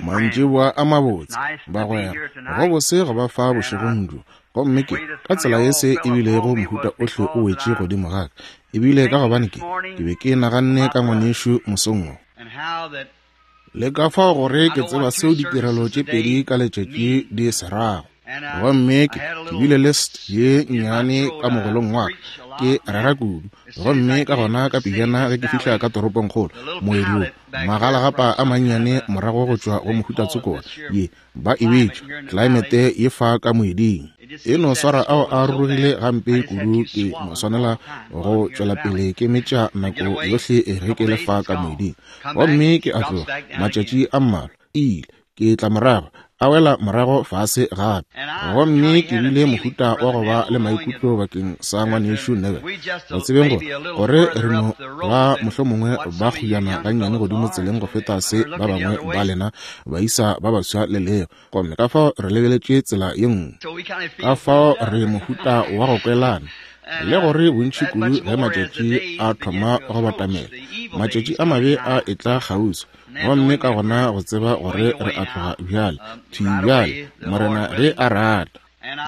Mantšiboa a mabotse, bagwera. Go bose go ba fa bošegong bjo. Gomme ke, ka tsela ye se e bilego mohuta ohle o wetše godimo ga ka, e bile ka gobane ke, ke be ke naganne ka ngwanešu mosong wo. Le ka fao gore ke tseba seo ditirelo tše pedi ka letšatši di se rago. Gomme ke, ke bile le st ye nnyane ka mogolong wa ka, ke rera kudu. Gomme ka gona ka pejana ge ke fihla ka toropongkgolo, moedi wo, magalagapa a mannyane morago go tšwa go mohuta tsoko wa ye, ba e bitša, klaemete ye fa ka moeding. E no swara ao a rurugile gampe kudu ke no swanela go tšwelapele ke metša nako yohle ge ke le fa ka moeding. Gomme ke a tloga, matšatši a mmalwa, ile, ke tla morago, a wela morago fase gape. Gomme ke bile mohuta wa go ba le maikutlo bakeng sa ngwanešu Neville, go tsebeng gore, gore re no ba mohlomongwe ba kguyana gannyane godimo tseleng go feta se ba bangwe ba lena baisa ba baswa le lego. Gomme ka fao re lebeletše tsela ye nngwe. Ka fao re mohuta wa go kwelana, le gore bontši kudu ge matšatši a thoma go batamela, matšatši a mabe a etla kgauswi. Gomme ka gona go tseba gore re a tloga bjale, thwi bjale, Morena ge a rata.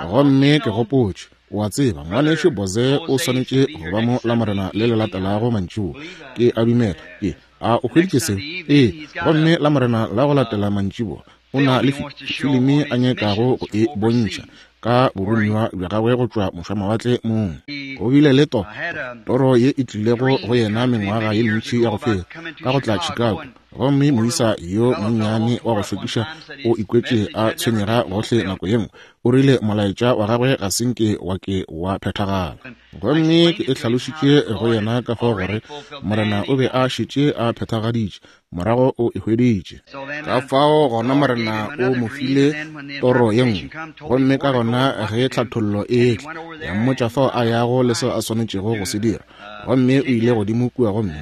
Gomme ke gopotše, o a tseba, Ngwanešu Boze o swanetše go ba mo Lamorena le le latelago mantšiboa. Ke a dumela. Ke, a o hweditše seo? Ee. Gomme Lamorena la go latela mantšiboa, o na le filimi a nyakago go e bontšha ka boromiwa bja gagwe go tšwa mošwamawatle mong. Go bile le to, toro ye e tlilego go yena mengwaga ye mentši ya go feta, ka go tla Chicago, gomme moisa yo monnyane wa go šokiša o ikwetše a tshwenyega gohle nako ye nngwe. O rile molaetša wa gagwe ga se nke wa ke wa phethagala. Gomme ke e hlalošitše go yena ka fao gore Morena o be a šetše a phethagaditše morago o e hweditše. Ka fao gona Morena o mo file toro ye nngwe, gomme ka gona ge tlhathollo e etla, ya mmotša fao a yago le seo a swanetšego go se dira. Gomme o ile godimo kua gomme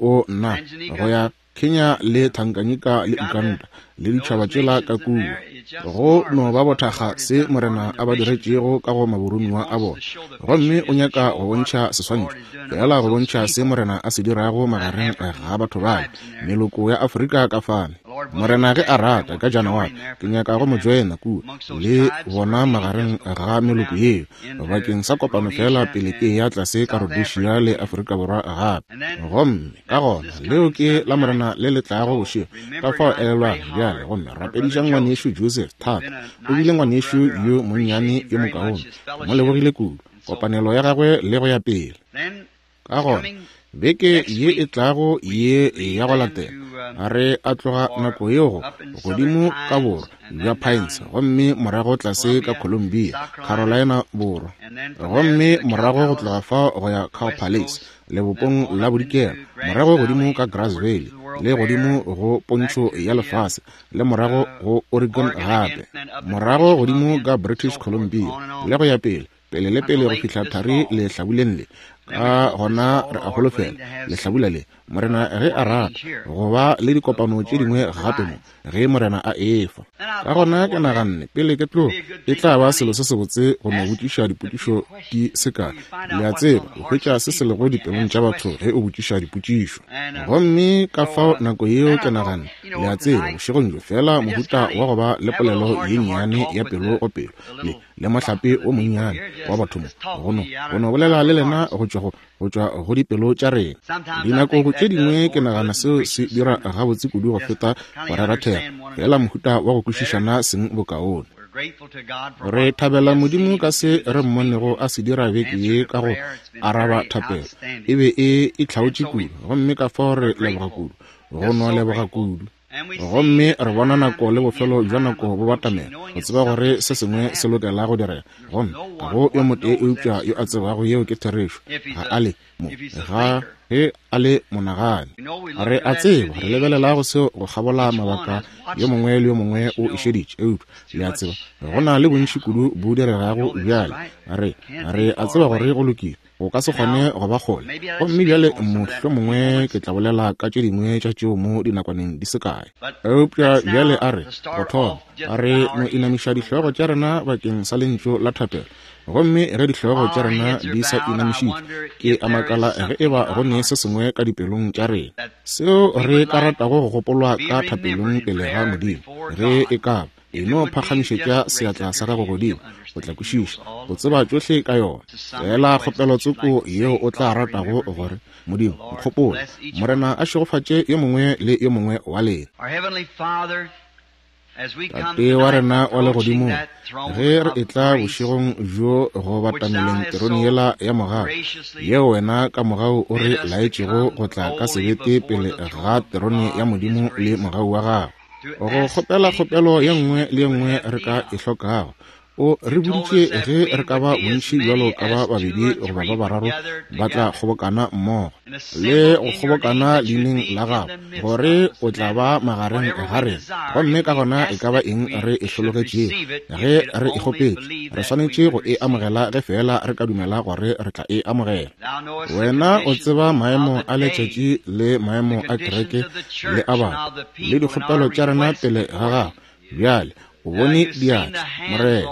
o, nna, go ya Kenya le Tanganyika le Uganda le ditšhaba tšela ka kua. Go no ba bothakga se Morena a ba diretšego ka go maboromiwa a bona. Gomme o nyaka go bontšha seswantšho, feela go bontšha se Morena a se dirago magareng ga batho bale, meloko ya Afrika ka fale. Morena ge a rata, ka Janaware, ke nyaka go mo joina kua le bona magareng ga meloko yeo, bakeng sa kopano feela pele ke eya tlase ka Rhodesia le Afrika Borwa gape. Gomme ka gona, leo ke Lamorena le le tlago bošego. Ka fao elelwang bjale, gomme rapedišang ngwanešu Joseph thata. O bile ngwanešu yo monnyane yo mokaone. Ke mo lebogile kudu, kopanelo ya gagwe le go ya pele. Ka gona, beke ye e tlago ye ya go latela, re a tloga nako yeo go godimo ka borwa bja Pines, gomme morago tlase ka Columbia, Carolina Borwa, gomme morago go tloga fao go ya Cow Palace, lebopong la bodikela, morago godimo ka Grass Valley, le godimo go pontšho ya lefase, le morago go Oregon gape, morago godimo ka British Columbia, le go ya pele, pele le pele go fihla thari lehlabuleng le. Ka gona re a holofela lehlabula le, Morena ge a rata, go ba le dikopano tše dingwe gape mo, ge Morena a efa. Ka gona ke naganne, pele ke tloga, e tla ba selo se sebotse go no botšiša dipotšišo di se kae. Le a tseba, o hwetša se se lego dipelong tša batho ge o botšiša dipotšišo. Gomme ka fao nako yeo ke naganne, le a tseba, bošegong bjo, feela mohuta wa go ba le polelo ye nnyane ya pelo go pelo, le, le mohlape wo monnyane wa batho mo, go no, go no bolela le lena go tšwa go, go tšwa go dipelo tša rena. Dinako tše dingwe ke nagana seo se dira gabotse kudu go feta go rera thero, feela mohuta wa go kwešišana seng bokaone. Re thabela Modimo ka se re mmonego a se dira beke ye ka go araba thapelo. E be e itlhaotše kudu, gomme ka fao re leboga kudu, go no leboga kudu. Gomme re bona nako le bofelo bja nako bo batamela, go tseba gore se sengwe se lokela go direga. Gomme ga go yo motee eupša yo a tsebago yeo ke therešo. Ga a le mo, ga ge a le monagani. Re a tseba, re lebelela go seo go kgabola mabaka, yo mongwe le yo mongwe o e šeditše, eupša le a tseba, go na le bontši kudu bo diregago bjale. Re, re a tseba gore go lokile. Go ka se kgone go ba kgole. Gomme bjale mohlomongwe ke tla bolela ka tše dingwe tša tšeo mo dinakwaneng di se kae. Eupša bjale a re, go thoma, a re no inamiša dihlogo tša rena bakeng sa lentšu la thapelo. Gomme ge dihlogo tša rena di sa inamišitšwe, ke a makala ge eba go ne se sengwe ka dipelong tša rena seo re ka ratago go gopolwa ka thapelong pele ga Modimo, ge e ka ba. E no phagamišetša seatla sa gago godimo, o tla kwešiša, o tseba tšohle ka yona. Feela kgopelo tsoko yeo o tla ratago gore, Modimo, nkgopole. Morena a šegofatše yo mongwe le yo mongwe wa lena. Tate wa rena wa Legodimong, ge re etla bošegong bjo go batameleng terone yela ya mogau, yeo wena ka mogau o re laetšego go tla ka sebete pele ga terone ya Modimo le mogau wa gago, Go kgopela kgopelo ye nngwe le ye nngwe re ka e hlokago. O re boditše ge re ka ba bontši bjalo ka ba babedi goba ba bararo ba tla kgobokana mmogo le go kgobokana leineng la gago, gore o tla ba magareng ga rena. Gomme ka gona e ka ba eng re e hlologetšego, ge re e kgopetše, re swanetše go e amogela ge feela re ka dumela gore re tla e amogela. Wena o tseba maemo a letšatši le maemo a kereke le a batho le dikgopelo tša rena pele ga gago. Bjale o bone diatla, Morena.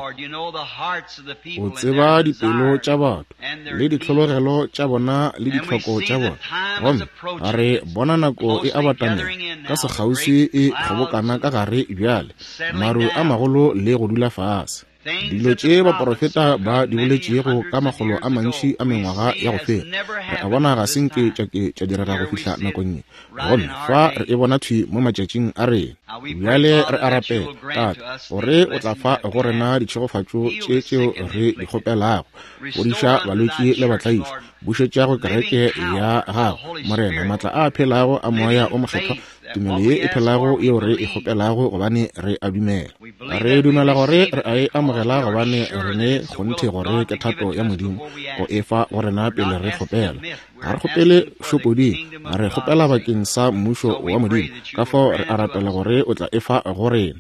O tseba dipelo tša batho le ditlhologelo tša bona le ditlhoko tša bona. Gomme re bona nako e a batamela ka sekgauswi e kgobokana ka gare bjale, maru a magolo le go dula fase. Dilo tše baporofeta ba di boletšego ka makgolo a mantši a mengwaga ya go feta, re a bona ga se nke tša ke tša direga go fihla nakong ye. Gomme fa re e bona thwi mo matšatšing a rena. Bjale re a rapela, Tate, gore o tla fa go rena ditšhegofatšo tše tšeo re di kgopelago. Fodiša balwetši le batlaišwa. Bušetša go kereke ya gago, Morena, maatla a phelago a Moya o Mokgethwa, tumelo ye e phelago yeo re e kgopelago, gobane re a dumela. Re dumela gore re a e amogela, gobane re ne kgonthe gore ke thato ya Modimo go e fa go rena pele re kgopela. Ga re kgopele šopoding, re kgopela bakeng sa Mmušo wa Modimo. Ka fao re a rapela gore o tla e fa go rena.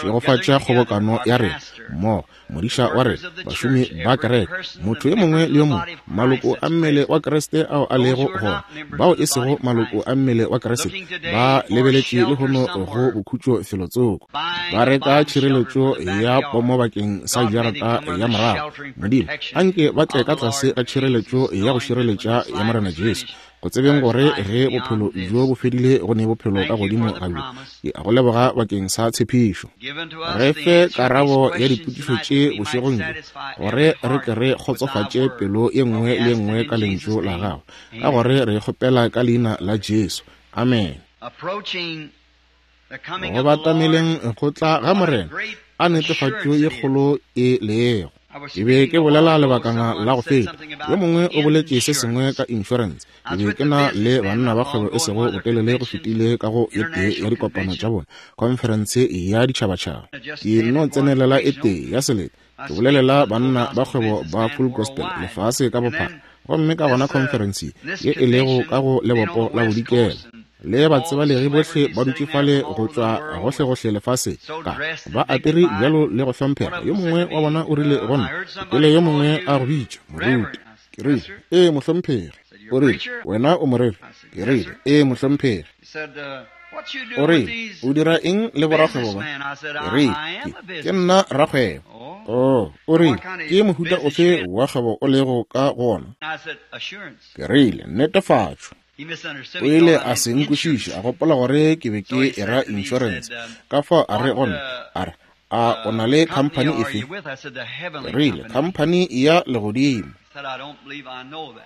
Šegofatša kgobokano ya rena mmogo, modiša wa rena, bašomi ba kereke, motho yo mongwe le yo mongwe, maloko a mmele wa Kriste ao a lego gona, bao e sego maloko a mmele wa Kriste, ba lebeletše lehono go bokhutšo felotsoko, ba reka tšhireletšo ya pomo bakeng sa jarata ya morago. Modimo, anke ba tle ka tlase ga tšhireletšo ya go šireletša ya Morena Jesu, go tsebeng gore ge bophelo bjo bo fedile go ne bophelo ka godimo ga bjo. Ke a go leboga bakeng sa tshepišo. Re fe karabo ya dipotšišo tše bošegong bjo, gore re tle re kgotsofatše pelo ye nngwe le ye nngwe ka Lentšu la Gago, ka gore re kgopela ka Leina la Jesu. Amen. Go batameleng go tla ga Morena, a netefatšo ye kgolo e lego. Ke be ke bolela lebakana la go feta, yo mongwe o boletše se sengwe ka insurance. Ke be ke na le banna ba kgwebo e sego botelele go fetile ka go e tee ya dikopano tša bona, khonferense ya ditšhabatšhaba. Ke nno tsenelela e tee ya selete, ke bolelela banna ba kgwebo ba Full Gospel lefase ka bophara. Gomme ka gona khonferense ye e lego ka go lebopo la bodikela, le batsebalegi bohle ba dutše fale go tšwa gohlegohle lefaseng, ka ba apere bjalo le go hlomphega. Yo mongwe wa bona o rile go nna, ke kwele yo mongwe a go bitša, moruti. Ke rile, Ee, mohlomphegi. O rile, Wena o moreri? Ke rile, Ee, mohlomphegi. O rile, O dira eng le borakgwebo ba? Ke rile, Ke, ke nna rakgwebo. Oh, o rile, Ke mohuta ofe wa kgwebo o lego ka go wona? Ke rile, Netefatšo. O ile a se nkwešiše, a gopola gore ke be ke era insurance. Ka fao a re go nna, a re, A o na le khamphani efe? Ke rile, Khamphani ya Legodimo.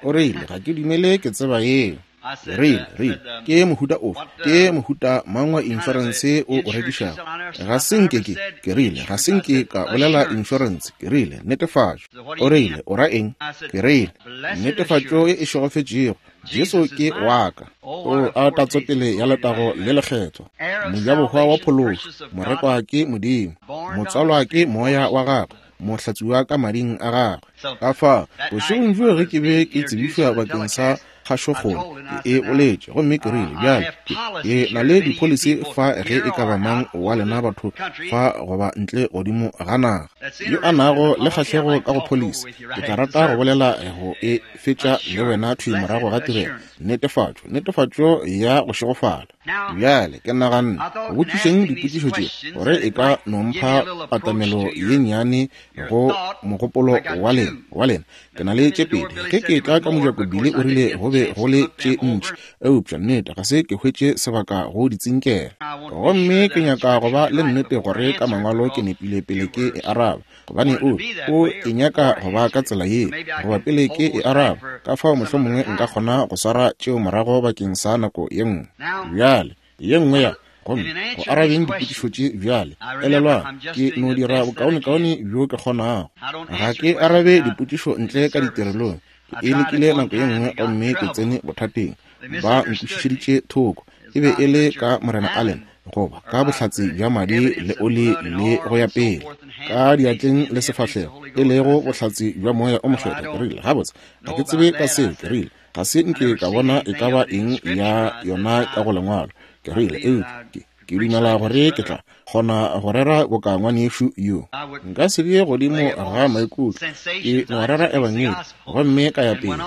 O rile, Ga ke dumele ke tseba yeo. Ke rile, rile, Ke mohuta ofe, ke mohuta mang wa insurance o o rekišago? Ga se nke ke, ke rile, ga se nke ka bolela insurance. Ke rile, Netefatšo. O rile, O ra eng? Ke rile, Netefatšo ye e šegofetšego. Jesu ke wa ka. O a tatsopele ya letago le lekgethwa, mojabohwa wa phološo, morekwa ke Modimo, motswalwa ke Moya wa gagwe, mohlatsuwa ka mading a gagwe. Ka fa, bošegong bjo ge ke be ke tsebišwa bakeng sa kgašokgolo. Ke e boletše, gomme ke rile, Bjale, ke, ke na le dipholisi fa ge e ka ba mang wa lena batho fa goba ntle godimo ga naga, yo a nago le kgahlego ka go pholisi, ke tla rata go bolela go e fetša le wena thwi morago ga tirelo. Netefatšo, netefatšo ya go šegofala. Bjale, ke naganne, go botšišeng dipotšišo tše, gore e ka no mpha patamelo ye nnyane go mogopolo wa lena, wa lena. Ke na le tše pedi. Ge ke etla ka mojako, Billy o rile go be go le tše ntši, eupša nnete ga se ke hwetše sebaka go di tsinkela. Gomme ke nyaka go ba le nnete gore ka Mangwalo ke nepile pele ke e araba, gobane o, o e nyaka go ba ka tsela ye, goba pele ke e araba, ka fao mohlomongwe nka kgona go swara tšeo morago bakeng sa nako ye nngwe. Bjale, ye nngwe ya, gomme go arabeng dipotšišo tše bjale, elelwang, ke no dira bokaonekaone bjo ke kgonago. Ga ke arabe dipotšišo ntle ka ditirelong. Ke e lekile nako ye nngwe gomme ke tsene bothateng. Ba nkwešišeditše thoko. E be e le ka Morena Allen, goba ka bohlatse bja madi le oli le go ya pele, ka diatleng le sefahlego, e lego bohlatse bja Moya o Mokgethwa. Ke rile, Gabotse, ga ke tsebe ka seo. Ke rile, Ga se nke ka bona e ka ba eng ya yona ka go Lengwalo. Ke rile, Eupša ke, ke dumela gore ke tla kgona go rera boka ngwanešu yo. Nka se be godimo ga maikutlo, ke no rera Ebangedi gomme ka ya pele.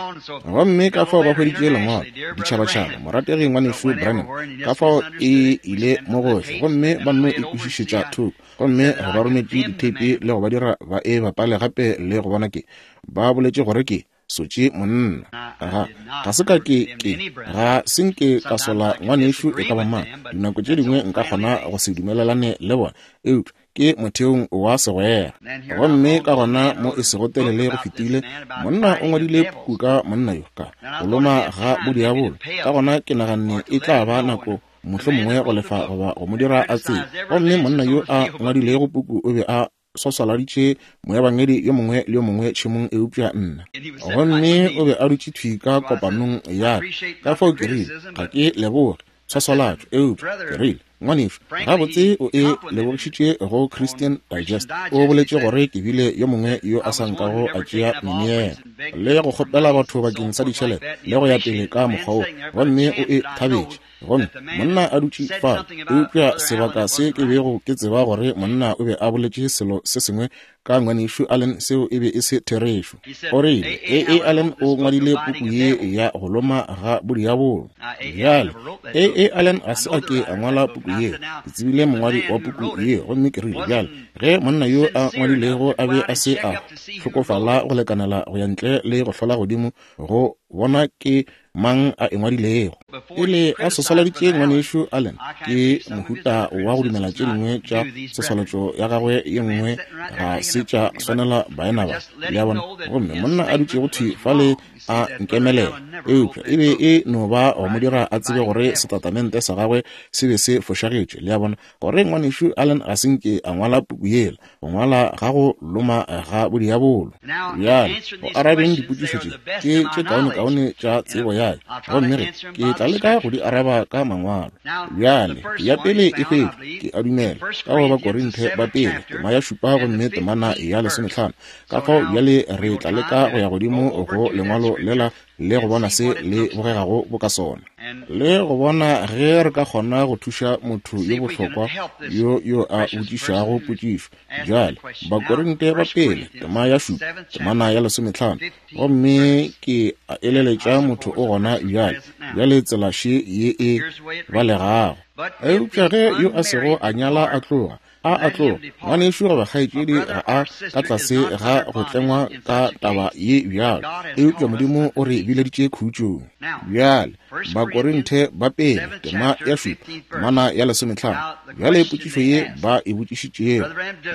Gomme ka fao ba hweditše lengwalo, ditšhabatšhaba, morategi ngwanešu Branham, ka fao e ile mo gohle, gomme ba nno e kwešišetša thoko, gomme re ba rometše ditheipi le go ba dira ba e bapale gape le go bona ke, ba boletše gore ke sotše monna. Ga, ga se ka ke, ke, ga se nke ka sola ngwanešu e ka ba mang. Dinako tše dingwe nka kgona go se dumelelane le bona, eupša ke motheong wa segwera. Gomme ka gona mo e sego telele go fetile, monna o ngwadile puku ka monna yo, ka go loma ga bodiabolo. Ka gona ke naganne e tla ba nako mohlomongwe go lefa goba go mo dira a tsebe. Gomme monna yo a ngwadilego puku o be a swaswaladitše moebangedi yo mongwe le yo mongwe tšhemong eupša nna. Gomme o be a dutše thwi ka kopanong ya ka. Ka fao ke rile, Ga ke leboge tshwaswalatšo, eupša, ke rile, ngwanešu, gabotse o e lebogišitše go Christian Digest. O boletše gore ke bile yo mongwe yo a sa nkago a tšea meneelo le go kgopela batho bakeng sa ditšhelete le go ya pele ka mokgwa wo, gomme o e thabetše. Gomme monna a dutše fale, eupša sebaka se ke bego ke tseba gore monna o be a boletše selo se sengwe ka ngwanešu Allen seo e be e se therešo. O rile, A. A. Allen o ngwadile puku ye ya go loma ga bodiabolo. Bjale, A. A. Allen ga se a ke a ngwala puku ye. Ke tsebile mongwadi wa puku ye, gomme ke rile, bjale, ge monna yo a ngwadilego a be a se a hlokofala go lekanela go ya ntle le go hlola godimo go bona ke mang a e ngwadilego. Pele a swaswaladitše ngwanešu Allen, ke mohuta wa go dumela tše dingwe tša tshwaswalatšo ya gagwe ye nngwe ga se tša swanela baena ba, le a bona. Gomme monna a dutšego thwi fale a nkemelela, eupša e be e no ba go mo dira a tsebe gore setatamente sa gagwe se be se fošagetše, le a bona, gore ngwanešu Allen ga se nke a ngwala puku yela. Go ngwala ga go loma ga bodiabolo. Bjale, go arabeng dipotšišo tše, ke tše kaonekaone tša tsebo ya ka, gomme ge ke tla leka go di araba ka Mangwalo. Bjale, ya pele e hwetšwa, ke a dumela, ka go Bakorinthe ba Pele, tema ya šupa gomme temana ya lesomehlano. Ka fao bjale re tla leka go ya godimo go Lengwalo lela le go bona se le bogegago boka sona, le go bona ge re ka kgona go thuša motho yo bohlokwa yo yo a botšišago potšišo. Bjale, Bakorinte ba Pele, tema ya šupa, temana ya lesometlhano. Gomme ke a eleletša motho o gona bjale, bjale tsela še ye e balegago. Eupša ge yo a sego a nyala a tloga, A a tloga, ngwanešu goba kgaetšedi ga a ka tlase ga go tlengwa ka taba ye bjalo, eupša Modimo o re bileditše khutšong. Bjale, Bakorinthe ba Pele, tema ya šupa, temana ya lesometlhano. Bjale potšišo ye ba e botšišitšego,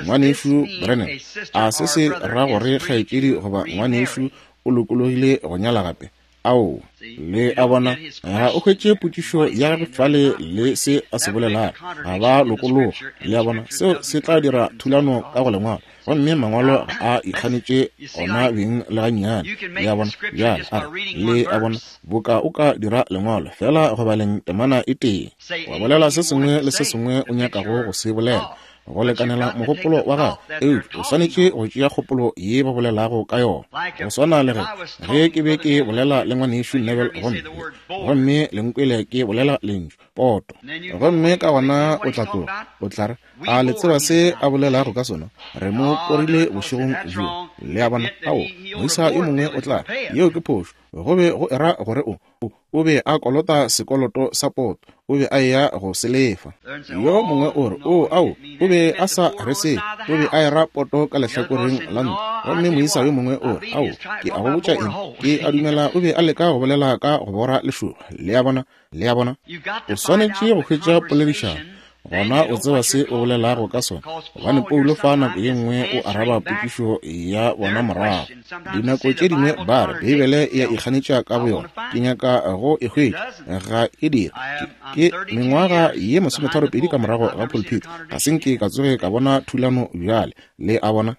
Ngwanešu Branham, a se se ra gore kgaetšedi goba ngwanešu o lokologile go nyala gape? Aowa. Le a bona, ga o hwetše potšišo ya gagwe fale le se a se bolelago. Ga ba lokologa. Le a bona, seo se tla dira thulano ka go Lengwalo. Gomme Mangwalo ga a ikganetše ona beng le gannyane. Le a bona? Bjale, a re, le a bona, boka o ka dira Lengwalo feela go baleng temana e tee, wa bolela se sengwe le se sengwe o nyakago go se bolela. go lekanela mogopolo wa gago, eupša o swanetše go tšea kgopolo ye ba bolelago ka yona. Go swana le ge ke be ke bolela le ngwanešu Neville, gomme le nkwele ke bolela lentšu poto, gomme ka gona o tla tloga o tla re, a le tseba se a bolelago ka sona? Re mo korile bošegong bjo. Le a bona? Ao, moisa yo mongwe o tla re, yeo ke phošo. Go be go era gore o be a kolota sekoloto sa poto, o be a eya go se lefa. Yo mongwe o re, o, ao, o be a sa re se, o be a era poto ka lehlakoreng la ntlo. Gomme moisa yo mongwe o re, ao, ke a go botša eng, ke a dumela o be a leka go bolela ka go bora lešoba. Le a bona? Le a bona? O swanetše go hwetša poledišano, gona o tseba se o bolelago ka sona, gobane Paulo fa nako ye nngwe o araba potšišo ya bona morago. Dinako tše dingwe ba re Beibele e a ikganetša ka boyona. Ke nyaka go e hwetša, ga e dire. Ke mengwaga ye 32 ka morago ga pulpit, ga se nke ka tsoge ka bona thulano bjale. Le a bona?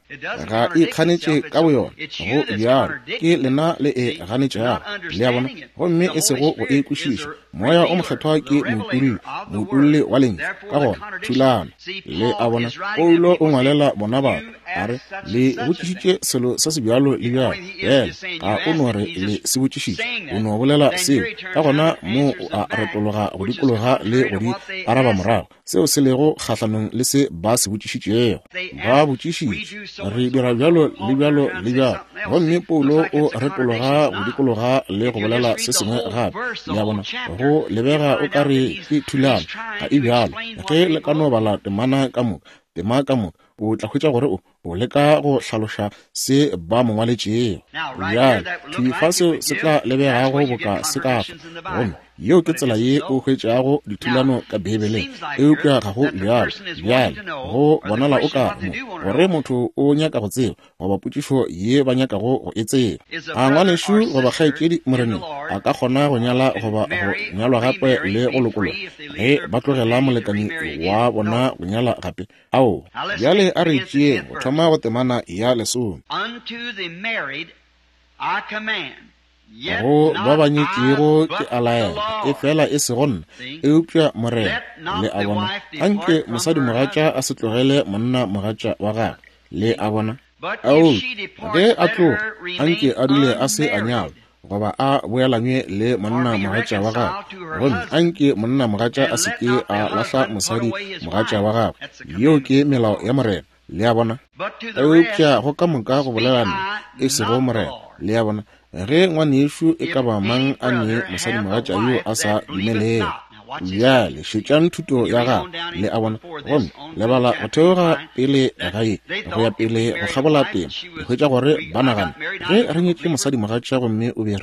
Ga e ikganetše ka boyona, go bjalo ke lena le e ganetšago. Le a bona? Gomme e sego go e kwešiša. Moya o Mokgethwa ke moutulli, moutulli wa lentšu. Ka gona thulano. Le a bona? Paulo o ngwalela bona batho, a re, le botšišitše selo se se bjalo le bjalo. Bjale ga o no re le se botšišitše, o no bolela seo. Ka gona mo o a retologa go dikologa le go di araba morago, seo se lego kgahlanong le se ba se botšišitšego. Ba botšišitše, re dira bjalo le bjalo le bjalo, gomme Paulo o retologa go dikologa le go bolela se sengwe gape. Le a bona, go lebega o ka re ke thulano, ga e bjalo. Ge le ka no bala temana ka moka, tema ka moka, o tla hwetša gore o leka go hlaloša se ba mo ngwaletšego. Bjale, thwi fa seo se tla lebegago boka se ka fa, gomme yeo ke tsela ye o hwetšago dithulano ka Beibeleng, eupša ga go bjalo. Bjale, go bonala o ka mo gore motho o nyaka go tseba, goba potšišo ye ba nyakago go e tseba. A ngwanešu goba kgaetšedi Moreneng a ka kgona go nyala goba go nyalwa gape le go lokologa ge ba tlogela molekani wa bona go nyala gape? Ao, bjale a re tšeeng go thoma go temana ya 10. Go ba ba nyetšego ke a laela, efela e sego nna, eupša Morena. Le a bona? Anke mosadimogatša a se tlogele monnamogatša wa gagwe. Le a bona? Ao, ge a tloga, anke a dule a se a nyalwa, goba a boelanywe le monnamogatša wa gagwe, gomme anke monnamogatša a se ke a lahla mosadimogatša wa gagwe. Yeo ke melao ya Morena. Le a bona? Eupša go ka moka go bolela nna, e sego Morena. Le a bona? Ge ngwanešu e ka ba mang a ne mosadimogatša yo a sa dumelego. Bjale šetšang thuto ya gagwe. Le a bona? Gomme le bala go theoga pele ga ye, go ya pele go kgabola tema, le hwetša gore ba nagana, ge re nyetše mosadimogatša gomme o be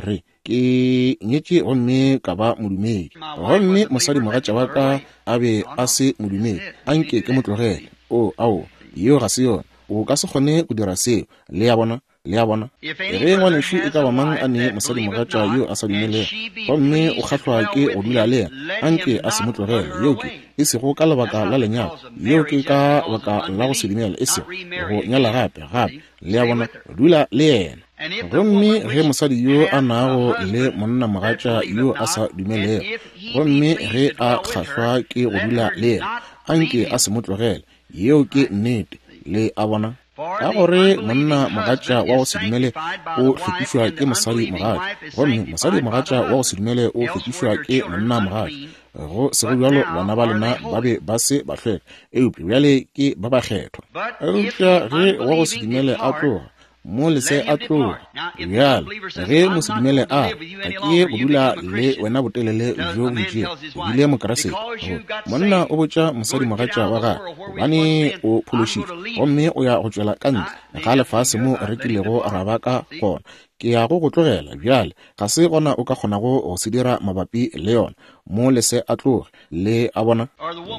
re ke nyetše gomme ka ba modumedi, gomme mosadimogatša wa ka a be a se modumedi, anke ke mo tlogele. O, ao, yeo ga se yona. O ka se kgone go dira seo. Le a bona? Le a bona? Ge ngwanešu e ka ba mang a ne mosadimogatša yo a sa dumelego, gomme o kgahlwa ke go dula le yena, anke a se mo tlogele. Yeo ke, e sego ka lebaka la lenyalo, yeo ke ka baka la go se dumele, e sego go nyala gape, gape. Le a bona? Dula le yena. Gomme ge mosadi yo a nago le monnamogatša yo a sa dumelego, gomme ge a kgahlwa ke go dula le yena, anke a se mo tlogele. Yeo ke nnete. Le a bona? Ka gore monna mogatša wa go se dumele o hlwekišwa ke mosadi mogatša, gomme mosadi mogatša wa go se dumele o hlwekišwa ke monna mogatša. Go sego bjalo bana ba lena ba be ba se ba hlweka, eupša bjale ke ba bakgethwa. Eupša ge wa go se dumele a tloga, mo lese a tloga. Bjale ge mosedumele a ga ke ye go dula le wena botelele bjo bo itšego, o bile Mokriste. Monna o botša mosadimogatša wa gagwe, gobane o phološitšwe, gomme o ya go tšwela ka ntle ga lefase mo re kilego ra ba ka gona. Ke ya go go tlogela bjale, ga se gona o ka kgonago go se dira mabapi le yona. Mo lese a tloge. Le a bona?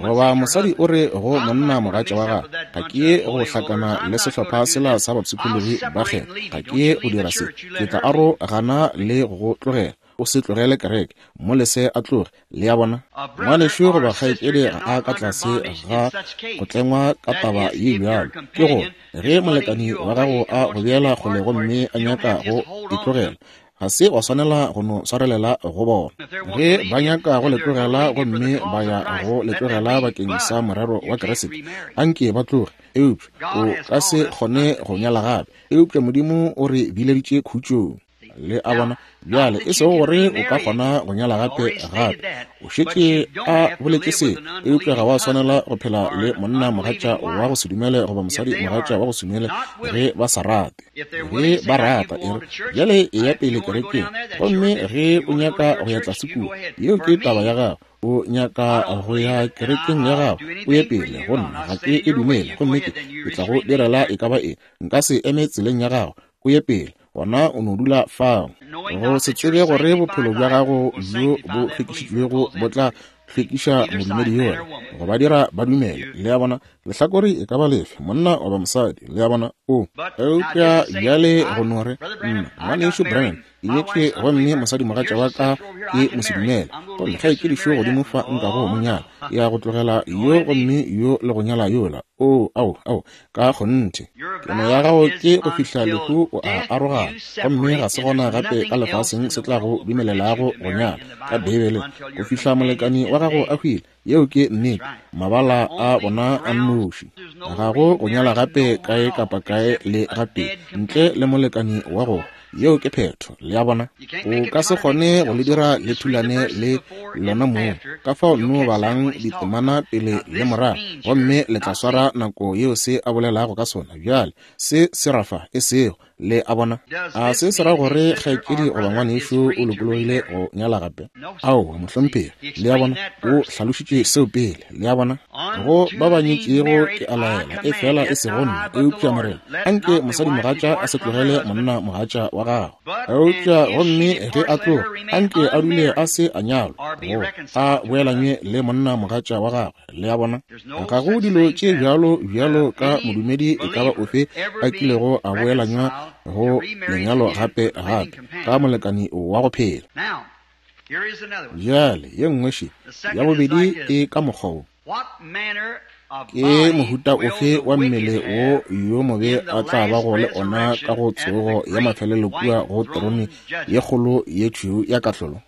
Goba mosadi o re go monna mogatša wa gagwe, ga ke ye go hlakana le sehlopha sela sa bapshikologi ba kgetho, ga ke ye go dira se, ke tla arogana le go go tlogela. O se tlogele kereke, mo lese a tloge. Le a bona? Ngwanešu goba kgaetšedi ga a ka tlase ga go tlengwa ka taba ye bjalo. Ke gore, ge molekani wa gago a go beela kgole gomme a nyaka go e tlogela, Ga se wa swanela go no swarelela go bona. Ge ba nyaka go le tlogela gomme ba ya go le tlogela bakeng sa morero wa Kriste, anke ba tloge. Eupša o ka se kgone go nyala gape. Eupša Modimo o re bileditše khutšong. Le a bona? Bjale, e sego gore o ka kgona go nyala gape gape. O šetše a boletše se, eupša ga wa swanela go phela le monna mogatša wa go se dumele goba mosadi mogatša wa go se dumele ge ba sa rate. Ge ba rata, e re, bjale eya pele kerekeng. Gomme ge o nyaka go ya tlase kua, yeo ke taba ya gago. O nyaka go ya kerekeng ya gago, o ye pele. Go nna, ga ke e dumele, gomme ke, ke tla go direla e ka ba eng. Nka se eme tseleng ya gago. O ye pele. Gona o no dula fao. Go se tsebe gore bophelo bja gago bjo bo hlwekišitšwego bo tla hlwekiša modumedi yola, go ba dira ba dumele. Le a bona? Lehlakore e ka ba lefe, monna goba mosadi. Le a bona? O. Eupša bjale go no re, Nna, Ngwanešu Branham, ke nyetše gomme mosadimogatša wa ka ke mosedumele. Gomme kgaetšedi šo godimo fa nkago mo nyala. Ke ya go tlogela yo gomme yo le go nyala yola. Oo, ao, ao, ka kgonthe. Keno ya gago ke go fihla lehu o a arogana, gomme ga se gona gape ka lefaseng se tla go dumelelago go nyala, ka Beibeleng, go fihla molekani wa gago a hwile. Yeo ke nnete. Mabala a bona a nnoši. Ga go go nyala gape kae kapa kae le gatee, ntle le molekani wa go. Yeo ke phetho. Le a bona? O ka se kgone go le dira le thulane le lona mong. Ka fao nno balang ditemana pele le morago, gomme le tla swara nako yeo se a bolelago ka sona. Bjale, se se ra fa, e sego. Le a bona? A se se ra gore kgaetšedi goba ngwanešu o lokologile go nyala gape? Aowa, mohlomphegi. Le a bona? O hlalošitše seo pele. Le a bona? Go ba ba nyetšego ke a laela, efela e sego nna, eupša Morena, anke mosadimogatša a se tlogele monnamogatša wa gagwe. Eupša gomme ge a tloga, anke a dule a se a nyalwa, goba a boelanywe le monnamogatša wa gagwe. Le a bona? Ga go dilo tše bjalo bjalo ka modumedi e ka ba ofe a kilego a boelanywa go lenyalo gape gape ka molekani wa go phela. Bjale ye nngwe še, ya bobedi e ka mokgwa wo. Ke mohuta ofe wa mmele wo yo mobe a tla bago le ona ka go tsogo ya mafelelo kua go terone ye kgolo ye tšhweu ya kahlolo?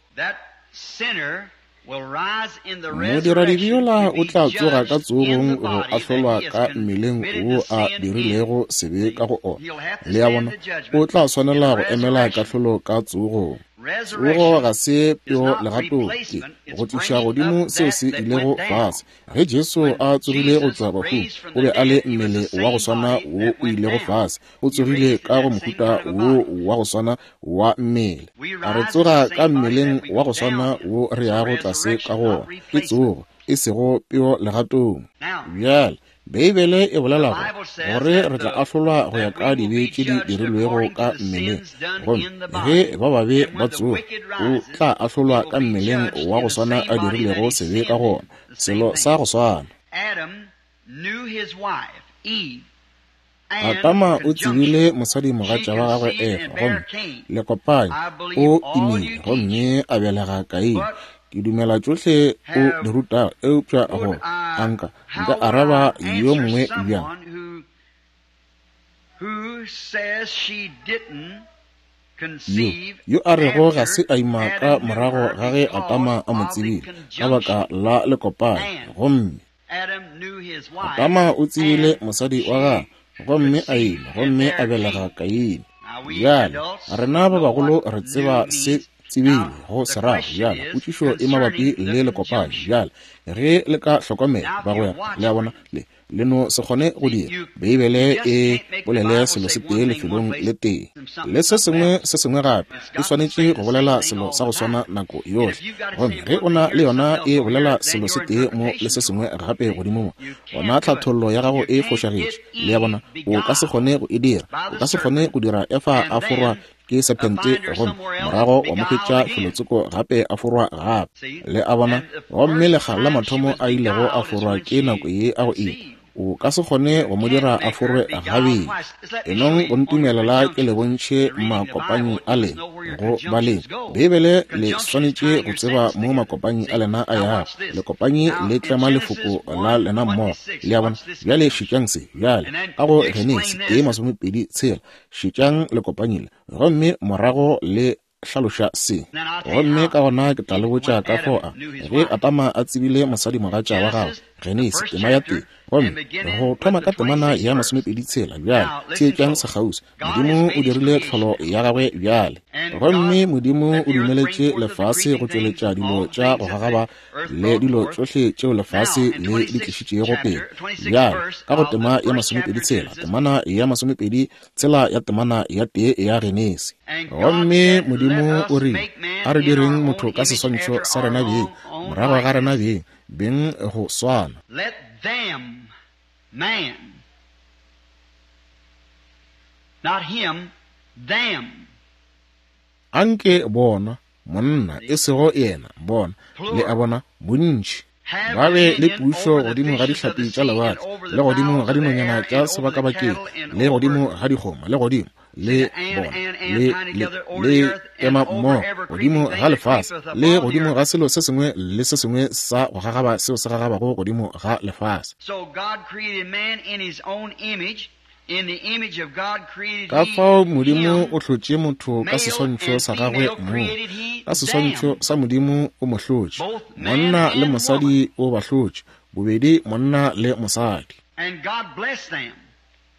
Modiradibe yola o tla tsoga ka tsogong go ahlolwa ka mmeleng wo a dirilego sebe ka go ona. Le a bona? O tla swanela go emela kahlolo ka tsogong. Tsogo ga se peo legatong, ke go tliša godimo seo se ilego fase. Ge Jesu a tsogile go tšwa bahung, o be a le mmele wa go swana wo o ilego fase. O tsogile ka go mohuta wo wa go swana wa mmele. A re tsoga ka mmeleng wa go swana wo re yago tlase ka go wona. Ke tsogo, e sego peo legatong. Bjale, Beibele e bolela gore, gore re tla ahlolwa go ya ka dibe tše di dirilwego ka mmeleng. Gomme ge ba babe ba tsoga, o tla ahlolwa ka mmeleng wa go swana a dirilego sebe ka gona, selo sa go swana. Adama o tsebile mosadimogatša wa gagwe Efa, gomme lekopanya o imile gomme a belega Kaine. Ke dumela tšohle o di rutago, eupša go a nka nka araba yo mongwe bjang? Yo, yo a rego ga se a ima ka morago ga ge Adama a mo tsebile ka baka la lekopanya, gomme Adama o tsebile mosadi wa gagwe, gomme a ima, gomme a belega Kaine. Bjale, rena ba bagolo re tseba se tsebile go se rago. Bjale, potšišo e mabapi le lekopanyi. Bjale, ge le ka hlokomela, bagwera, le a bona, le, le no se kgone go dira Beibele e bolele selo se tee lefelong le tee le se sengwe se sengwe gape. E swanetše go bolela selo sa go swana nako yohle. Gomme ge o na le yona e bolela selo se tee mo le se sengwe gape godimo mo, gona tlhathollo ya gago e fošagetše. Le a bona? O ka se kgone go e dira. O ka se kgone go dira Efa a forwa ke sephente gomme morago wa mo hwetša felotsoko gape a forwa gape. Le a bona? Gomme lekga la mathomo a ilego a forwa ke nako ye a go ima. O ka se kgone go mo dira a forwe gabedi. Enong go ntumelela ke le bontšhe makopanyi a lena go baleng Beibele. Le swanetše go tseba mo makopanyi a lena a yago. Lekopanyi le tlema lefoko la lena mmogo. Le a bona? Bjale šetšang se. Bjale, ka go Genesi 1:26, šetšang lekopanyi le, gomme morago le hlaloša se. Gomme ka gona ke tla le botša ka fao a, ge Adama a tsebile mosadimogatša wa gagwe, Genesi, tema ya tee. Gomme go thoma ka temana ya 26 bjale, theetšang sekgauswi. Modimo o dirile tlholo ya gagwe bjale. Gomme Modimo o dumeletše lefase go tšweletša dilo tša go gagaba le dilo tšohle tšeo lefase le di tlišitšego pele. Bjale, ka go tema ya 26, temana ya 26 ya temana ya 1 ya Genesi. Gomme Modimo o rile, A re direng motho ka seswantšho sa rena beng, morago ga rena beng, beng go swana. Let them, man, not him, them. Anke bona, monna, e sego yena, bona, le a bona, bontši, ba be le pušo godimo ga dihlapi tša lewatle, le godimo ga dinonyana tša sebakabakeng, le godimo ga dikgomo, le godimo le bona, le, le, le ema mmogo godimo ga lefase, le godimo ga selo se sengwe le se sengwe sa go gagaba seo se gagabago godimo ga lefase. So God created man in his own image. In the image of God created Ka he fao Modimo him. o hlotše motho ka Male seswantšho and sa gagwe female mong. created he Ka seswantšho them. sa Modimo o mo hlotše. Both man Monna le and mosadi woman. o ba hlotše, bobedi monna le mosadi. And God blessed them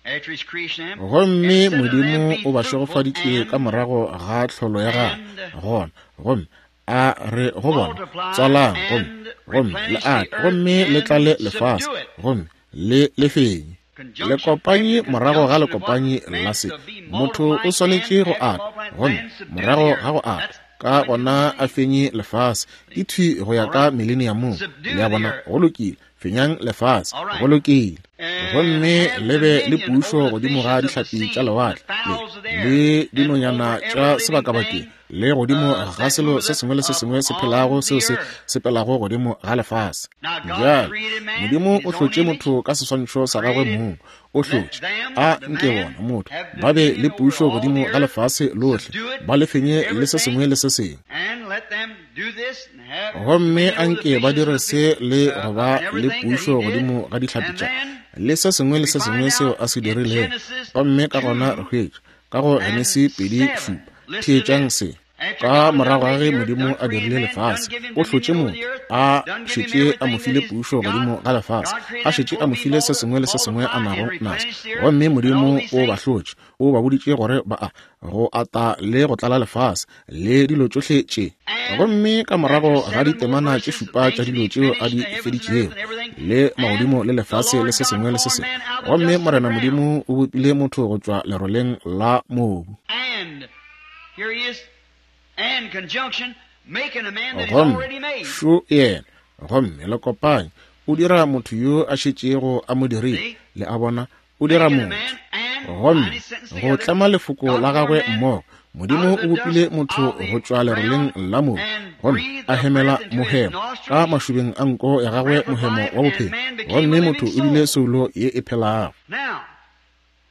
after his creation them, and Gomme said unto them, Modimo Be o ba fruitful šegofaditše ka and morago ga tlholo ya gagwe. and Gona, gomme a re go bona, multiply tswalang, gomme, and gomme le replenish the ate, earth gomme le and tlale lefase, subdue it. gomme le le fenye. Conjunction Lekopanyi after morago ga conjunction of what lekopanyi man la se, to be motho o multiplying swanetše and go after ata, multiplying gomme then subdue the morago earth. ga go ata, That's ka going to gona the a fenye lefase. Ke thwi go ya All ka right. millenniumong. Subdue Le a the bona, earth. go lokile, fenyang lefase, All go right. lokile. And Gomme have le be le dominion pušo over the godimo ga fishes of the dihlapi tša sea, the lewatle, le, fowls of the air, le and dinonyana over tša every living sebakabakeng, thing le godimo ga that selo se moveth sengwe le se sengwe se upon phelago seo the se earth. sepelago godimo ga lefase. Now God Bjale, created man Modimo in o his own hlotše image, motho ka seswantšho sa gagwe created mong, o let hlotše them, a the nke man, bona motho have ba be le dominion over pušo all godimo the ga earth, lefase lohle, subdue it, ba le fenye le se sengwe everything, le se sengwe. and let them do this and have Gomme dominion over the anke ba fishes dire of the se le go ba and le everything that he pušo did. godimo ga dihlapi And tša then le se sengwe le we se find sengwe seo out a se in dirilego. Genesis Gomme ka gona re 2 hwetša ka go and Genesi 2 7. 7. Listen to Theetšang this. se. After Ka God had done morago ga made ge the earth, Modimo done a created dirile man, done lefase, give him o hlotše dominion over the motho, earth, a done give him šetše a mo everything that file he's pušo got. godimo ga lefase, God a created them šetše for a mo be file se sengwe le se sengwe a multiply and nago naso. replenish the earth Gomme and all Modimo these o ba things. hlotše, o ba boditše gore ba a go ata le go tlala lefase le dilo tšohle tše. And Gomme ka after morago ga 7 more ditemana tše verses, šupa tša things to dilo be tšeo a finished, di the heavens and earth feditšego, and everything. le And magodimo le the lefase le Lord se God sengwe le se formed sengwe. man out of the Gomme dust of the Morena ground. Modimo o bopile motho go tšwa leroleng la mobu. And here he is, and conjunction, making a man that he's Gomme already made. šo yena, gomme le kopanye, o dira motho yo a šetšego a mo dirile. See? Le a bona, o dira Making a motho. man and Gomme line his sentence go together. tlema lefoko God la formed gagwe man mmogo, out Modimo of o the bopile dust motho of go the tšwa leroleng ground la mobu, and gomme breathed a the hemela breath into his mohemo ka nostrils, mašobeng a nko ya gagwe breath of mohemo life, wa and bophelo. man became a Gomme living motho o bile soul. soulo ye e phelago. Now,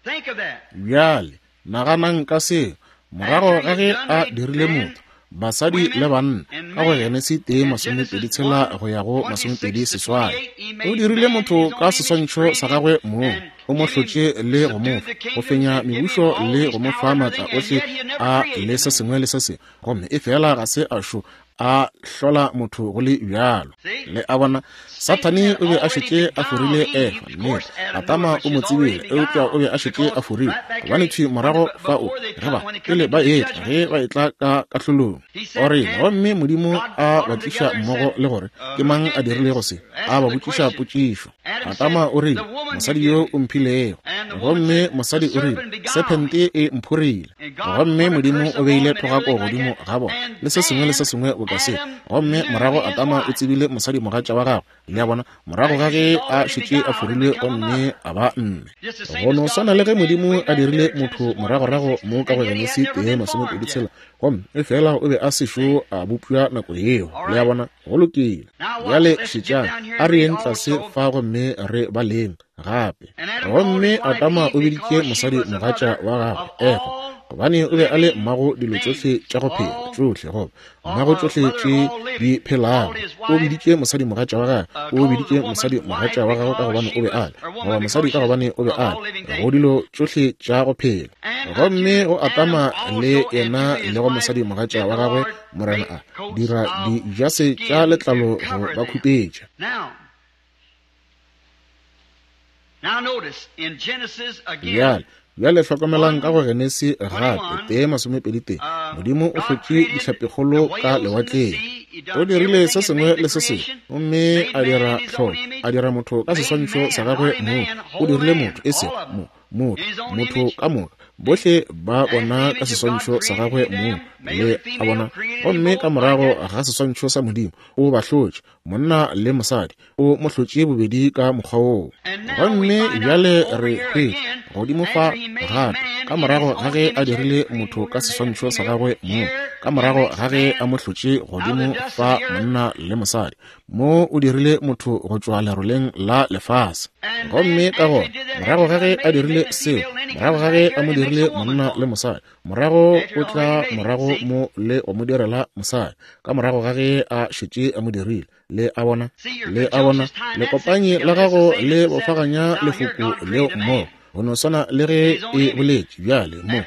think of that. Bjale, naganang ka seo. Morago After ga he ge had done a made dirile man, motho, basadi le women, banna, and ka go man, Genesi 1 in Genesis 26 1 go ya go 26 to 28. 28, he O made dirile man in motho his ka own image, seswantšho sa created him, gagwe mong, and o mo give him, hlotše le go mo subdued fa the go kingdoms, fenya and give him mebušo all le his go mo power fa and maatla everything, and ohle yet he had never a created le se man. sengwe le se sengwe. Gomme efela ga se a šo a hlola motho go le bjalo. See? Le a bona, Satan Sathane had o be a already šetše a forile beguiled Eve. Efa. Of Nnete, course, Adam knew it, Adama but o mo she's already tsebile, eupša o beguiled be a šetše a because forile. right back here, Gobane thwi when the, morago fao, before they ge come, ba when they come pele into ba the etla, judgment, ge ba etla ka kahlolong, he o said, rile, and gomme Modimo God a brought ba them tliša together and mmogo said, le gore ke who mang a did dirilego this? se, a Asked ba the botšiša question. potšišo. Adam said, Adama o rile, the woman you mosadi give yo me. o mphilego. And the woman Gomme said, the mosadi o rile, serpent beguiled me. sephente e mphorile. And God Gomme put a Modimo curse o upon beile them and thogako everything like godimo that. ga bona And le se sengwe le se then sengwe boka se. Adam Gomme knew morago his Adama o wife. tsebile mosadimogatša wa gagwe. Le a bona, morago ga After ge she's a already šetše a beguiled and forilwe become a gomme mother. a ba mme. Just the same Go as no God swana le made ge man way Modimo a back dirile there in motho Genesis 1 moragorago 26, mo ka and go yet he had Genesi never 1 been formed 26, yet. gomme efela o be a sešo a bopša nako yeo. All Le a right. bona, go lokile. Now watch. Bjale Let's get šetšang, down here a and re read yeng tlase also. fa gomme re baleng gape. And Adam called Gomme his wife Adama Eve o biditše because she was the mosadimogatša mother wa gagwe of Efa, all gobane o be a le mmago dilo tšohle tša go phela, tšohle, goba mmago tšohle tše di phelago. O biditše mosadi mogatša wa gagwe, o biditše mosadi mogatša wa gagwe ka gobane o be a le, goba mosadi ka gobane o be a le, go dilo tšohle tša go phela. Gomme go Adama le yena le go mosadi mogatša wa gagwe, Morena a dira dijase tša letlalo go ba khupetša. Bjale, bjale hlokomelang ka go Genesi gape, 1:21, Modimo o hlotše dihlapikgolo ka lewatleng. O dirile se sengwe le se sengwe, gomme a dira tlholo, a dira motho ka seswantšho sa gagwe mong. O dirile motho, e sego mo, motho, motho ka moka, bohle ba bona ka seswantšho sa gagwe mong, le a bona. Gomme ka morago ga seswantšho sa Modimo, o ba hlotše, monna le mosadi, o mo hlotše bobedi ka mokgwa woo. Gomme bjale re hwetša godimo fa gape, ka morago ga ge a dirile motho ka seswantšho sa gagwe mong, ka morago ga ge a mo hlotše godimo fa monna le mosadi, mo o dirile motho go tšwa leroleng la lefase. Gomme ka gona morago ga ge a dirile seo, morago ga ge a mo dirile monna le mosadi, morago o tla morago mo le go mo direla mosadi, ka morago ga ge a šetše a mo dirile. Le a bona? Le a bona? Lekopanyi la gago le bofaganya lefoko leo mmogo, go no swana le ge e boletše bjale mo.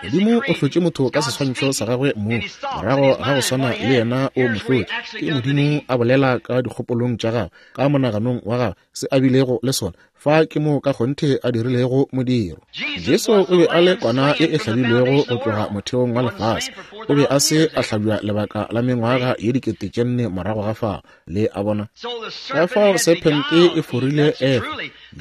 Modimo o hlotše motho ka seswantšho sa gagwe mong, morago ga go swana le yena o mo hlotše. Ke Modimo a bolela ka dikgopolong tša gagwe, ka monaganong wa gagwe, se a bilego le sona. Fa ke moo ka kgonthe a dirilego modiro. Jesu o be a le kwana ye e hlabilwego go tloga motheong wa lefase. O be a se a hlabja lebaka la mengwaga ye 4000 morago ga fao. Le a bona? Ka fao sephente e forile Efa.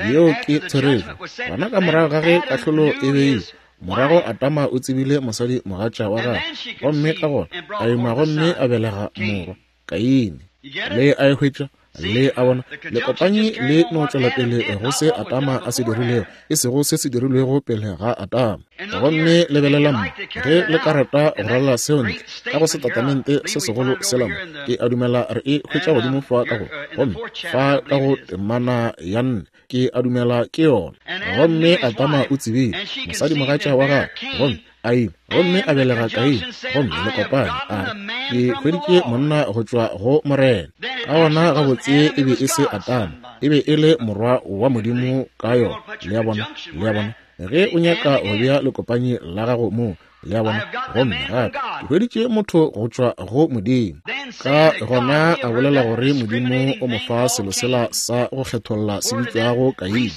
Yeo ke therešo. Gona ka morago ga ge kahlolo e beilwe, morago Adama o tsebile mosadi mogatša wa gagwe, gomme ka gona a ima gomme a belega morwa, Kaine. Le a e hwetša? Le a bona? Lekopanyi le no tšwela pele go se Adama a se dirilego, e sego se se dirilwego pele ga Adama. Gomme lebelelang mo, ge le ka rata go ralala seo ntle ka go setatamente se segolo sela mo, ke a dumela re e hwetša godimo fa ka go, gomme fa ka go temana ya 4, ke a dumela ke yona. Gomme Adama o tsebile mosadi mogatša wa gagwe, gomme a ima, gomme a belega Kaine, gomme le kopane, a re, Ke hweditše monna go tšwa go Morena. Ka gona gabotse e be e se Adama, e be e le morwa wa Modimo ka yona. Le a bona? Le a bona? Ge o nyaka go bea lekopanyi la gago moo, le a bona, gomme gape ke hweditše motho go tšwa go Modimo. Ka gona a bolela gore Modimo o mo fa selo sela sa go kgetholla se bitšwago Kaine,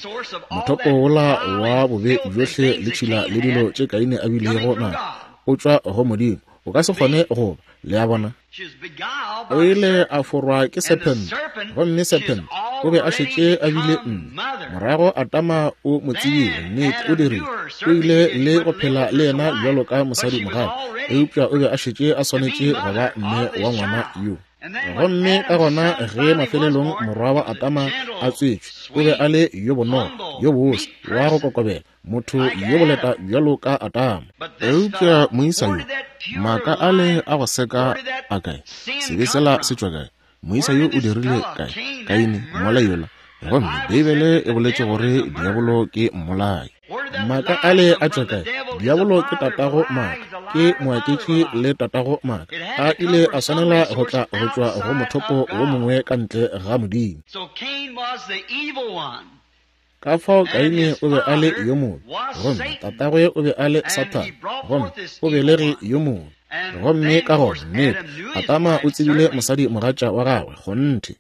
mothopo wola wa bobe bjohle le tšhila le dilo tše Kaine a bilego na o tšwa go Modimo. O ka se kgone go ba, le a bona. O ile a forwa ke sephente, gomme sephente o be a šetše a bile mme. Morago Adama o mo tsebile, nnete o dirile, o ile le go phela le yena bjalo ka mosadi mogae, eupša o be a šetše a swanetše go ba mme wa ngwana yo. Gomme ka gona ge mafelelong morwa wa Adama a tswetšwe, o be a le yo bonolo, yo bose, wa go kokobela, motho yo boleta bjalo ka Adama. Eupša moisa yo, maaka ale a go seka a kae? Sebe sela se tšwa kae? Moisa yo o dirile kae? Kaine, mmolai yola. Gomme Beibele e boletše gore diabolo ke mmolai. Maaka ale a tšwa kae? Diabolo ke tatago maaka, ke moaketši le tatago maaka. A ile a swanela go tla go tšwa go mothopo wo mongwe ka ntle ga Modimo. Ka fao Kaine o be a le yo mobe, gomme tatagwe o be a le Sathane, gomme o belege yo mobe. Gomme ka gona, nnete, Adama o tsebile mosadi mogatša wa gagwe, kgonthe.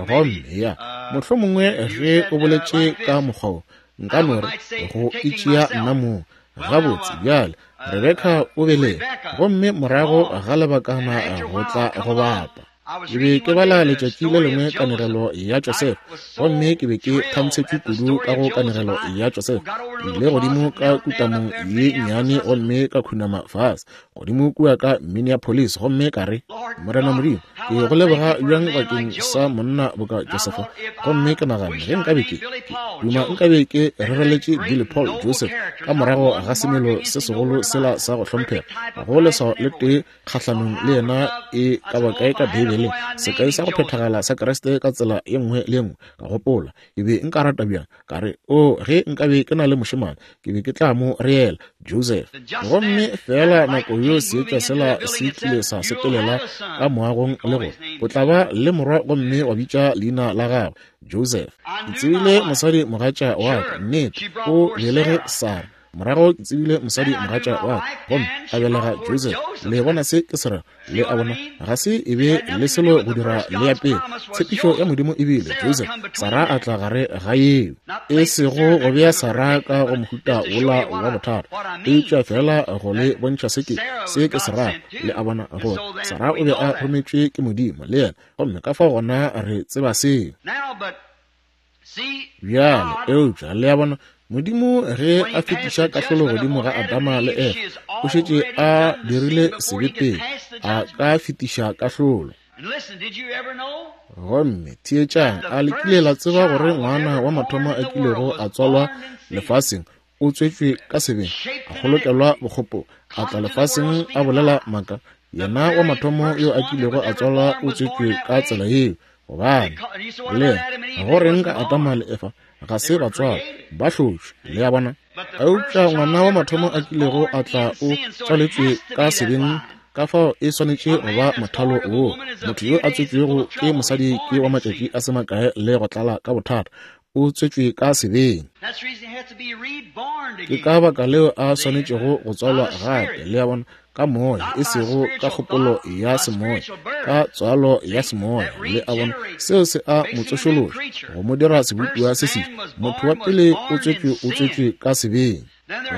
Gomme ya, mohlomongwe ge o boletše ka mokgwa wo, nka no re, go itšea nna mong. Gabotse, bjale, Rebeka o belege, gomme morago ga lebakana go tla go bapa. Ke be ke bala letšatši le lengwe kanegelo ya Josefa, gomme ke be ke thantshetšwe kudu ka go kanegelo ya Josefa. Ke ile godimo ka kutamong ye nnyane gomme ka khunama fase. godimo kua ka Minneapolis, gomme ka re, Morena Modimo, ke go leboga bjang bakeng sa monna boka Josefa. Gomme ke naganne, ge nkabe ke duma nkabe ke rereletše Billy Paul Joseph ka morago ga semelo se segolo sela sa go hlomphega, go leswao le tee kgahlanong le yena e ka ba kae ka Beibeleng, sekai sa go phethagala sa Kriste ka tsela ye nngwe le ye nngwe. Ka gopola, ke be nka rata bjang, ka re, o, ge nkabe ke na le mošemane, ke be ke tla mo reela Joseph. Gomme feela nako yo seetša sela se tlile sa sepelela ka moagong le gore o tla ba le morwa gomme wa bitša leina la gagwe Joseph. Ke tsebile mosadi mogatša wa ka, nnete, o belege Sara. Morago ke tsebile mosadi mogatša wa ka, gomme a belega Joseph. Le bona se ke se rego? Le a bona, ga se e be le selo go dira le ya pele. Tshepišo ya Modimo e bile Joseph. Sara a tla gare ga yeo. E sego go bea Sara ka go mohuta wola wa bothata, eupša feela go le bontšha se ke se ke se rago. Le a bona, gore Sara o be a rometšwe ke Modimo, le yena, gomme ka fao gona re tseba seo. Bjale, eupša, le a bona, Modimo ge a fetiša kahlolo godimo ga Adama le Efa, o šetše a dirile sebe pele a ka fetiša kahlolo. Gomme theetšang, a le kile la tseba gore ngwana wa mathomo a kilego a tswalwa lefaseng o tswetšwe ka sebeng, a kgolokelwa bokgopo, a tla lefaseng a bolela maaka? Yena wa mathomo yo a kilego a tswalwa o tswetšwe ka tsela yeo. Gobane le go reng ka Adama le Efa ga se ba tswalwa, ba hlotšwe, le a bona. Eupša ngwana wa mathomo a kilego a tla o tswaletšwe ka sebeng, ka fao e swanetše go ba mothalo woo. Motho yo a tswetšwego ke mosadi ke wa matšatši a se makae le go tlala ka bothata, o tswetšwe ka sebeng. Ke ka baka leo a swanetšego go tswalwa gape, le a bona, ka moya, e sego ka kgopolo ya semoya, ka tswalo ya semoya, le a bona, seo se a mo tsošološa, go mo dira sebopiwa se seswa. Motho wa pele o tswetšwe, o tswetšwe ka sebeng.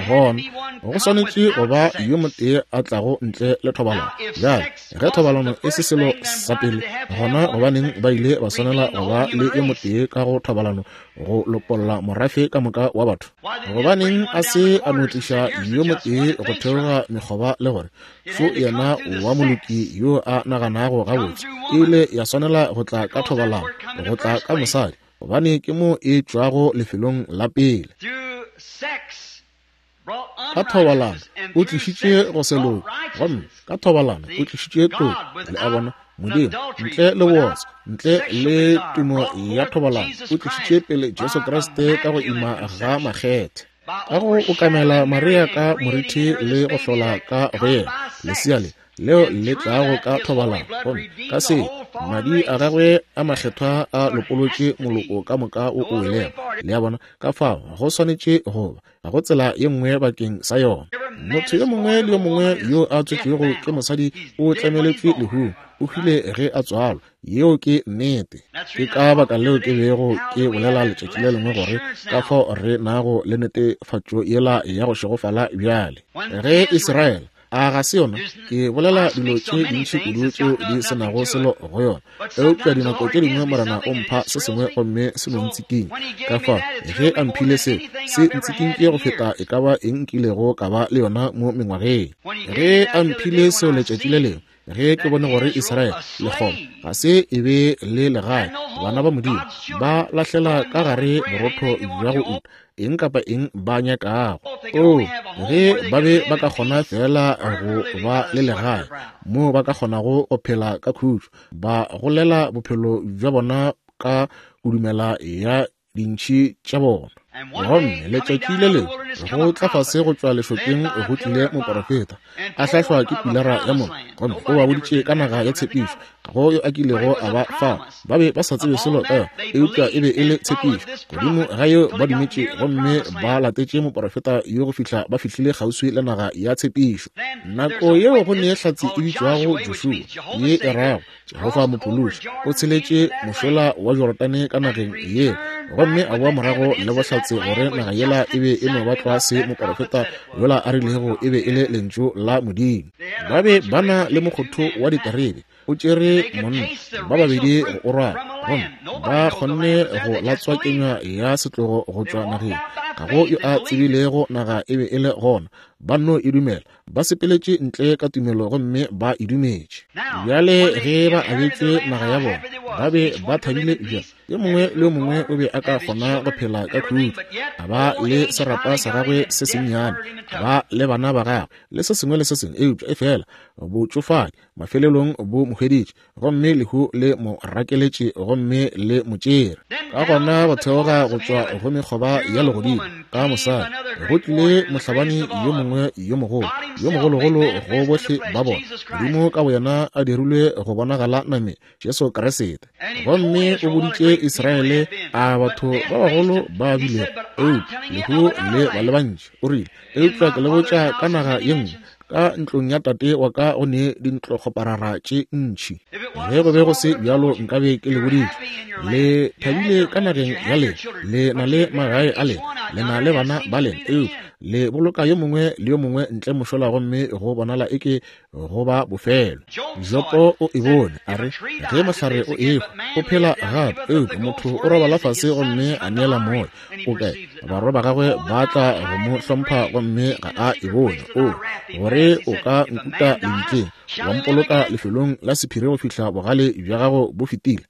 Gona go swanetše go ba yo motee a tlago ntle le thobalano. Bjale, ge thobalano e se selo sa pele, gona gobaneng ba ile ba swanela go ba le yo motee ka go thobalano go lopolla morafe ka moka wa batho? Gobaneng a se a no tliša yo motee go theoga mekgoba le gore fo yena wa moloki yo a naganago gabotse? E ile ya swanela go tla ka thobalano, go tla ka mosadi, gobane ke mo e tšwago lefelong la pele. Ka thobalano o tlišitše go se loke, gomme ka thobalano o tlišitše toko. Le a bona, Modimo ntle le bootswa, ntle le tumo ya thobalano, o tlišitše pele Jesu Kriste ka go ima ga makgethe, ka go okamela Maria ka morithi le go hlola ka go yena lesea le leo le tlago ka thobalano, gomme ka se madi a gagwe a makgethwa a lopolotše moloko ka moka o o welego. Le a bona? Ka fao go swanetše go ba, ga go tsela ye nngwe bakeng sa yona. Motho yo mongwe le yo mongwe yo a tswetšwego ke mosadi o tlemeletšwe lehung, o hwile ge a tswalwa. Yeo ke nnete. Ke ka baka leo ke bego ke bolela letšatši le lengwe gore ka fao re nago le netefatšo yela ya go šegofala bjale. Ge Israele, a ga se yona? Ke bolela dilo tše dintši kudu tšeo di se nago selo go yona, eupša dinako tše dingwe Morena o mpha se sengwe gomme se no ntsikinya. Ka fao ge a mphile seo, se ntsikinkile go feta e ka ba eng nkilego ka ba le yona mo mengwageng. Ge a mphile seo letšatši le lengwe, ge ke bone gore Israele lekgoba ga se e be le legae, bana ba Modimo ba lahlela ka gare borotho bja go uta eng kapa eng ba nyakago. Oo, ge ba be ba ka kgona feela go ba le legae moo ba ka kgonago go phela ka khutšo, ba golela bophelo bja bona ka kudumela ya dintšhi tša bona. Gomme letšatši le lengwe go tla fase go tšwa lešokeng go tlile moporofeta, a hlahlwa ke pilara ya mollo, gomme o ba boditše ka naga ya tshepišo. Ga go yo a kilego a ba fao, ba be ba sa tsebe selo ka yona, eupša e be e le tshepišo. Godimo ga yeo ba dumetše gomme ba latetše moporofeta yo go fihla ba fihlile kgauswi le naga ya tshepišo. Nako yeo go ne hlatse e bitšwago Joshua, ye e rago Jehofa Mophološi, o tsheletše mošola wa Jorodane ka nageng yeo gomme a boa morago le bohlatse. bohlatse gore naga yela e be e no ba tlwa se moporofeta yola a rilego e be e le Lentšu la Modimo. Ba be ba na le mokgotho wa diterebe, o tšere monna ba babedi go o rwala, gomme ba kgonne go latswa kenywa ya setlogo go tšwa nageng. Ga go yo a tsebilego naga e be e le gona, ba nno e dumela. Ba sepeletše ntle ka tumelo gomme ba e dumetše. Bjale ge ba abetšwe naga ya bona, ba be ba thabile bjang. Yo mongwe le yo mongwe o be a ka kgona go phela ka khutšo, a ba le serapa sa gagwe se sennyane, a ba le bana ba gagwe, le se sengwe le se sengwe, eupša efela botšofadi mafelelong bo mo hweditše, gomme lehu le mo rakeletše gomme le mo tšere. Ka gona go theoga go tšwa go mekgoba ya legodimo ka mosadi go tlile mohlabani yo mongwe yo mogolo, yo mogologolo go bohle ba bona, Modimo ka boyena a dirilwe go bonagala nameng, Jesu Kriste. Gomme o boditše Israele a batho ba bagolo ba bilego, eupša lehu le ba le bantši. O rile, eupša ke le botša ka naga ye nngwe, ka ntlong ya tate wa ka go ne dintlokgoparara tše ntši. Ge go be go se bjalo nkabe ke le boditše. Le thabile ka nageng ya lena, le na le magae a lena, le na le bana ba lena, eupša le boloka yo mongwe le yo mongwe ntle mošola gomme go bonala eke go ba bofelo. Jopo o e bone, a re, ge mohlare o ehwa, o phela gape, eupša motho o robala fase gomme a neela moya. O kae? Barwa ba gagwe ba tla go mo hlompha gomme ga a e bone. O gore o ka nkuta lebitleng, wa mpoloka lefelong la sephiri go fihla bogale bja gago bo fetile.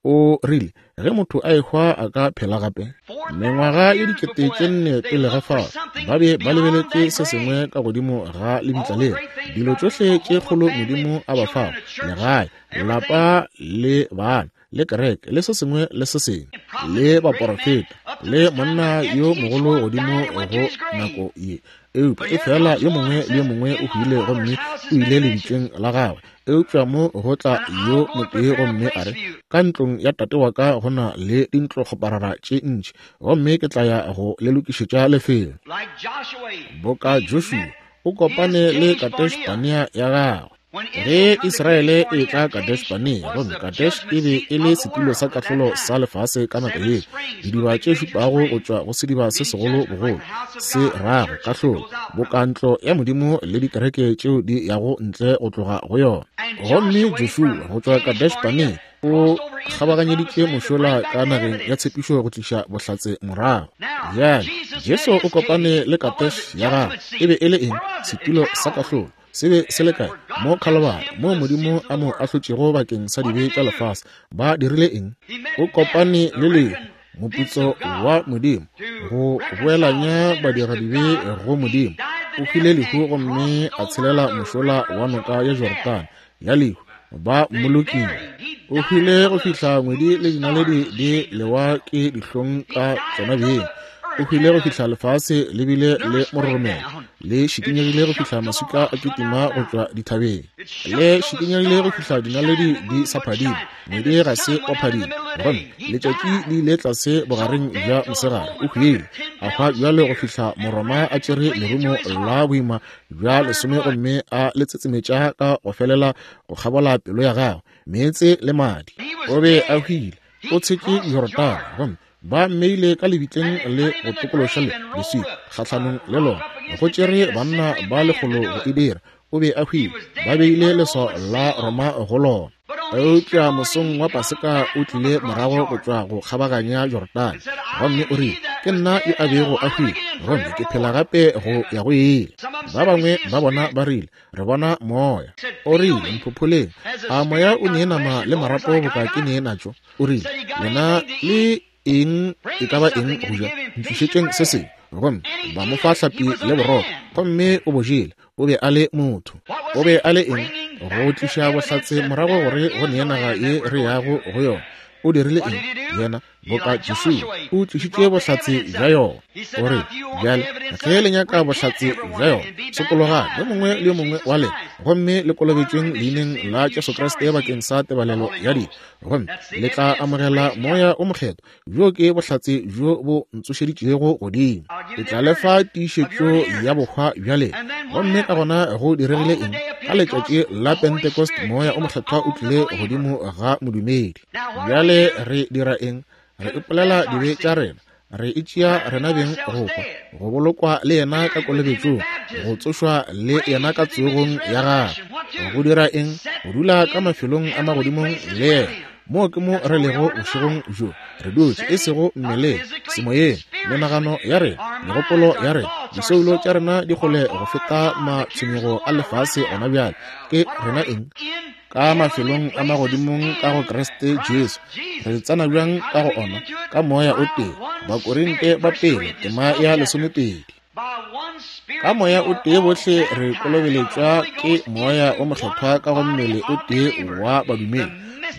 O rile, ge motho a ehwa a ka phela gape? Mengwaga ye 4000 pele ga fao, ba be ba lebeletše se sengwe ka godimo ga lebitla lela. Dilo tšohle tše kgolo Modimo a ba fago, legae, lapa le bana, le kereke, le se sengwe le se sengwe, le baporofeta, le monna yo mogolo godimo go nako ye. Eupša efela yo mongwe le yo mongwe o hwile gomme o ile lebitleng la gagwe. Eupša mo go tla yo motee gomme a re, Ka ntlong ya tate wa ka go na le dintlokgoparara tše ntši, gomme ke tla ya go le lokišetša lefelo. Boka Joshua, o kopane le Kadesh-Barnea ya gagwe. Ge Israele e etla Kadesh-Barnea, gomme Kadesh e be e le setulo sa kahlolo sa lefase ka nako yeo, didiba tše šupago go tšwa go sediba se segolo bogolo, se rago kahlolo, boka ntlo ya Modimo le dikereke tšeo di yago ntle go tloga go yona. Gomme Joshua go tšwa Kadesh-Barnea o kgabaganyeditše mošola ka nageng ya tshepišo go tliša bohlatse morago. Bjale Jesu o kopane le Kadesh ya gagwe. E be e le eng? Setulo sa kahlolo. Se be se le kae? Mo Khalabari, moo Modimo a mo ahlotšego bakeng sa dibe tša lefase. Ba dirile eng? O kopane le lehu, moputso wa Modimo, go boelanya badiradibe go Modimo. O hwile lehu gomme a tshelela mošola wa noka ya Jorodane ya lehu, ba mmolokile. O hwile go fihla ngwedi le dinaledi di lewa ke dihlong ka tšona beng. O hwile go fihla lefase le bile le mororomelo, le šikinyegile go fihla maswika a kitima go tšwa dithabeng, le šikinyegile go fihla dinaledi di sa phadime, ngwedi ga se wa phadima, gomme letšatši le ile tlase bogareng bja mosegare. O hwile, a hwa bjalo go fihla Moroma a tšere lerumo la boima bja 10 gomme a le tsetsemetša ka go felela go kgabola pelo ya gagwe, meetse le madi. O be a hwile, o tshetše Jorodane, gomme ba mmeile ka lebitleng le go tokološa le leswika kgahlanong le lona. Go tšere banna ba lekgolo go e dira. O be a hwile, ba beile leswao la Roma go lona. Eupša mosong wa Paseka o tlile morago go tšwa go kgabaganya Jorodane, gomme o rile, Ke nna yo a bego a hwile, gomme ke phela gape go ya go ile. Ba bangwe ba bona ba rile, Re bona moya. O rile, Mphopholeng, a moya o nee nama le marapo boka ke nee natšo? O rile, Lena le eng e ka ba eng go ja? Ntlišetšeng se sengwe. Gomme ba mo fa hlapi le borotho, gomme o bo jele. O be a le motho. O be a le eng? Go tliša bohlatse morago gore go nee naga ye re yago go yona. O dirile eng? Yena, boka Joshua, o tlišitše bohlatse bja yona. O re, Bjale, ge le nyaka bohlatse bja yona, sokologang, yo mongwe le yo mongwe wa lena, gomme le kolobetšweng leineng la Jesu Kriste bakeng sa tebalelo ya dibe, gomme le tla amogela Moya o Mokgethwa. Bjo ke bohlatse bjo bo ntsošeditšego godimo. Ke tla le fa tiišetšo ya bohwa bja lena. Gomme ka gona go diregile eng? Ka letšatši la Pentecost Moya o Mokgethwa o tlile godimo ga modumedi. Bjale re dira eng? Re ipolela dibe tša rena, Re itšea rena beng go hwa, go bolokwa le yena ka kolobetšong, go tsošwa le yena ka tsogong ya gagwe. Go dira eng? Go dula ka mafelong a magodimong le yena. Moo ke mo re lego bošegong bjo, re dutše, e sego mmeleng, semoyeng, menagano ya rena, megopolo ya rena, disoulo tša rena di kgole go feta matshwenyego a lefase gona bjale. Ke rena eng? Ka mafelong a magodimong ka go Kriste Jesu. Re tsena bjang ka go ona? Ka Moya o tee. Bakorinte ba pele, tema ya 12. Ka Moya o tee bohle re kolobeletšwa ke Moya o Mokgethwa ka go mmele o tee wa badumedi,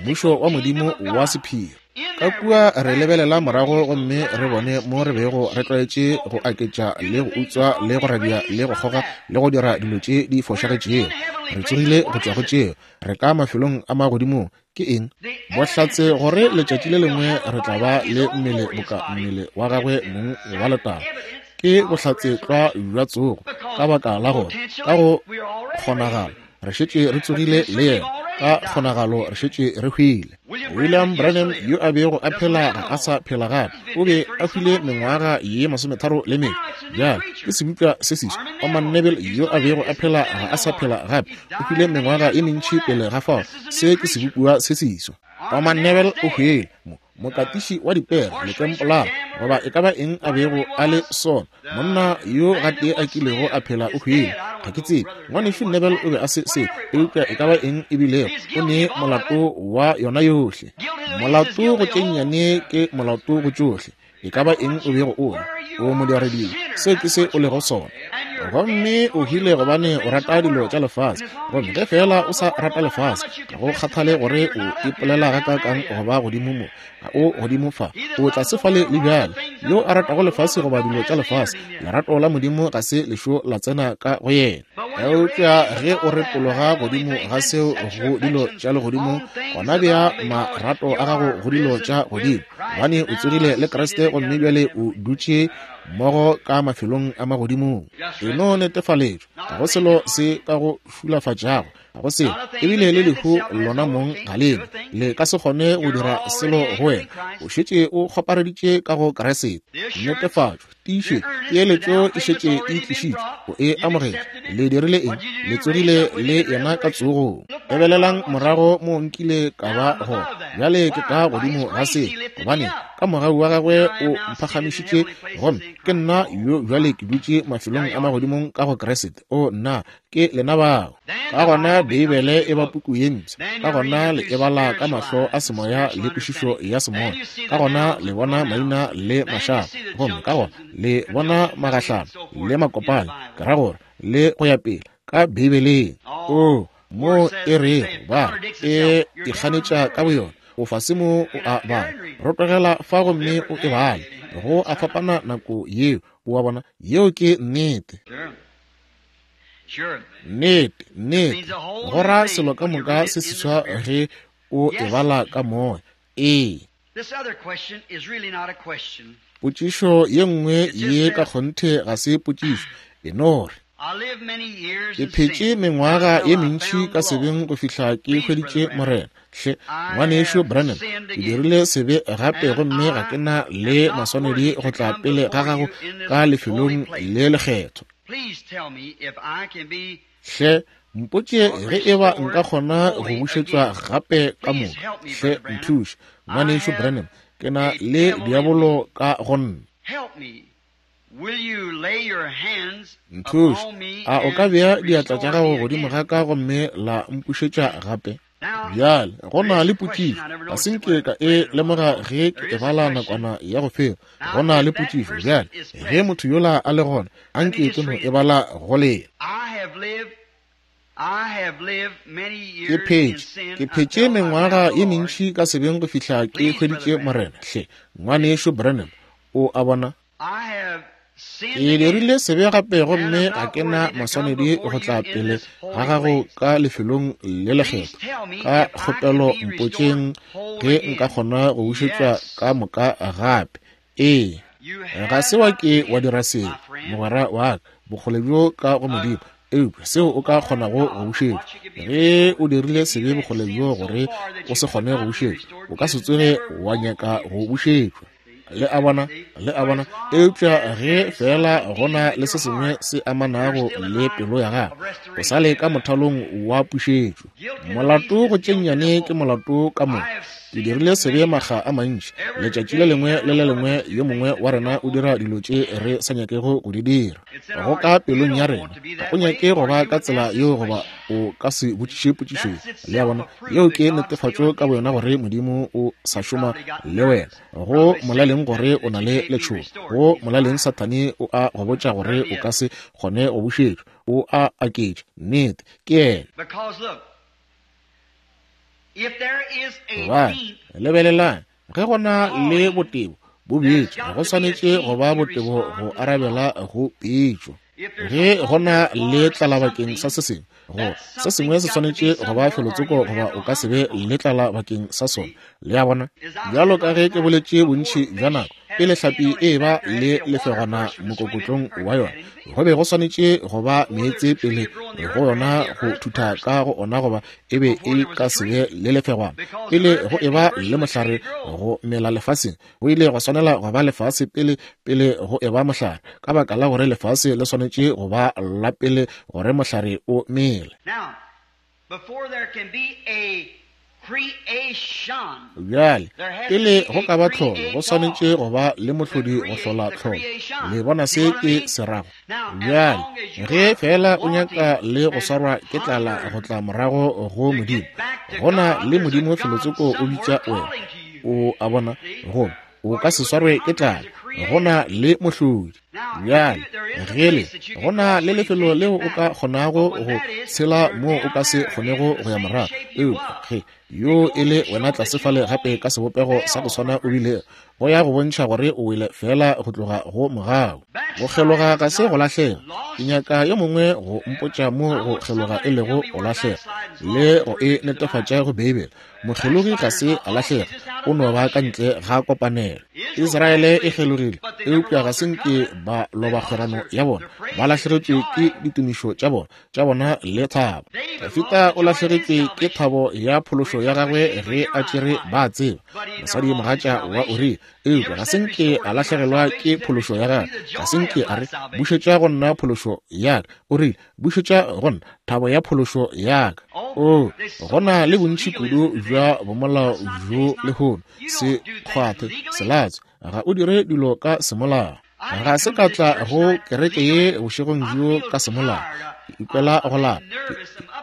mmušo wa Modimo wa sephiri. Ka kua re lebelela morago gomme re bone mo re bego re tlwaetše go aketša le go utswa le go radia le go kgoga le go dira dilo tše di fošagetšego. Re tsogile go tšwa go tšeo. Re ka mafelong a magodimong. Ke eng? Bohlatse gore letšatši le lengwe re tla ba le mmele boka mmele wa gagwe mong wa letago. Ke bohlatse tlwa bja tsogo, ka baka la gore ka go kgonagala re šetše re tsogile le yena, ka kgonagalo re šetše re hwile. William Branham yo a bego a phela ga a sa phela gape, o be a hwile mengwaga ye 34. Bjale ke sebopša se seswa. Orman Neville yo a bego a phela ga a sa phela gape, o hwile mengwaga ye mentši pele ga fao. Se ke sebopiwa se seswa. Orman Neville o hwile, mokatiši wa dipere, letempolara, goba e ka ba eng a bego a le sona, monna yo gatee a kilego a phela o hwile. Ga ke tsebe. Ngwanešu Neville o be a se se, eupša e ka ba eng e bilego, o ne molato wa yona yohle. Molato go tše nnyane ke molato go tšohle. E ka ba eng o bego o le, o modiradibe, seo ke se o lego sona. Gomme o hwile gobane o rata dilo tša lefase. Gomme ge feela o sa rata lefase, ga go kgathale gore o ipolela gakaakang go ba godimo mo, ga o godimo fa, o tlase fale le bjale. Yo a ratago lefase goba dilo tša lefase, lerato la Modimo ga se lešo la tsena ka go yena. Eupša ge o retologa godimo ga seo go dilo tša legodimo, gona bea marato a gago go dilo tša godimo, gobane o tsogile le Kriste gomme bjale o dutše mmogo ka mafelong a magodimong. E no netefaletšwa, ga go selo se ka go šulafatšago, ga go selo, ebile le lehu lona mong ga lene le ka se kgone go dira selo go wena. O šetše o kgopareditše ka go Kriste. Netefatšo, tiišetšo, peeletšo e šetše e tlišitšwe, o e amogetše. Le dirile eng? Le tsogile le yena ka tsogong. Lebelelang morago mo nkile ka ba gona, bjale ke ka godimo ga se, gobane ka mogau wa gagwe o mphagamišitše, gomme ke nna yo bjale ke dutše mafelong a magodimong ka go Kriste. O nna, ke lena bao. Ka gona Beibele e ba puku ye mpsha. Ka gona le e bala ka mahlo a semoya le kwešišo ya semoya. Ka gona le bona maina le mašaba, gomme ka gona le bona magahlano le makopano, ke ra gore le go ya pele ka Beibeleng. O mo e rego ba e ikganetša ka boyona, o fase mo o a bala, rotogela fa gomme o e bale. Go a fapana nako yeo, o a bona, yeo ke nnete. Nnete, nnete, go ra selo ka moka se seswa ge o e bala ka moya. Ee. Potšišo ye nngwe ye ka kgonthe ga se potšišo, e no re, Ke phetše mengwaga ye mentši ka sebeng go fihla ke hweditše Morena. Hle, Ngwanešu Branham, ke dirile sebe gape gomme ga ke na le maswanedi go tla pele ga gago ka lefelong le lekgethwa. Hle, mpotše ge e ba nka kgona go bušetšwa gape ka moka. Hle, nthuše, Ngwanešu Branham, ke na le diabolo ka go nna. Nthuše, a o ka bea diatla tša gago godimo ga ka gomme la mpušetša gape? Bjale, go na le potšišo. Ga se nke ka e lemoga ge ke e bala nakwana ya go feta. Go na le potšišo. Bjale, ge motho yola a le gona, a nke ke no e bala go lena. Ke phetše, ke phetše mengwaga ye mentši ka sebeng go fihla ke hweditše Morena. Hle, Ngwanešu Branham, o a bona? Ke dirile sebe gape gomme ga ke na maswanedi go tla pele ga gago ka lefelong le lekgethwa. Ka kgopelo mpotšeng ge nka kgona go bušetšwa ka moka gape. Ee, ga se wa ke wa dira seo, mogwera wa ka, bokgole bjo ka go Modimo, eupša seo o ka kgonago go bušetšwa. Ge o dirile sebe bokgole bjo gore o se kgone go bušetšwa, o ka se tsoge wa nyaka go bušetšwa. Le a bona? Le a bona? Eupša ge feela go na le se sengwe se amanago le pelo ya gago, o sa le ka mothalong wa pušetšo. Molato go tše nnyane ke molato ka moka. Ke dirile sebe makga a mantši. Letšatši le lengwe le le lengwe yo mongwe wa rena o dira dilo tše re sa nyakego go di dira. Go ka pelong ya rena. Ga o nyake go ba ka tsela yeo goba o ka se botšiše potšišo ye. Le a bona? Yeo ke netefatšo ka boyona gore Modimo o sa šoma le wena. Go molaleng gore o na le letšhogo. Go molaleng Sathane o a go botša gore o ka se kgone go bušetšwa. O a aketša. Nnete, ke yena. Gobane, lebelelang, ge go na le botebo bo bjetše, go swanetše go ba botebo go arabela go pitšo. Ge go na le tlala bakeng sa se sengwe, go se sengwe se swanetše go ba felotsoko goba o ka se be le tlala bakeng sa sona. Le a bona? Bjalo ka ge ke boletše bontši bja nako, pele hlapi e eba le lefegwana mokokotlong wa yona, go be go swanetše go ba meetse pele go yona go thutha ka go ona goba e be e ka se be le lefegwana. Pele go eba le mohlare go mela lefaseng, go ile gwa swanela go ba lefase pele, pele go eba mohlare, ka baka la gore lefase le swanetše go ba la pele gore mohlare o mele. Bjale, pele go ka ba tlholo, go swanetše go ba le mohlodi go hlola tlholo. Le bona se ke se rago? Bjale, ge feela o nyaka le go swarwa ke tlala go tla morago go Modimo, go na le Modimo felotsoko o bitša wena. O a bona? Gomme o ka se swarwe ke tlala. Go na le mohlodi. Bjale, ge le, go na le lefelo leo o ka kgonago go tshela moo o ka se kgonego go ya morago. Eupša ge yo e le wena tlase fale gape ka sebopego sa go swana o bile go ya go bontšha gore o wele feela go tloga go mogau. Go kgeloga ga se go lahlega. Ke nyaka yo mongwe go mpotša mo go kgeloga e lego go lahlega le go e netefatša go Beibele. Mokgelogi ga se a lahlega, o no ba ka ntle ga kopanelo. Israele e kgelogile, eupša ga se nke ba loba kgwerano ya bona. Ba lahlegetšwe ke ditumišo tša bona, tša bona le thabo. Dafita o lahlegetšwe ke thabo ya phološo ya gagwe ge a tšere ba tseba mosadi mogatša wa Uria, eupša ga se nke a lahlegelwa ke phološo ya gagwe. Ga se nke a re, Bušetša go nna phološo ya ka. O rile, Bušetša go nna thabo ya phološo ya ka. Oo, go na le bontši kudu bja bomolao bjo lehono. Se kgwathe, se latswe. Ga o dire dilo ka semolao. Ga se ka tla go kereke ye bošegong bjo ka semolao. Ke ikwela go lapa.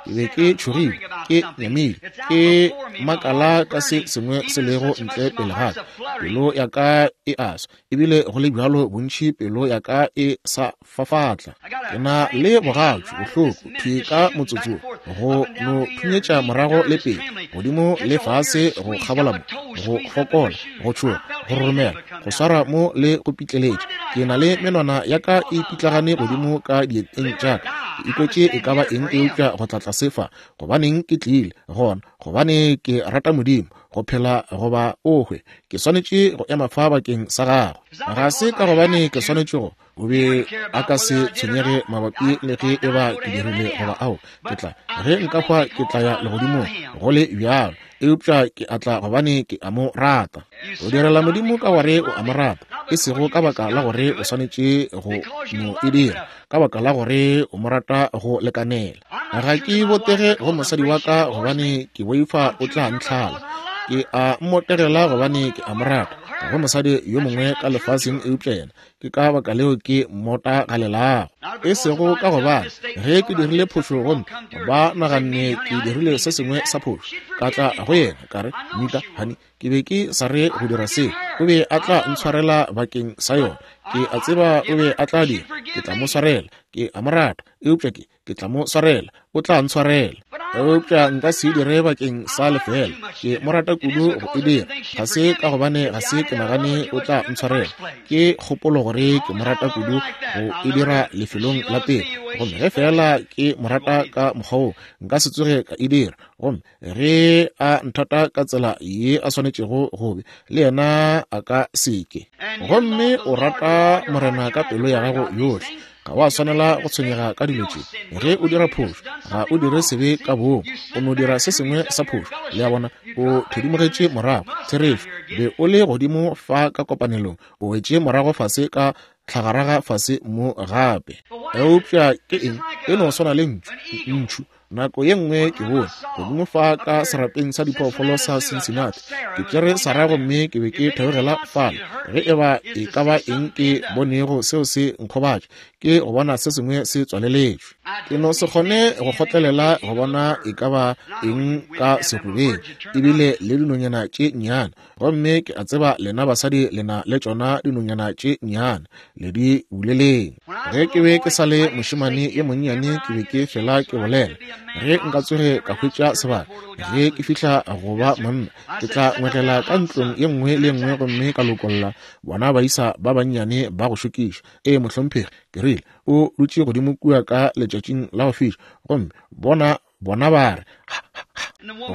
Ke be ke tšhogile, ke nyamile, ke makala ka se sengwe se lego ntle pele ga ka. Pelo ya ka e a swa, ebile go le bjalo bontši pelo ya ka e sa fafatla. Ke na le bogatšu bohloko thwi ka motsotso go no phunyetša morago le pele, godimo le fase go kgabola mo, go fokola, go tšhoga, go roromela, go swara mo le go pitleletša. Ke na le menwana ya ka e pitlagane godimo ka dieteng tša ka. Ke ikwetše e ka ba eng eupša go tla tlase fa. Gobaneng ke tlile gona? Gobane ke rata Modimo, go phela goba o hwe. Ke swanetše go ema fa bakeng sa gagwe. Ga se ka gobane ke swanetše go O be a ka se tshwenyege mabapi le ge e ba ke dirile goba ao. Ke tla, ge nka hwa ke tla ya legodimong, go le bjalo. Eupša ke a tla gobane ke a mo rata. O direla Modimo ka gore o a mo rata, e sego ka baka la gore o swanetše go mo e dira, ka baka la gore o mo rata go lekanela. Ga ke botege go mosadi wa ka gobane ke boifa o tla ntlhala. Ke a mmotegela gobane ke a mo rata. Ga go mosadi yo mongwe ka lefaseng eupša yena. Ke ka baka leo ke mmota galelago. E sego ka gobane ge ke dirile phošo gomme ba naganne ke dirile se sengwe sa phošo, ka tla go yena ka re, Mika, honey, ke be ke sa re go dira seo. O be a tla ntshwarela bakeng sa yona. Ke a tseba o be a tla dira. Ke tla mo swarela. Ke a mo rata. Eupša ke, ke tla mo swarela. O tla ntshwarela. Eupša nka se e dire bakeng sa lefeela. Ke mo rata kudu go e dira. Ga se ka gobane ga se ke nagane o tla ntshwarela. Ke kgopolo gore ke mo rata kudu go e dira lefelong la pele. Gomme ge feela ke mo rata ka mokgwa woo, nka se tsoge ka e dira. Gomme ge a nthata ka tsela ye a swanetšego go be, le yena a ka se ke. Gomme o rata Morena ka pelo ya gago yohle. Ga wa swanela go tshwenyega ka dilo tše. Ge o dira phošo, ga o dire sebe ka boomo, o no dira se sengwe sa phošo. Le a bona, o thedimogetše morago. Therešo, be o le godimo fa ka kopanelong, o wetše morago fase ka tlhagaraga fase mo gape. Eupša ke eng? E no swana le ntšu, ntšhu. Nako ye nngwe ke bone godimo fa ka serapeng sa diphoofolo sa Cincinnati. Ke tšere Sarah gomme ke be ke theogela fale. Ge e ba e ka ba eng ke bonego seo se nkgobatša, ke go bona se sengwe se tswaleletšwe. Ke no se kgone go kgotlelela go bona e ka ba eng ka serubeng, ebile le dinonyana tše nnyane. Gomme ke a tseba lena basadi le na le tšona dinonyana tše nnyane, le di buleleng. Ge ke be ke sa le mošemane yo monnyane, ke be ke fela ke bolela, ge nka tsoge ka hwetša sebaka, ge ke fihla go ba monna, ke tla ngwegela ka ntlong ye nngwe le ye nngwe gomme ka lokolla bona baisa ba bannyane ba go šokiša. Ee, mohlomphegi, ke rile, o dutše godimo kua ka letšatšing la go fiša, gomme bona Bona ba re, Ha, ha, ha.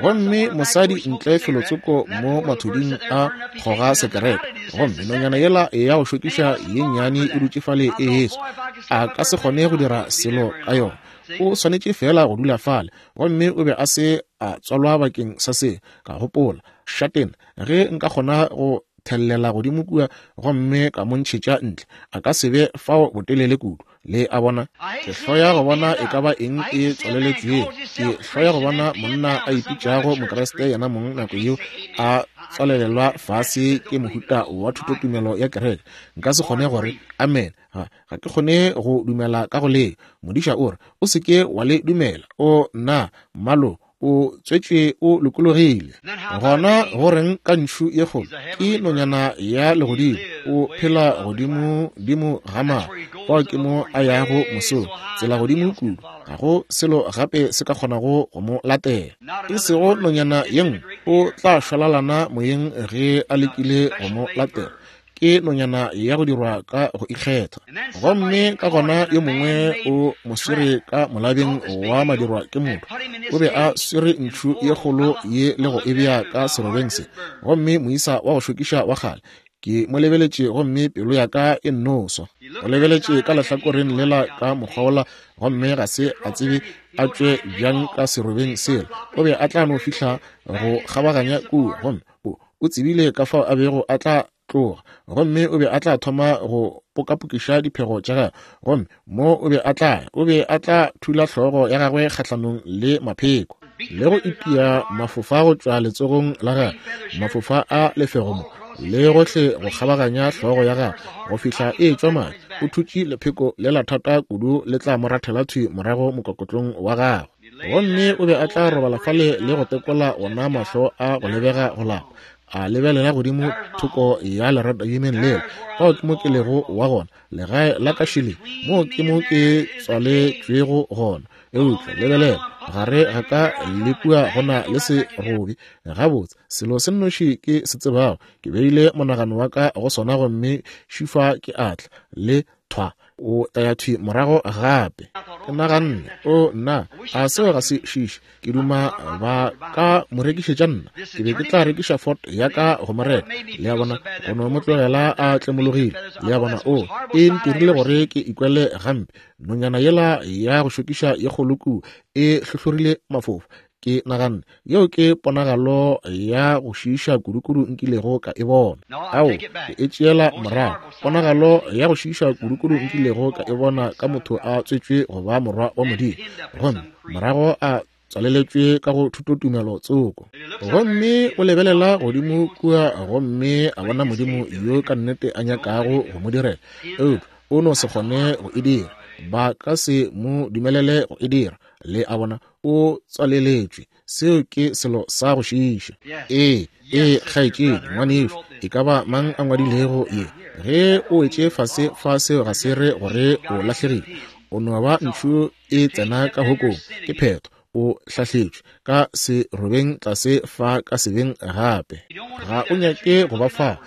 Gomme mosadi ntle felotsoko mo mathuding a kgoga sekerete, gomme nonyana yela ya go šokiša ye nnyane e dutše fale e heswa. A ka se kgone go dira selo ka yona. O swanetše feela go dula fale. Gomme o be a se a tswalwa bakeng sa se. Ka gopola, Šatena, ge nka kgona go thellela godimo kua gomme ka mo ntšhetša ntle, a ka se be fao botelele kudu. Le a bona? Ke hloya go bona e ka ba eng e tswaleletšwego. Ke hloya go bona monna a ipitšago Mokriste yena mong nako yeo a tswalelelwa fase ke mohuta wa thutotumelo ya kereke. Nka se kgone gore amen. Ga, ga ke kgone go dumela ka go le. Modiša o re, O se ke wa le dumela. O, nna, mmalo, o tswetšwe o lokologile. Gona go reng ka ntšhu ye kgolo? Ke nonyana ya legodimo, o phela godimo dimo ga maru. Fao ke mo a yago mosong, tsela godimo kudu, ga go selo gape se ka kgonago go mo latela. E sego nonyana ye nngwe, o tla šwalalana moyeng ge a lekile go mo latela. Ke nonyana ya go dirwa ka go ikgetha. Gomme ka gona yo mongwe o mo swere ka molabeng wa madirwa ke motho. O be a swere ntšhu ye kgolo ye le go e bea ka serobeng se. Gomme moisa wa go šokiša wa kgale, ke mo lebeletše gomme pelo ya ka e nno swa. O lebeletše ka lehlakoreng lela ka mokgwa wola gomme ga se a tsebe a tšwe bjang ka serobeng sela. O be a tla no fihla go kgabaganya kua gomme o, O tsebile ka fao a bego a tla tloga, gomme o be a tla thoma go pokapokiša diphego tša gagwe, gomme mo o be a tla ya, o be a tla thula hlogo ya gagwe kgahlanong le mapheko, le go itia mafofa go tšwa letsogong la gagwe, mafofa a lefego mo, le gohle go kgabaganya hlogo ya gagwe, go fihla e etšwa madi. O thutše lepheko le la thata kudu le tla mo rathela thwi morago mokokotlong wa gagwe. Gomme o be a tla robala fale le go tekola ona mahlo a go lebega go lapa, a lebelela godimo thoko ya leratadimeng lela. Fao ke mo ke lego wa gona, legae la ka šele, moo ke mo ke tswaletšwego gona. Eupša lebelela, gare ga ka le kua go na le serobi. Gabotse, selo se nnoši ke se tsebago, ke beile monagano wa ka go sona gomme šufa ke a tla, le thwa o tla ya thwi morago gape. Ke naganne, O nna, a seo ga se šiše? Ke duma ba ka mo rekišetša nna. Ke be ke tla rekiša Ford ya ka go mo reka. Le a bona, go no mo tlogela a tlemologile. Le a bona, o, e ntirile gore ke ikwele gampe. Nonyana yela ya go šokiša ye kgolo kua e hlohlorile mafofa. Ke naganne, Yeo ke ponagalo ya go šiiša kudukudu nkilego ka e bona. Ao, ke e tšeela morago. Ponagalo ya go šiiša kudukudu nkilego ka e bona ka motho a tswetšwe go ba morwa wa Modimo, gomme morago a tswaleletšwe ka go thutotumelo tsoko. Gomme o lebelela godimo kua gomme a bona Modimo yo ka nnete a nyakago go mo direla, eupša o no se kgone go e dira. Ba ka se mo dumelele go e dira. Le a bona, o tswaleletšwe. Seo ke selo sa go šiiša. Ee, ee, kgaetšedi, ngwanešu, e ka ba mang a ngwadilego ye, ge o wetše fase fa, seo ga se re gore o lahlegile. O no ba ntšhu e tsena ka hokong, ke phetho. O hlahletšwe ka serobeng tlase fa ka sebeng gape. Ga o nyake go ba fa.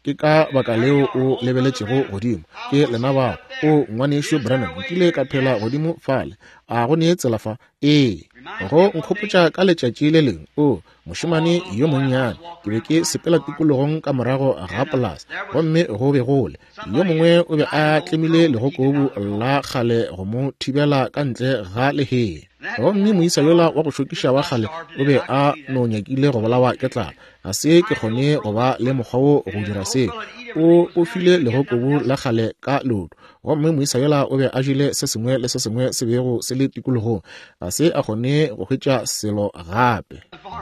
Ke ka baka leo o lebeletšego godimo. Ke lena bao. O, Ngwanešu Branham, nkile ka phela godimo fale. A go ne tsela fa? Ee. Go nkgopotša ka letšatši le lengwe, o, mošemane yo monnyane, ke be ke sepela tikologong ka morago ga polasa, gomme go be go le. Yo mongwe o be a tlemile legokobu la kgale go mo thibela ka ntle ga lehea. Gomme moisa yola wa go šokiša wa kgale o be a no nyakile go bolawa ke tlala. Ga se ke kgone go ba le mokgwa wo go dira seo. O o file legokobu la kgale ka leoto. Gomme moisa yola o be a jele se sengwe le se sengwe se bego se le tikologong. Ga se a kgone go hwetša selo gape.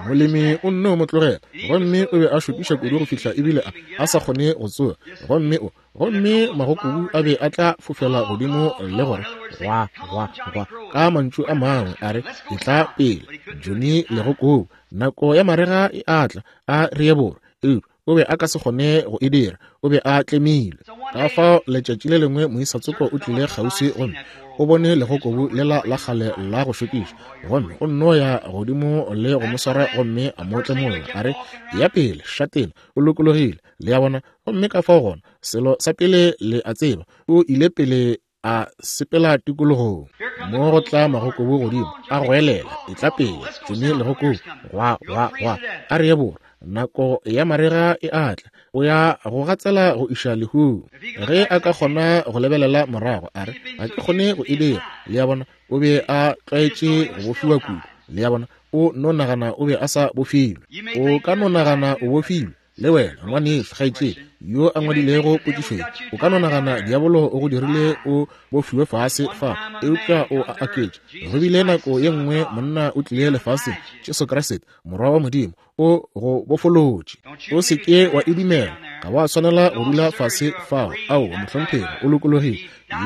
Molemi o nno mo tlogela. Gomme o be a šokiša kudu go fihla ebile a sa kgone go tsoga. Gomme o gomme magokobu a be a tla fofela godimo le gore gwa gwa gwa, ka mantšu a mangwe a re, etla pele Johnny legokobu, nako ya marega e a tla, a re ye borwa. Eupša o be a ka se kgone go e dira, o be a tlemilwe. Ka fao letšatši le lengwe moisa tsoko o tlile kgauswi gomme o bone legokobu lela la kgale la go šokiša, gomme o nno ya godimo le go mo swara gomme a mo tlemolla, a re, ya pele šatena, o lokologile. Le a bona? Gomme ka fao gona, selo sa pele le a tseba, o ile pele a sepela tikologong. Mo go tla magokobu godimo, a goelela, etla pele, Johnny legokobu, gwa, gwa, gwa, a re ye borwa, nako ya marega e a tla, o ya go gatsela go iša lehung. Ge a ka kgona go lebelela morago, a re, ga ke kgone go e dira. Le a bona, o be a tlwaetše go bofiwa kudu. Le a bona, o no nagana o be a sa bofilwe. O ka no nagana o bofilwe. Le wena, ngwanešu, kgaetšedi, yo a ngwadilego potšišo ye, o ka no nagana diabolo o go dirile o bofiwe fase fa, eupša o a aketša. Go bile nako ye nngwe monna o tlile lefaseng, Jesu Kriste, Morwa wa Modimo, o go bofolotše. O se ke wa e dumela. Ga wa swanela go dula fase fao. Aowa, mohlomphegi, o lokologile.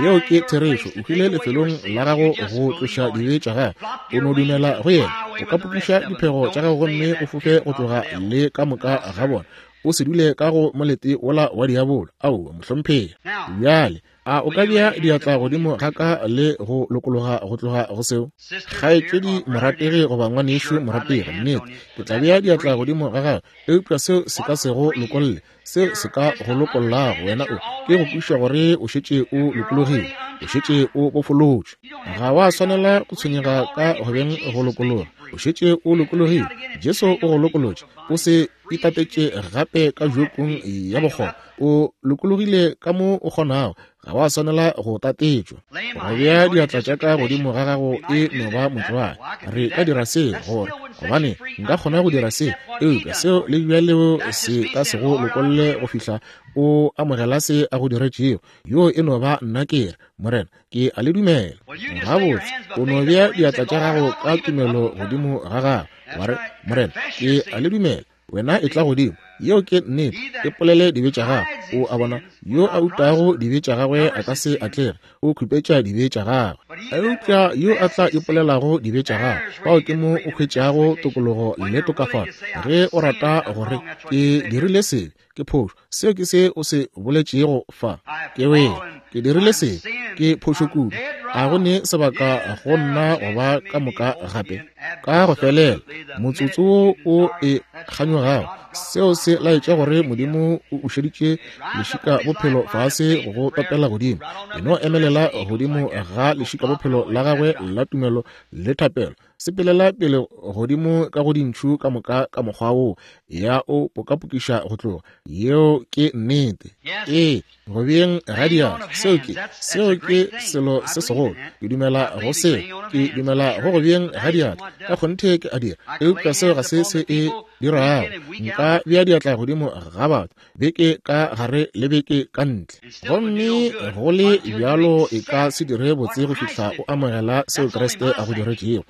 Yeo ke therešo. O hwile lefelong la gago go tloša dibe tša gago. O no dumela go yena. O ka pupuša diphego tša gago gomme o fofe go tloga le ka moka ga bona. O se dule ka go molete wola wa diabolo. Aowa, mohlomphegi. Bjale, a o ka bea diatla godimo ga ka le go lokologa go tloga go seo? Kgaetšedi morategi goba ngwanešu morategi, nnete, ke tla bea diatla godimo ga gago, eupša seo se ka se go lokolle. Seo se ka go lokollago wena o ke go kwešiša gore o šetše o lokologile, o šetše o bofolotšwe. Ga wa swanela go tshwenyega ka go beng go lokologa, o šetše o lokologile. Jesu o go lokolotše, o se itatetše gape ka jokong ya bokgoba. O lokologile ka mo o kgonago, ga wa swanela go tatetšwa. Go bea diatla tša ka godimo ga gago e no ba motlwae. Re ka dira se gore gobane nka kgona go dira se, eupša seo le bjaleo se ka se go lokolle go fihla o amogela se a go diretšego. Yo e no ba nna ke re, Morena, ke a le dumela. Gabotse, o no bea diatla tša gago ka tumelo godimo ga gago, wa re, Morena, ke a le dumela. Wena e tla godimo. Yeo ke nnete. E polele dibe tša gago. O a bona, yo a utago dibe tša gagwe a ka se atlege, o khupetša dibe tša gagwe. Eupša yo a tla ipolelago dibe tša gagwe, fao ke mo o hwetšago tokologo le tokafalo. Ge o rata gore, ke dirile sebe, ke phošo, seo ke se o se boletšego fa. Ke wele, ke dirile sebe, ke phošo kudu. A go ne sebaka go nna go ba ka moka gape? Ka go felela, motsotso wo o e kganyogago, seo se laetša gore Modimo o ušeditše lešika bophelo fase go topela godimo. E no emelela godimo ga lešika bophelo la gagwe la tumelo le thapelo. Sepelela pele godimo ka go dintšhu ka moka ka mokgwa wo, ya o pokapokiša go tloga. Yeo ke nnete. Ee, go beeng ga diatla, seo ke, seo ke selo se segolo. Ke dumela go seo. Ke dumela go go beeng ga diatla. Ka kgonthe ke a dira. Eupša seo ga se se e dirago. Nka bea diatla godimo ga batho, beke ka gare le beke ka ntle, gomme go le bjalo e ka se dire botse go fihla o amogela seo Kriste a go diretšego.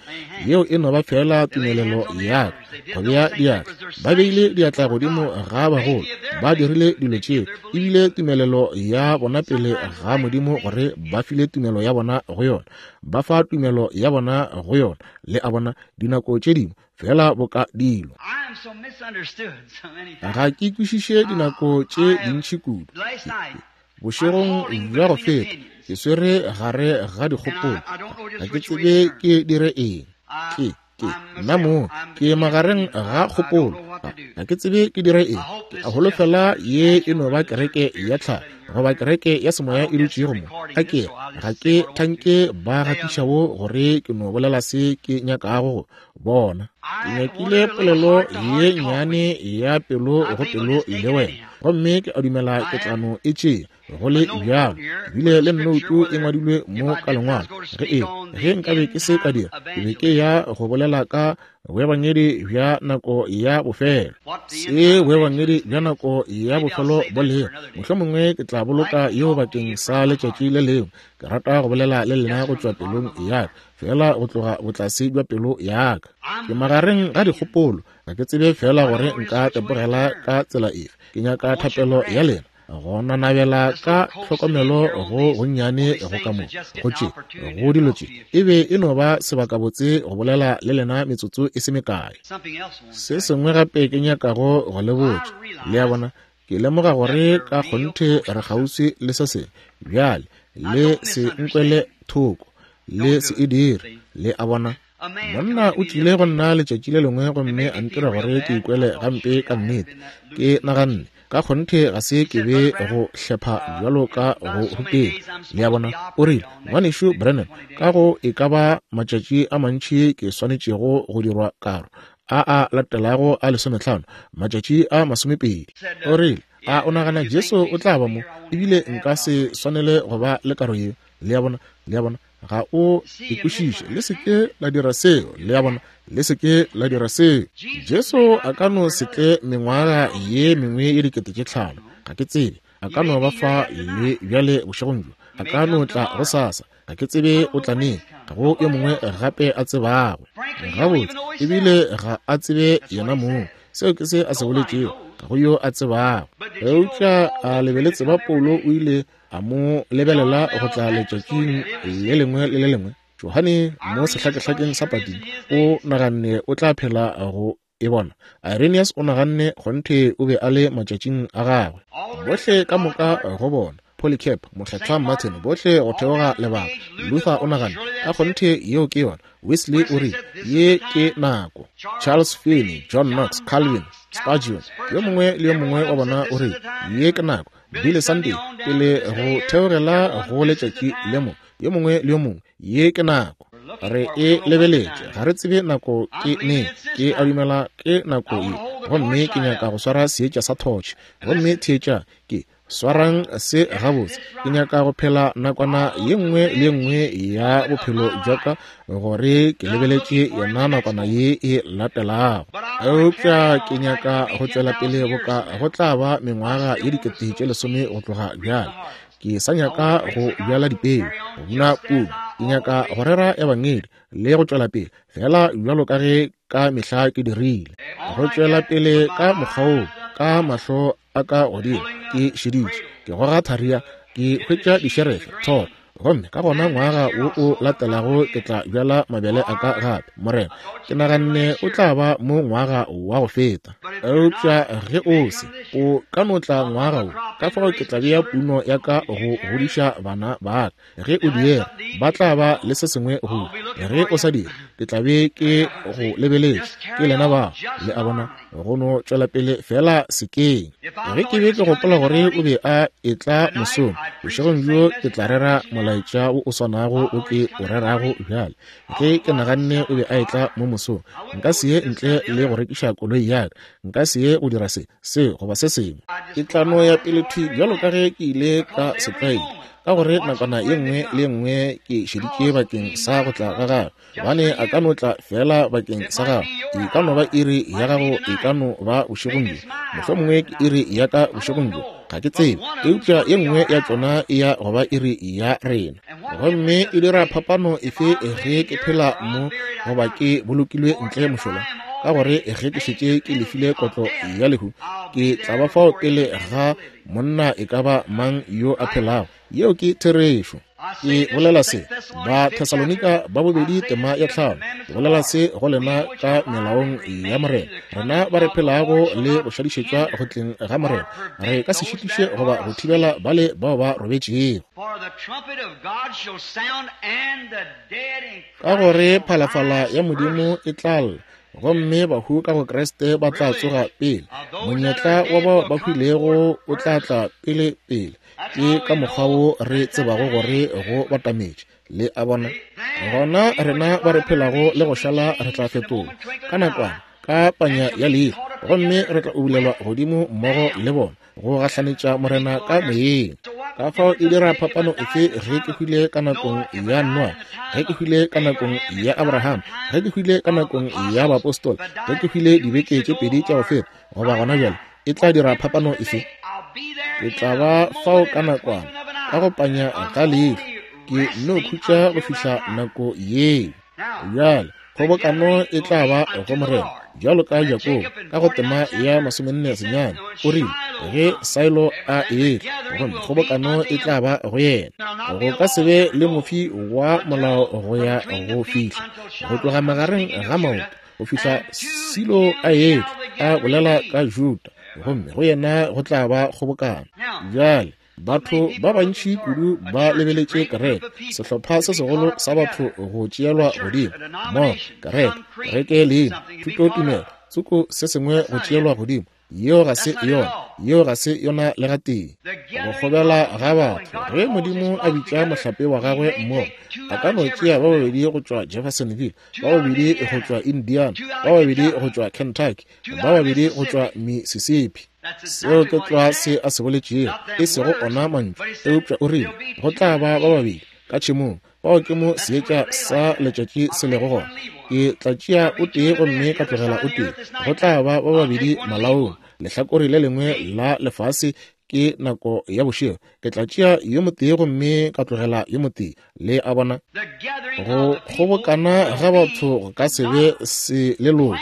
Yeo e no ba feela tumelelo ya ka go bea diatla. Ba beile diatla godimo ga bagolo, ba dirile dilo tšeo, e bile tumelelo ya bona pele ga Modimo gore ba file tumelo ya bona go yona, ba fa tumelo ya bona go yona. Le a bona, dinako tše dingwe fela boka dilo. Ga ke kwešiše dinako tše dintši kudu. Bošegong bja go feta ke swere gare ga dikgopolo, ga ke tsebe ke dire eng. Ke, ke, nna mo, ke magareng ga kgopolo, ga ke tsebe ke dire eng. Ke a holofela ye e no ba kereke ya tlhago. goba kereke ya semoya e dutšego mo, a ke ga ke thanke ba gatišago gore ke no bolela se ke nyakago go bona. Ke nyakile polelo ye nnyane ya pelo go pelo le wena, gomme ke a dumela ke tla no e tšea go le bjalo. Ebile le nnoutu e ngwadilwe mo ka lengwalo. Ge nkabe ke se ka dira, ke be ke ya go bolela ka boebangedi bja nako ya bofelo. Se boebangedi bja nako ya bofelo bo lego, mohlomongwe ke tla boloka yeo bakeng sa letšatši le lengwe. Ke rata go bolela le lena go tšwa pelong ya ka, fela go tloga botlase bja pelo ya ka. Ke magareng ga dikgopolo, ga ke tsebe fela gore nka tepogela ka tsela efe. Ke nyaka thapelo ya lena go nanabela ka tlhokomelo go gonnyane go ka mo go tše go dilo tše. E be e no ba sebakabotse go bolela le lena metsotso e se mekae. Se sengwe gape ke nyakago go le botša, le a bona, ke lemoga gore ka kgonthe re kgauswi le se sengwe bjale. Le se nkwele thoko, le se e dire, le a bona. Monna o tlile go nna letšatši le lengwe gomme a ntira gore ke ikwele gampe ka nnete. Ke naganne ka kgonthe ga se ke be go hlepha bjalo ka go ruteng, le a bona. O rile, Ngwanešu Branham, ka go e ka ba matšatši a mantši ke swanetšego go dirwa karo, a a latelago a 15, matšatši a 20. O rile, a o nagana Jesu o tla ba mo? Ebile nka se swanele go ba le karo yeo. Le a bona, le a bona, ga o ikwešiše. Le se ke la dira seo, le a bona, le se ke la dira seo. Jesu a ka no se tle mengwaga ye mengwe ye 5000, ga ke tsebe. A ka no ba fa le bjale bošegong bjo, a ka no tla gosasa, ga ke tsebe o tla neng. Ga go yo mongwe gape a tsebago gabotse, ebile ga a tsebe yena mong. Seo ke se a se boletšego, ga go yo a tsebago. Eupša a le be le tseba Paulo o ile a mo lebelela go tla letšatšing le lengwe le le lengwe. Johane mo sehlakehlakeng sa Patimo o naganne o tla phela go e bona. Irenaeus o naganne kgonthe o be a le matšatšing a gagwe. Bohle ka moka go bona, Polycarp, Mokgethwa Martin, bohle go theoga lebaka. Luther o naganne ka kgonthe yeo ke yona. Wesley o rile ye ke nako. Charles Finney, John Knox, Calvin, Spurgeon, yo mongwe le yo mongwe wa bona o rile ye ke nako. Billy Sunday, pele go theogela go letšatši le mo, yo mongwe le yo mongwe, ye ke nako. Re e lebeletše, ga re tsebe nako ke neng. Ke a dumela ke nako ye, gomme ke nyaka go swara seetša sa thotšhe. Gomme theetša, ke swarang se gabotse. Ke nyaka go phela nakwana ye nngwe le ye nngwe ya bophelo bja ka gore ke lebeletše yona nakwana ye e latelago. Eupša ke nyaka go tšwela pele boka go tla ba mengwaga ye 10,000 go tloga bjale. Ke sa nyaka go bjala dipeu, go buna puno. Ke nyaka go rera ebangedi le go tšwela pele fela bjalo ka ge ka mehla ke dirile. Go tšwela pele ka mokgwa wo, ka mahlo a ka godimo ke šeditše, ke goga tharia, ke hwetša dišerefe thoro, gomme ka gona ngwaga wo o latelago ke tla bjala mabele a ka gape. Morena, ke naganne o tla ba mo ngwaga wa go feta, eupša ge o se, o ka no tla ngwaga wo. Ka fao ke tla bea puno ya ka go godiša bana ba ka. Ge o diega, ba tla ba le se sengwe go. Ge o sa dire, ke tla be ke go lebeletše. Ke lena bao, le a bona, go no tšwela pele fela sekeng. Ge ke be ke gopola gore o be a etla mosong, bošegong bjo ke tla rera molaetša wo o swanago o ke o rerago bjale. Ge ke naganne o be a etla mo mosong, nka se ye ntle le go rekiša koloi ya ka, nka se ye go dira se, se goba se sengwe. Ke tla no ya pele thwi bjalo ka ge ke ile ka setlwaedi, ka gore nakwana ye nngwe le ye nngwe ke šeditše bakeng sa go tla ga gagwe. Gobane a ka no tla fela bakeng sa gago. E ka no ba iri ya gago, e ka no ba bošegong bjo, mohlomongwe ke iri ya ka bošegong bjo, ga ke tsebe. Eupša ye nngwe ya tšona e ya go ba iri ya rena. Gomme e dira phapano efe ge ke phela mo goba ke bolokilwe ntle mošola? Ka gore ge ke šetše ke lefile kotlo ya lehu, ke tla ba fao pele ga monna e ka ba mang yo a phelago. Yeo ke therešo. Ke bolela se, ba Thesalonika ba bobedi tema ya 5, ke bolela se go lena ka melaong ya Morena. Rena ba re phelago le go šadišetšwa go tleng ga Morena, re ka se šitiše goba go thibela bale bao ba robetšego. Ka gore phalafala ya Modimo e tla lla, gomme bahu ka go Kriste ba tla tsoga pele. Monyetla wa bao ba hwilego o tla tla pele pele. Ke ka mokgwa wo re tsebago gore go batametše. Le a bona? Gona rena ba re phelago le go šala re tla fetolwa ka nakwana, ka panya ya leihlo, gomme re tla ubulelwa godimo mmogo le bona, go gahlanetša Morena ka moyeng. Ka fao e dira phapano efe ge ke hwile ka nakong ya Noa, ge ke hwile ka nakong ya Abraham, ge ke hwile ka nakong ya baapostola, ge ke hwile dibeke tše pedi tša go feta, goba gona bjale, e tla dira phapano efe? Ke tla ba fao ka nakwana, ka go panya ga leihlo, ke nno khutša go fihla nako yeo. Bjale, kgobokano e tla ba go Morena, bjalo ka Jakobo, ka go tema ya 49, o rile, ge Silo a etla, gomme kgobokano e tla ba go yena. Go ka se be le mofi wa molao go ya go fihla, go tloga magareng ga maoto, go fihla Silo a etla, a bolela ka Juda, gomme go yena go tla ba kgobokano. Bjale, batho ba bantši kudu ba lebeletše kereke, sehlopha se segolo sa batho go tšeelwa godimo mo kereke, kereke leina, thutotumelo, tsoko se sengwe go tšeelwa godimo. Yeo ga se yona, yeo ga se yona le gatee. Go kgobela ga batho, ge Modimo a bitša mohlape wa gagwe mmogo, a ka no tšea ba babedi go tšwa Jeffersonville, ba babedi go tšwa Indiana, ba babedi go tšwa Kentucky, ba babedi go tšwa Mississippi. Seo ke tlwa se a se boletšego, e sego ona mantšu, eupša o rile go tla ba ba babedi ka tšhemong, bao ke mo seetša sa letšatši se lego gona. Ke tla tšea o tee gomme ka tlogela o tee. Go tla ba ba babedi malaong, lehlakore le lengwe la lefase ke nako ya bošego. Ke tla tšea yo motee gomme ka tlogela yo motee. Le a bona? Go kgobokana ga batho go ka se be se leloko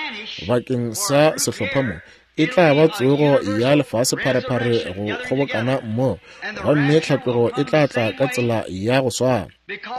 bakeng sa sehlopha mo. E tla ba tsogo ya lefase pharephare go kgobokana mmogo, gomme tlhatlogo e tla tla ka tsela ya go swana.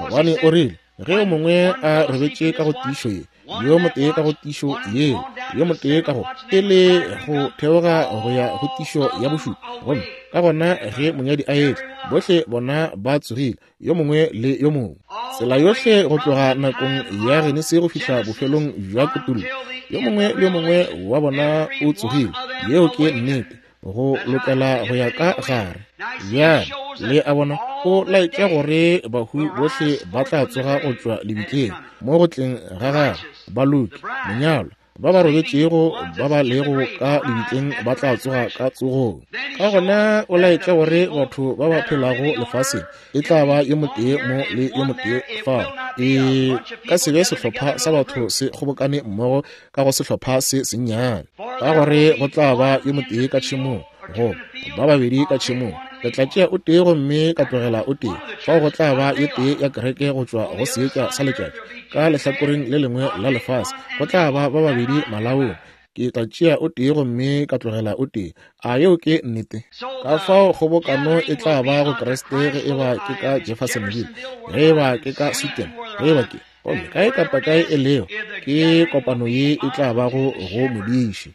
Gobane o rile, ge yo mongwe a robetše ka go tiišo ye, yo motee ka go tiišo yeo, yo motee ka go e le go theoga go ya go tiišo ya bošupa, gomme ka gona ge monyadi a etla, bohle bona ba tsogile, yo mongwe le yo mongwe. Tsela yohle go tloga nakong ya Genesi go fihla bofelong bja Kutullo, yo mongwe le yo mongwe wa bona o tsogile. Yeo ke nnete, go lokela go ya ka gare. Bjale, le a bona, o laetša gore bahu bohle ba tla tsoga go tšwa lebitleng mo go tleng ga gagwe, baloki, monyalwa, ba ba robetšego ba ba lego ka lebitleng ba tla tsoga ka tsogong. Ka gona o laetša gore batho ba ba phelago lefaseng e tla ba yo motee mo le yo motee fao. E ka se be sehlopha sa batho se kgobokane mmogo ka go sehlopha se sennyane, ka gore go tla ba yo motee ka tšhemong goba ba babedi ka tšhemong. Ke tla tšea o tee gomme ka tlogela o tee. Fao go tla ba ye tee ya kereke go tšwa go seetša sa letšatši ka lehlakoreng le lengwe la lefase. Go tla ba ba babedi malaong. Ke tla tšea o tee gomme ka tlogela o tee. A yeo ke nnete? Ka fao kgobokano e tla ba go Kriste ge e ba ke ka Jeffersonville, ge e ba ke ka Sutton, ge e ba ke gomme kae kapa kae e lego, ke kopano ye e tla bago go modiši.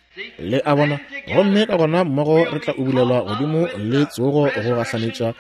Le a bona? Gomme ka gona mmogo re tla ubulelwa godimo le tsogo go gahlanetša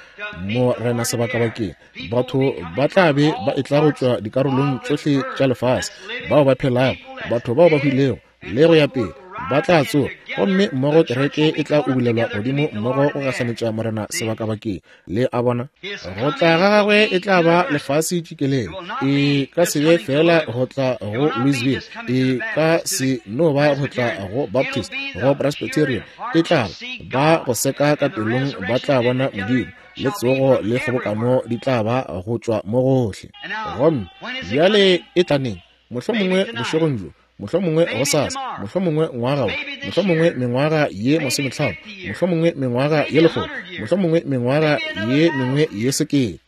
Morena sebakabakeng. Batho ba tla be ba etla go tšwa dikarolong tšohle tša lefase, bao ba phelago, batho bao ba hwilego, le go ya pele, ba tla tsoga, gomme mmogo kereke e tla ubulelwa godimo mmogo go gahlanetša Morena sebakabakeng. Le a bona? Go tla ga gagwe e tla ba lefase tšikelele. E ka se be feela go tla go Louisville, e ka se no ba go tla go Baptist, go Presbyterian. E tla ba go seka ka pelong, ba tla bona Modimo, le tsogo le kgobokano di tla ba go tšwa mo gohle. Gomme bjale e tla neng? Mohlomongwe bošegong bjo, mohlomongwe gosasa, mohlomongwe ngwaga wo, mohlomongwe mengwaga ye 50, mohlomongwe mengwaga ye 100, mohlomongwe mengwaga ye mengwe ye 1000.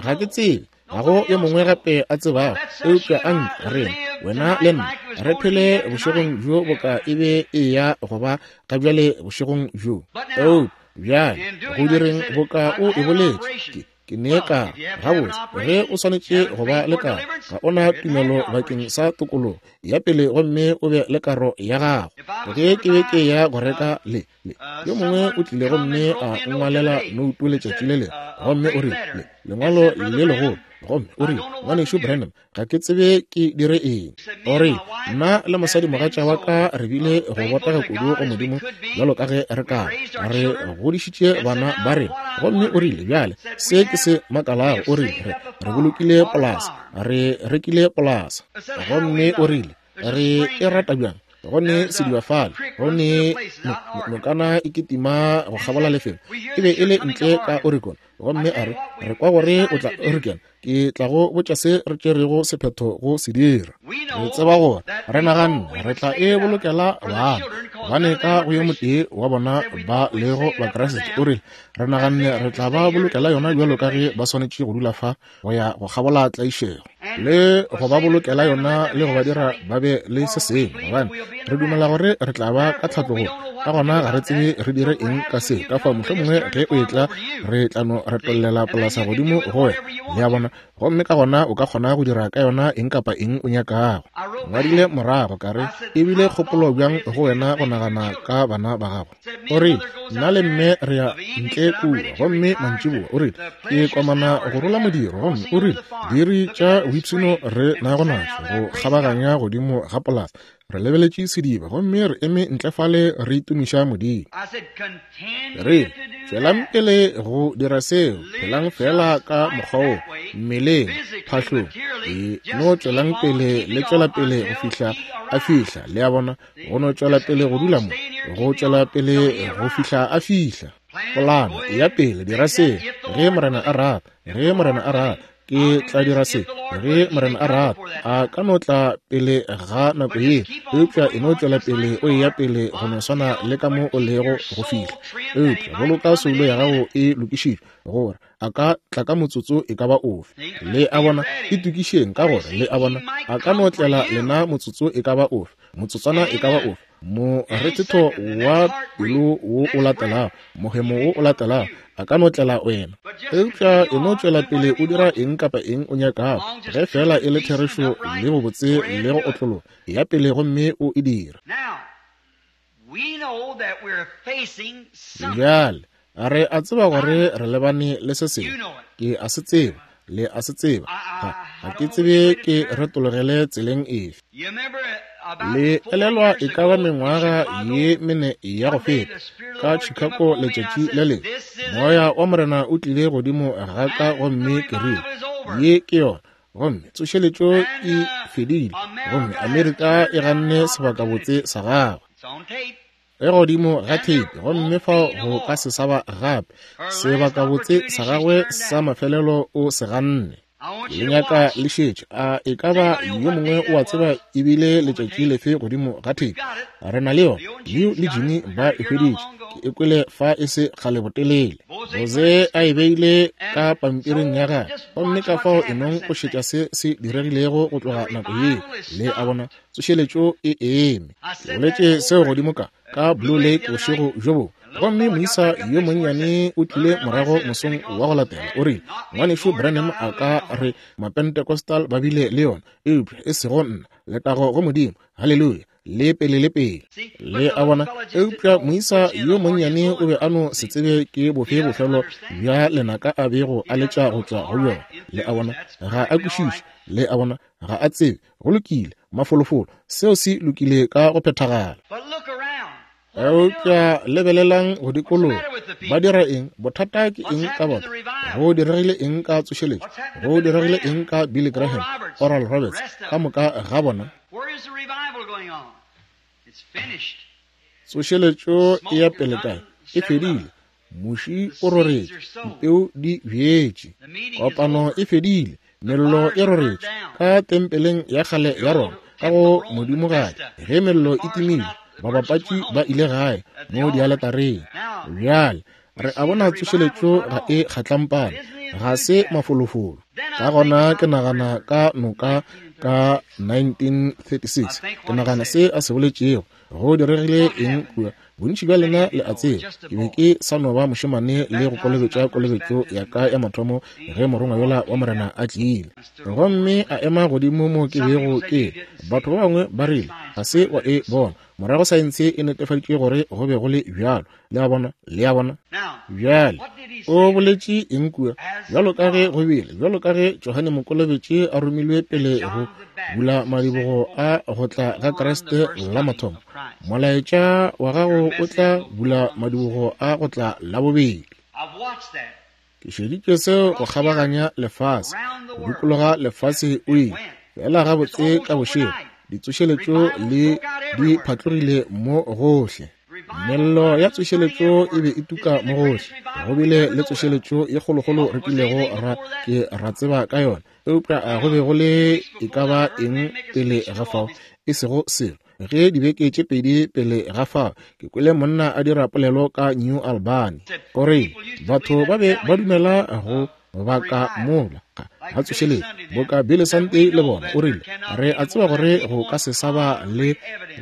Ga ke tsebe, ga go yo mongwe gape a tsebago, eupša a nke rena, wena le nna, re phele bošegong bjo boka e be e ya go ba ga bjale bošegong bjo. Eupša bjale, go direng boka o e boletše, ke Ke ne ka gabotse ge o swanetše go ba le karo, ga o na tumelo bakeng sa tokologo ya pele gomme o be le karo ya gago. Ge ke be ke ya go reka le, le, yo mongwe o tlile gomme a nngwalela noutu letšatši le lengwe, gomme o rile, le, lengwalo le legolo. Gomme o rile, Ngwanešu Branham, ga ke tsebe ke dire eng. O rile, Nna le mosadimogatša wa ka re bile go botega kudu go Modimo bjalo ka ge re ka ba. Re godišitše bana ba rena. Gomme o rile, Bjale, se ke se makalago, o rile, re, re bolokile polasa. Re rekile polasa. Gomme o rile, Re e rata bjang. Go ne sediba fale, go ne nokana e kitima go kgabola lefelo. E be e le ntle ka Oregon. Gomme a re, Re kwa gore o tla Oregon. Ke tla go botša se re tšerego sephetho go se dira. Re tseba gore re naganne re tla e bolokela bana, gobane ka go yo motee wa bona ba lego Bakriste. O rile, Re naganne re tla ba bolokela yona bjalo ka ge ba swanetše go dula fa go ya go kgabola tlaišego, le go ba bolokela yona le go ba dira ba be le se sengwe, gobane re dumela gore re tla ba ka tlhatlogong. Ka gona ga re tsebe re dire eng ka se, ka fao mohlomongwe ge o etla re tla no retollela polasa godimo go wena, le a bona, gomme ka gona o ka kgona go dira ka yona eng kapa eng o nyakago. Ngwadile morago ka re, E bile kgopolo bjang go wena go nagana ka bana ba gago? O rile, Nna le mme re ya ntle kua, gomme mantšiboa, o rile, ke komana go rola modiro, gomme o rile, diiri tša boipshino re nago natšo go kgabaganya godimo ga polasa. Re lebeletše sediba, gomme re eme ntle fale re itumiša Modimo. Re tšwelang pele go dira seo, phelang feela ka mokgwa wo, mmeleng, phahlong, e no tšwelang pele le tšwela pele go fihla a fihla, le a bona, go no tšwela pele go dula mo, go tšwela pele go fihla a fihla. Polano ya pele, dira se, ge Morena a rata, ge Morena a rata, ke tla dira se, ge Morena a rata. A ka no tla pele ga nako ye, eupša e no tšwela pele o eya pele go no swana le ka mo o lego go fihla. Eupša boloka soulo ya gago e lokišitšwe, gore a ka tla ka motsotso e ka ba ofe. Le a bona, itokišeng ka gore, le a bona, a ka no tlela lena motsotso e ka ba ofe, motsotswana e ka ba ofe, morethetho wa pelo wo o latelago, mohemo wo o latelago, a ka no tlela wena. Eupša e no tšwela pele o dira eng kapa eng o nyakago, ge feela e le therešo le bobotse le go otlologa, ya pele gomme o e dire. Bjale, re a tseba gore re lebane le se sengwe. Ke a se tseba, le a se tseba. Ga, ga ke tsebe ke retologele tseleng efe. Le elelwa e ka ba mengwaga ye mene ya go feta, ka Chicago letšatši le lengwe, Moya wa Morena o tlile godimo ga ka gomme ke rile, Ye ke yona. Gomme tsošeletšo e fedile, gomme Amerika e ganne sebakabotse sa gagwe. E godimo ga theipi, gomme fao go ka se sa ba gape. Sebakabotse sa gagwe sa mafelelo o se ganne. Le nyaka le šetše. A e ka ba yo mongwe o a tseba e bile letšatši lefe godimo ga theipi? Re na le yona. Leo le Jimmy ba e hweditše. Ke e kwele fa e se kgale botelele. Jose a e beile ka pampiring ya gagwe. Gomme ka fao e nong go šetša se se diregilego go tloga nako yeo. Le a bona, tsošeletšo e eme. Ke boletše seo godimo ka, ka Blue Lake bošego bjo bongwe. Gomme moisa yo monnyane o tlile morago mosong wa go latela, o rile, Ngwanešu Branham a ka re Mapentecostal ba bile le yona, eupša e sego nna. Letago go Modimo! Haleluya! Le pele le pele. Le a bona? Eupša moisa yo monnyane o be a no se tsebe ke bofe bofelo bja lenaka a bego a letša go tšwa go bjona. Le a bona? Ga a kwešiše. Le a bona? Ga a tsebe. Go lokile, mafolofolo, seo se lokile ka go phethagala. Eupša lebelelang go dikologa, ba dira eng? Bothata ke eng ka batho? Go diregile eng ka tsošeletšo? Go diregile eng ka Billy Graham, Oral Roberts, ka moka ga bona? Tsošeletšo e ya pele kae? E fedile. Muši o roretše, dipeu di bjetše. Kopano e fedile, mello e roretše ka tempeleng ya kgale ya Roma, ka go modimogadi. Ge mello e timile, babapatši ba ile gae mo dialetareng. Bjale re a bona tsošeletšo ga e kgatlampane, ga se mafolofolo. Ka gona ke nagana ka noka ka 1936, ke nagana se a se boletšego. Go diregile eng kua? Bontši bja lena le a tseba, ke be ke sa no ba mošemane le go kolobetša kolobetšo ya ka ya mathomo ge morongwa yola wa Morena a tlile gomme a ema godimo mo ke bego ke. Batho ba bangwe ba rile, Ga se wa e bona. Morago saense e netefaditše gore go be go le bjalo. Le a bona? Le a bona? Bjale, o boletše eng kua? Bjalo ka ge go bile, bjalo ka ge Johane Mokolobetši a romilwe pele go bula madibogo a go tla ga Kriste la mathomo, molaetša wa gago o tla bula madibogo a go tla la bobedi. Ke šeditše seo go kgabaganya lefase, go dikologa lefase o ile fela gabotse ka bošego. Ditsošeletšo le di phatlogile mo gohle. Mello ya tsošeletšo e be e tuka mo gohle. Go bile le tsošeletšo ye kgolokgolo re kilego ra ke ra tseba ka yona, eupša a go be go le e ka ba eng pele ga fao? E sego selo. Ge dibeke tše pedi pele ga fao, ke kwele monna a dira polelo ka New Albany. O rile, Batho ba be ba dumela go baka mola ga tsošeletšo boka Billy Sunday le bona. O rile, Re a tseba gore go ka se sa ba le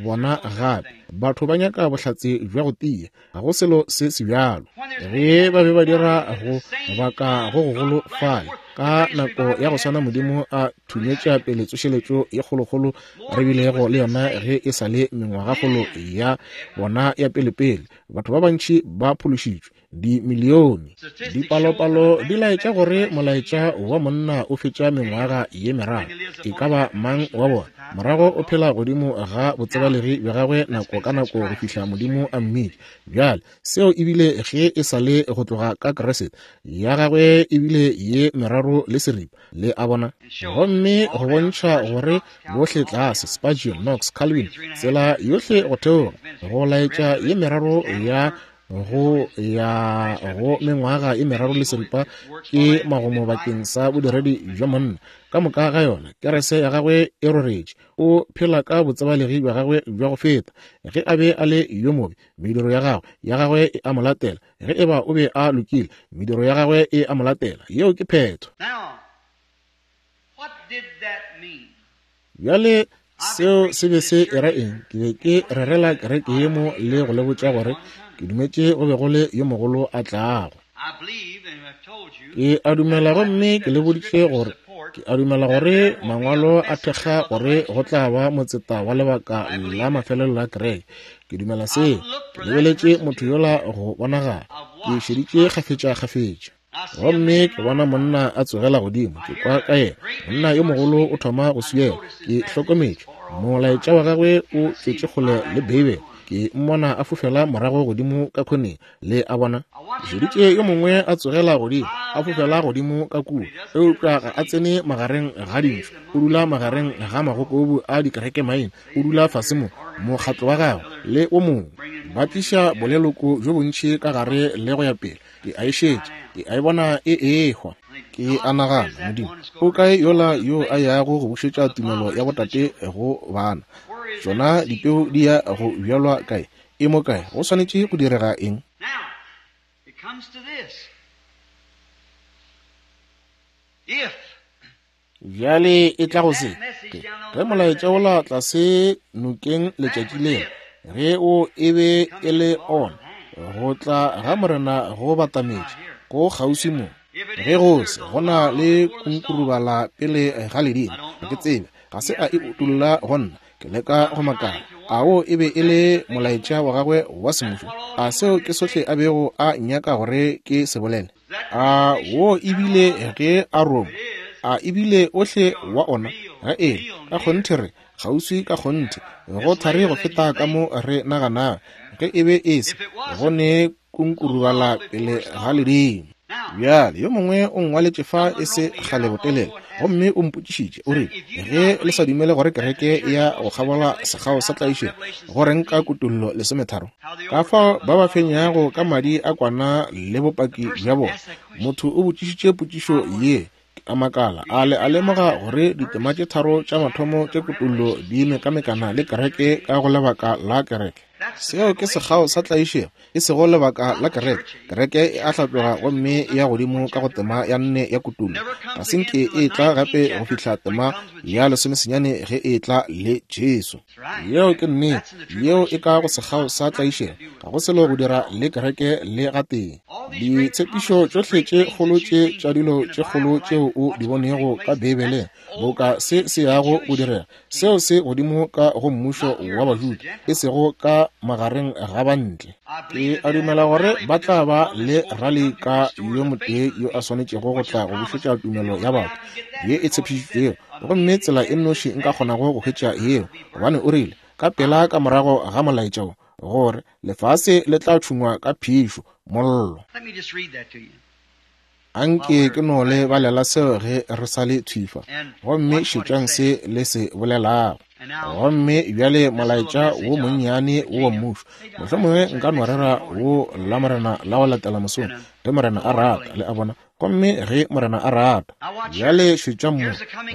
bona gape. Batho ba nyaka bohlatse bja go tia. Ga go selo se sebjalo. Ge ba be ba dira go baka go gogolo fale, ka nako ya go swana Modimo a thunyetša pele tsošeletšo ye kgolokgolo re bilego le yona ge e sa le mengwagakgolo ya bona ya pelepele. Batho ba bantši ba phološitšwe, dimilione. Dipalopalo di laetša gore molaetša wa monna o fetša mengwaga ye meraro, e ka ba mang wa bona. Morago o phela godimo ga botsebalegi bja gagwe nako ka nako go fihla Modimo a mmitša. Bjale, seo e bile ge e sa le go tloga ka Kriste. Ya gagwe e bile ye meraro le seripa, le a bona. Gomme go bontšha gore bohle tlase, Spurgeon, Knox, Calvin, tsela yohle go theoga, go laetša ye meraro ya go ya go mengwaga e meraro le seripa ke magomo bakeng sa bodiredi bja monna. Ka moka ga yona, kerese ya gagwe e roretše. O phela ka botsebalegi bja gagwe bja go feta. Ge a be a le yo mobe, mediro ya gagwe, ya gagwe e a mo latela. Ge e ba o be a lokile, mediro ya gagwe e a mo latela. Yeo ke phetho. Bjale, seo se be se era eng? Ke be ke rerela kereke ye mo le go le botša gore ke dumetše go be go le yo mogolo a tlago. Ke a dumela gomme ke le boditše gore ke a dumela gore mangwalo a thekga gore go tla ba motseta wa lebaka la mafelelo la kereke. Ke dumela seo. Ke lebeletše motho yola go bonagala. Ke šeditše kgafetša-kgafetša. Gomme ke bona monna a tsogela godimo, ke kwa ka yena. Monna yo mogolo o thoma go swiela. Ke hlokometše molaetša wa gagwe o tšwetše kgole le Beibele. Ke mmona a fofela morago godimo ka khoneng, le a bona. Ke šeditše yo mongwe a tsogela godimo, a fofela godimo ka kua, eupša ga a tsene magareng ga dintšhu. O dula magareng ga magokobu a dikerekemaina. O dula fase mo, mokgatlo wa gagwe le o mongwe ba tliša boleloko bjo bontši ka gare le go ya pele. Ke a e šetša, ke a e bona e ehwa. Ke a nagana, Modimo, o kae yola yo a yago go bušetša tumelo ya botate go bana? Tšona dipeu di ya go bjalwa kae? E mo kae? Go swanetše go direga eng? Bjale e tla go se, ke, ge molaetša wola tlase nokeng letšatši lela, ge o e be e le ona, go tla ga Morena go batametše, go kgauswi mo. Ge go se, go na le kunkurubala pele ga ledimo. Ga ke tsebe, ga se a e utolla go nna. Ke leka go makala, a wo e be e le molaetša wa gagwe wa semmušo? A seo ke sohle a bego a nyaka gore ke se bolele? A wo e bile ge a roma? A e bile ohle wa ona? Ga e, ka kgonthe re kgauswi ka kgonthe, go thari go feta ka mo re naganago. Ge e be e se, go ne kunkurubala pele ga ledimo. Bjale, yo mongwe o nngwaletše fa e se kgale botelele, gomme o mpotšišitše, o rile, Ge le sa dumele gore kereke e ya go kgabola sekgao sa tlaišego, go reng ka Kutollo 13? Ka fao ba ba fenyago ka madi a kwana le bopaki bja bona. Motho o botšišitše potšišo ye, ke a makala, a le a lemoga gore ditema tše tharo tša mathomo tša Kutollo di mekamekana le kereke ka go lebaka la kereke? Seo ke sekgao sa tlaišego, e sego lebaka la kereke. Kereke e a hlatloga gomme e ya godimo ka go tema ya nne ya Kutollo. Ga se nke e etla gape go fihla tema ya lesomesenyane ge e etla le Jesu. Yeo ke nnete. Yeo e ka go sekgao sa tlaišego. Ga go selo go dira le kereke le gatee. Ditshepišo tšohle tše kgolo tše tša dilo tše kgolo tšeo o di bonego ka Beibeleng, boka se se yago go direga, seo se godimo ka go mmušo wa Bajuda, e sego ka magareng ga bantle. Ke a dumela gore ba tla ba le rali ka yo motee yo a swanetšego go tla go bušetša tumelo ya batho ye e tshepišitšwego, gomme tsela e nnoši nka kgonago go hwetša yeo, gobane o rile ka pela ka morago ga molaetša wo gore lefase le tla tšhungwa ka phišo, mollo. Anke ke no le balela seo ge re sa le thwifa, gomme šetšang se le se bolelago. Gomme bjale molaetša wo monnyane wo wa mmušo, mohlomongwe nka no rera wo la Morena la go latela mosong, ge Morena a rata, le a bona, gomme ge Morena a rata. Bjale šetšang mo,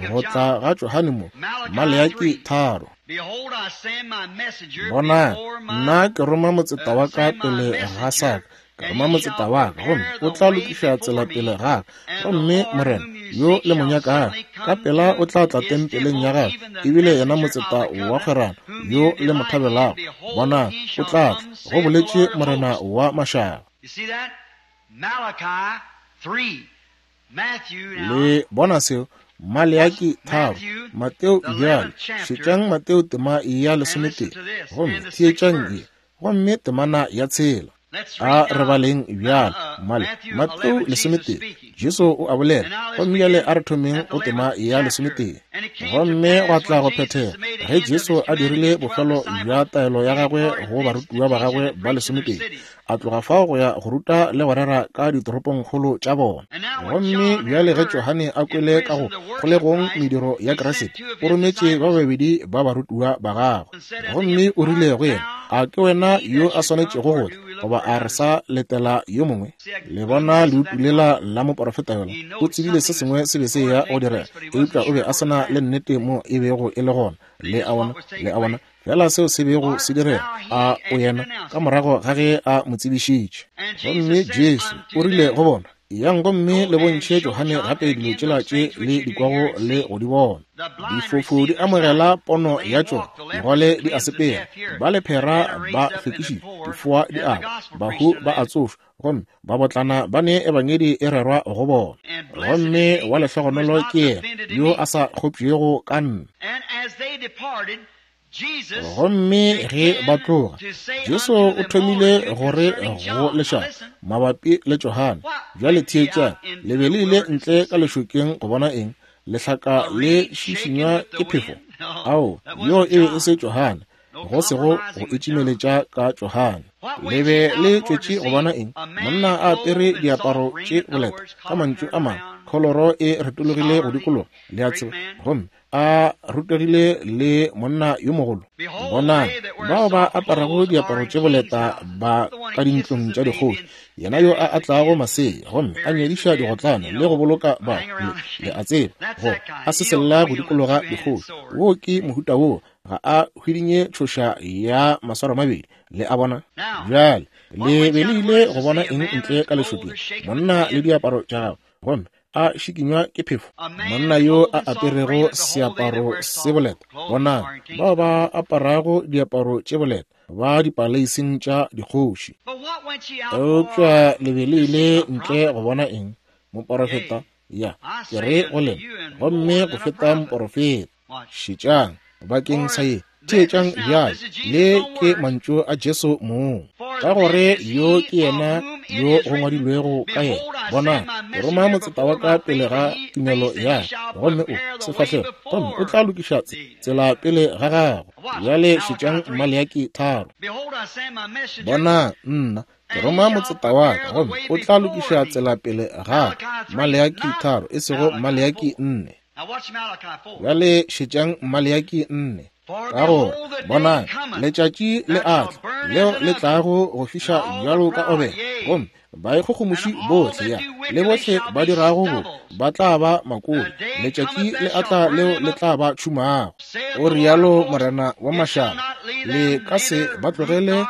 go tla ga Johane mo, Maleaki 3. Bonang, nna ke roma motseta wa ka pele ga sa ka, ke roma motseta wa ka, gomme o tla lokiša tsela pele ga ka. Gomme Morena yo le mo nyakago, ka pela o tla tla tempeleng ya gagwe, ebile yena motseta wa kgwerano yo le mo thabelago, bonang, o tla tla, go boletše Morena wa mašaba. Le bona seo? Maleaki 3, Mateo bjale, šetšang Mateo tema ya 11, gomme theetšang ye, gomme temana ya 6. A re baleng bjale, male, Mateo 11, Jesu o a bolela, gomme bjale a re thomeng go tema ya 11. Gomme gwa tla go phethega, ge Jesu a dirile bofelo bja taelo ya gagwe go barutiwa ba gagwe ba 12, a tloga fao go ya go ruta le go rera ka ditoropongkgolo tša bona. Gomme bjale ge Johane a kwele ka go kgolegong mediro ya Kriste, o rometše ba babedi ba barutiwa ba gagwe, gomme o rile go yena, A ke wena yo a swanetšego go tla, goba a re sa letela yo mongwe? Le bona leutu lela la moporofeta yola, o tsebile se sengwe se be se eya go direga, eupša o be a se na le nnete mo e bego e le gona. Le a bona? Le a bona? Fela seo se bego se direga, a o yena ka morago ga ge a mo tsebišitše. Gomme Jesu o rile go bona, Eyang gomme le bontšhe Johane gape dilo tšela tše le di kwago le go di bona. Difofu di amogela pono ya tšona, digole di a sepela, ba lephera ba hlwekišitšwe, difoa di a kwa, bahu ba a tsošwa, gomme babotlana ba ne ebangedi e rerwa go bona. Gomme wa lehlogonolo ke yena yo a sa kgopšego ka nna. Gomme ge ba tloga, Jesu o thomile gore go lešaba mabapi le Johane. Bjale theetšang, le be le ile ntle ka lešokeng go bona eng? Lehlaka le šišinywa ke phefo? Ao, yo e be e se Johane, go sego go itšimeletša ka Johane. Le be le tšwetše go bona eng? Monna a apere diaparo tše boleta, ka mantšu a mangwe, kholoro e retologile go dikologa, le a tseba, gomme a rutegile le monna yo mogolo. Bonang, bao ba aparago diaparo tše boleta ba ka dintlong tša dikgoši, yena yo a atlago masea gomme a nyadiša digotlane le go boloka ba, le a tseba, go a sesella go dikologa dikgoši. Wo ke mohuta wo, ga a hwidinye tšhoša ya maswaro mabedi, le a bona. Bjale, le be le ile go bona eng ntle ka lešokeng? Monna le diaparo tša gagwe, gomme a šikinywa ke phefo. Monna yo a aperego seaparo se boleta, bonang, bao ba aparago diaparo tše boleta ba dipaleising tša dikgoši. Eupša le be le ile ntle go bona eng? Moporofeta? Ya, ke re go lena, gomme go feta moporofeta. Šetšang bakeng sa ye. Theetšang bjale, le ke mantšu a Jesu mong, ka gore yo ke yena yo go ngwadilwego ka yena, Bonang, ke roma motseta wa ka pele ga tumelo ya ka, gomme o sefahlego, gomme o tla lokiša tsela pele ga gago. Bjale šetšang Maleaki 3. Bonang, nna ke roma motseta wa ka, gomme o tla lokiša tsela pele ga ka. Maleaki 3, e sego Maleaki 4. Bjale šetšang Maleaki 4. Ka gore, bonang, letšatši le a tla, leo le tlago go fiša bjalo ka obele, gomme baikgogomoši bohle, ya, le bohle ba dirago bobe, ba tla ba makole. Letšatši le a tla leo le tla ba tšhumago. O rialo Morena wa mašaba, le ka se ba tlogele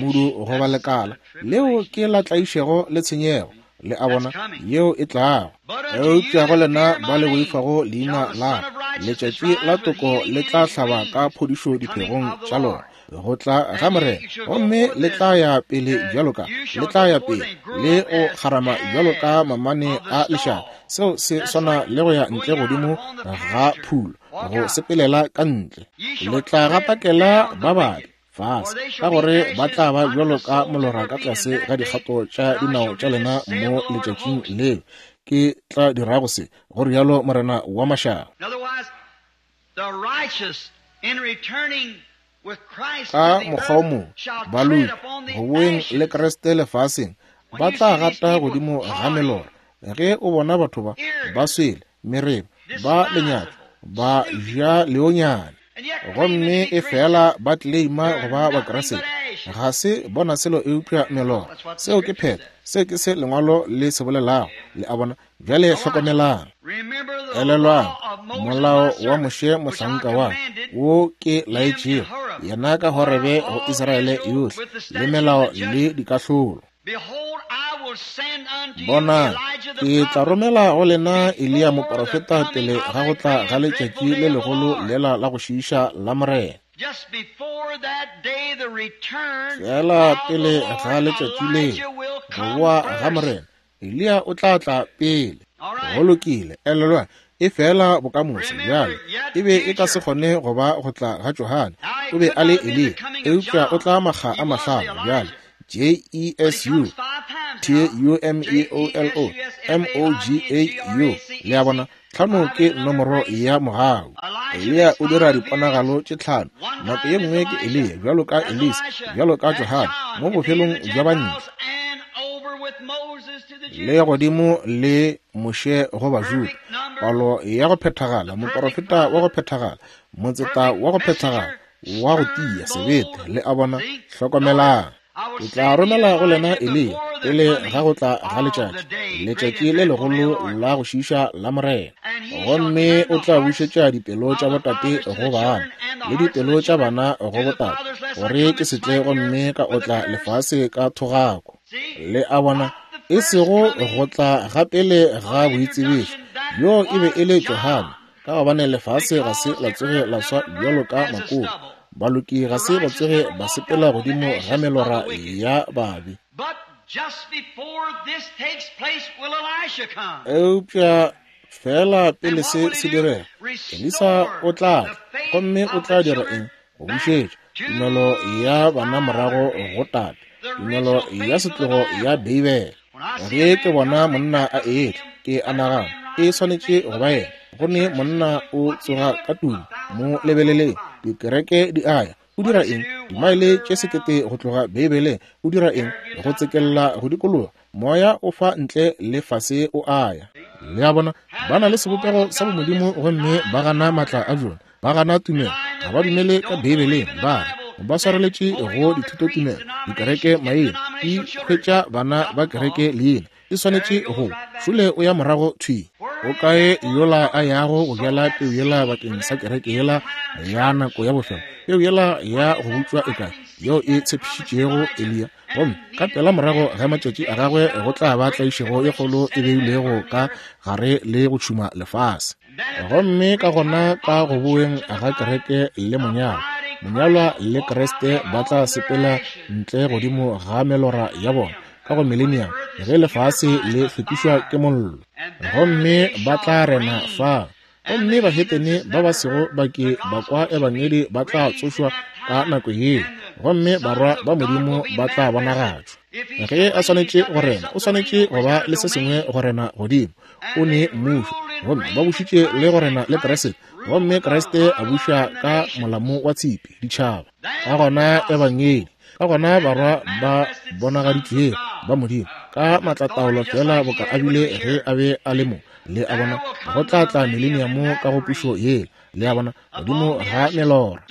modu goba lekala, leo ke la tlaišego le tshenyego. Le a bona, yeo e tlago. Eupša go lena ba le boifago leina la ka, letšatši la toko le tla hlaba ka phodišo diphegong tša lona. Go tla ga Morena, gomme le tla ya pele bjalo ka, le tla ya pele le go kgarama bjalo ka mamane a lešaba. Seo se swana le go ya ntle godimo ga phulo, go sepelela ka ntle. Le tla gatakela ba babe fase, ka gore ba tla ba bjalo ka molora ka tlase ga dikgato tša dinao tša lena mo letšatšing leo ke tla dirago se, go rialo Morena wa mašaba. Ka mokgwa o mongwe, baloki, go boeng le Kriste lefaseng, ba tla gata godimo ga melora. Ge o bona batho ba ba swele mereba, ba lenyatšo, ba ja leonyane, gomme e fela ba tleleima go ba Bakriste, ga se bona selo eupša melora. Seo ke phetho. Seo ke se Lengwalo le se bolelago. Le a bona? Bjale hlokomelang. Elelwang molao wa Moshe mohlanka wa wo ke laetšego yena ka Horebe go Israele yohle, le melao le dikahlolo. Bonang, ke tla romela go lena Eliya moprofeta pele ga go tla ga letšatši le legolo lela la go šiiša la Morena. Feela pele ga letšatši le, go boa ga Morena, Eliya o tla tla pele. Go lokile, elelwa, e fela bokamoso bjale. E be e ka se kgone go ba go tla ga Johane. O be a le Eliya, eupša o tla makga a mahlano bjale. J-E-S-U, T-U-M-E-O-L-O, M-O-G-A-U. Le a bona, tlhano ke nomoro ya mogau. Eliya o dira diponagalo tše tlhano. Nako ye nngwe ke Eliya, bjalo ka Elisa, bjalo ka Johane, mo bofelong bja bantle. Le godimo le Moshe go Bajuda, palo ya go phethagala, moporofeta wa go phethagala, motseta wa go phethagala, wa go tia sebete. Le a bona? Hlokomelang. Ke tla romela go lena Eliya pele ga go tla ga letšatši, letšatši le legolo la go šiiša la Morena. Gomme o tla bušetša dipelo tša botate go bana, le dipelo tša bana go botate, gore ke se tle gomme ka otla lefase ka thogako. Le a bona? E sego go tla ga pele ga boitsebišo. Yoo e be e le Johane, ka gobane lefase ga se la tsoge la swa bjalo ka makoko. Baloki ga se ba tsoge ba sepela godimo ga melora ya babe. Eupša feela pele se se direga, Elisa o tla tla, gomme o tla dira eng? Go bušetša tumelo ya bana morago go tate, tumelo ya setlogo ya Beibele. Ge ke bona monna a etla, ke a nagana e swanetše go ba yena. Go ne monna o tsoga ka tumo, mo lebeleleng, dikereke di a ya. O dira eng? Dimaele tše sekete go tloga Beibeleng. O dira eng? Go tsekella go dikologa. Moya o fa ntle le fase o a ya. Le a bona, ba na le sebopego sa bomodimo gomme ba gana maatla a bjona. Ba gana tumelo, ga ba dumele ka Beibeleng. Ba re ba swareletše go dithutotumelo, dikereke maina, di hwetša bana ba kereke leina. E swanetše go šole o ya morago thwi. O kae yola a yago go bjala peu yela bakeng sa kereke yela ya nako ya bofelo? Peu yela ya go butšwa e kae, yeo e tshepišitšego Eliya? Gomme ka pela morago ga matšatši a gagwe go tla ba tlaišego e kgolo e beilwego ka gare le go tšhuma lefase. Gomme ka gona ka go boeng ga kereke le monyalwa, monyalwa le Kriste ba tla sepela ntle godimo ga melora ya bona ka go milenium, ge lefase le hlwekišwa ke mollo. Gomme ba tla rena fa. Gomme bahetene ba ba sego ba ke ba kwa ebangedi ba tla tsošwa ka nako yeo, gomme barwa ba Modimo ba tla bonagatšwa. Ge a swanetše go rena, o swanetše go ba le se sengwe go rena godimo. O ne mmušo, gomme ba bušitše le go rena le Kriste, gomme Kriste a buša ka molamo wa tshipi ditšhaba. Ka gona ebangedi, ka gona barwa ba bonagaditšwego ba Modimo ka maatlataolo feela boka a bile ge a be a le mo. Le a bona, go tla tla mileniamo ka go pušo yela, le a bona, godimo ga melora.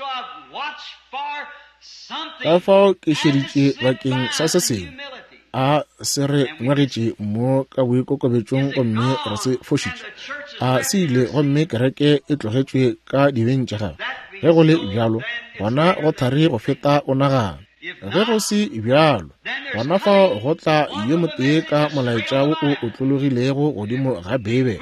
Ka fao ke šeditše bakeng sa se sengwe a se re ngwegetše mo ka boikokobetšong, gomme re se fošitše. A se ile, gomme kereke e tlogetšwe ka dibeng tša gagwe. Ge go le bjalo, gona go thari go feta o nagana. Ge go se bjalo, gona fao go tla yo motee ka molaetša wo o otlologilego godimo ga Beibele.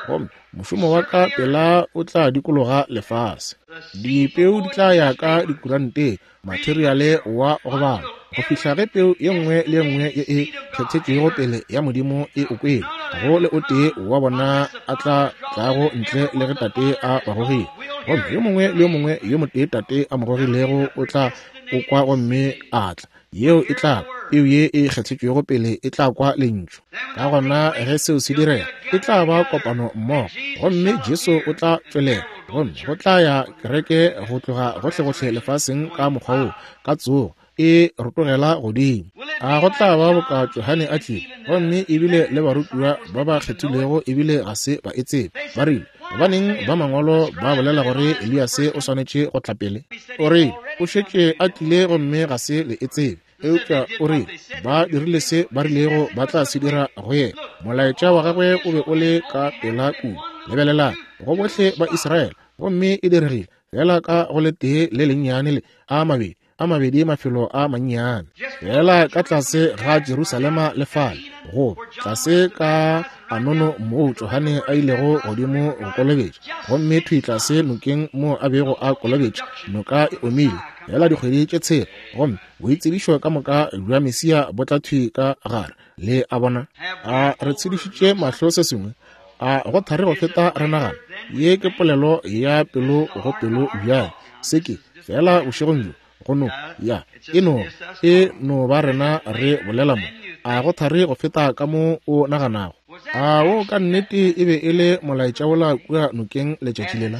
Gomme mošomo wa ka pela o tla dikologa lefase. Dipeu di tla ya ka dikuranteng, materiale wa go bala, go fihla ge peu ye nngwe le ye nngwe ye e kgethetšwego pele ya Modimo e o kwele. Ga go le o tee wa bona a tla tlago ntle le ge Tate a ba gogile. Gomme yo mongwe le yo mongwe yo motee Tate a mo gogilego o tla o kwa gomme a tla. Yeo e tla, peu ye e kgethetšwego pele e tla kwa Lentšu. Ka gona ge seo se direga, e tla ba kopano mmogo, gomme Jesu o tla tšwelela, gomme go tla ya kereke go tloga gohlegohle lefaseng ka mokgwa wo, ka tsogo, e rotogela godimo. A go tla ba boka Johane a tlile, gomme ebile le barutiwa ba ba kgethilwego ebile ga se ba e tsebe. Ba rile, Gobaneng ba mangwalo ba bolela gore Eliase o swanetše go tla pele? O rile, O šetše a tlile gomme ga se le e tsebe. Eupša o rile, Ba dirile se ba rilego ba tla se dira go yena. Molaetša wa gagwe o be o le ka pela kudu. Lebelelang, go bohle ba Israele, gomme e diregile feela ka go letee le lennyane le a mabedi, a mabedi mafelo a mannyane, feela ka tlase ga Jerusalema le fale, go tlase ka Anono moo Johane a ilego godimo go kolobetša, gomme thwi tlase nokeng moo a bego a kolobetša, noka e omile feela dikgwedi tše tshela, gomme boitsebišo ka moka bja Mesia bo tla thwi ka gare. Le a bona? A re tshedišitše mahlo se sengwe? A go thari go feta re nagana? Ye ke polelo ya pelo go pelo bjale. Se ke, feela bošegong bjo, go no, ya, e no, e no ba rena re bolela mo. A go thari go feta ka mo o naganago? A wo ka nnete e be e le molaetša wola kua nokeng letšatši lela?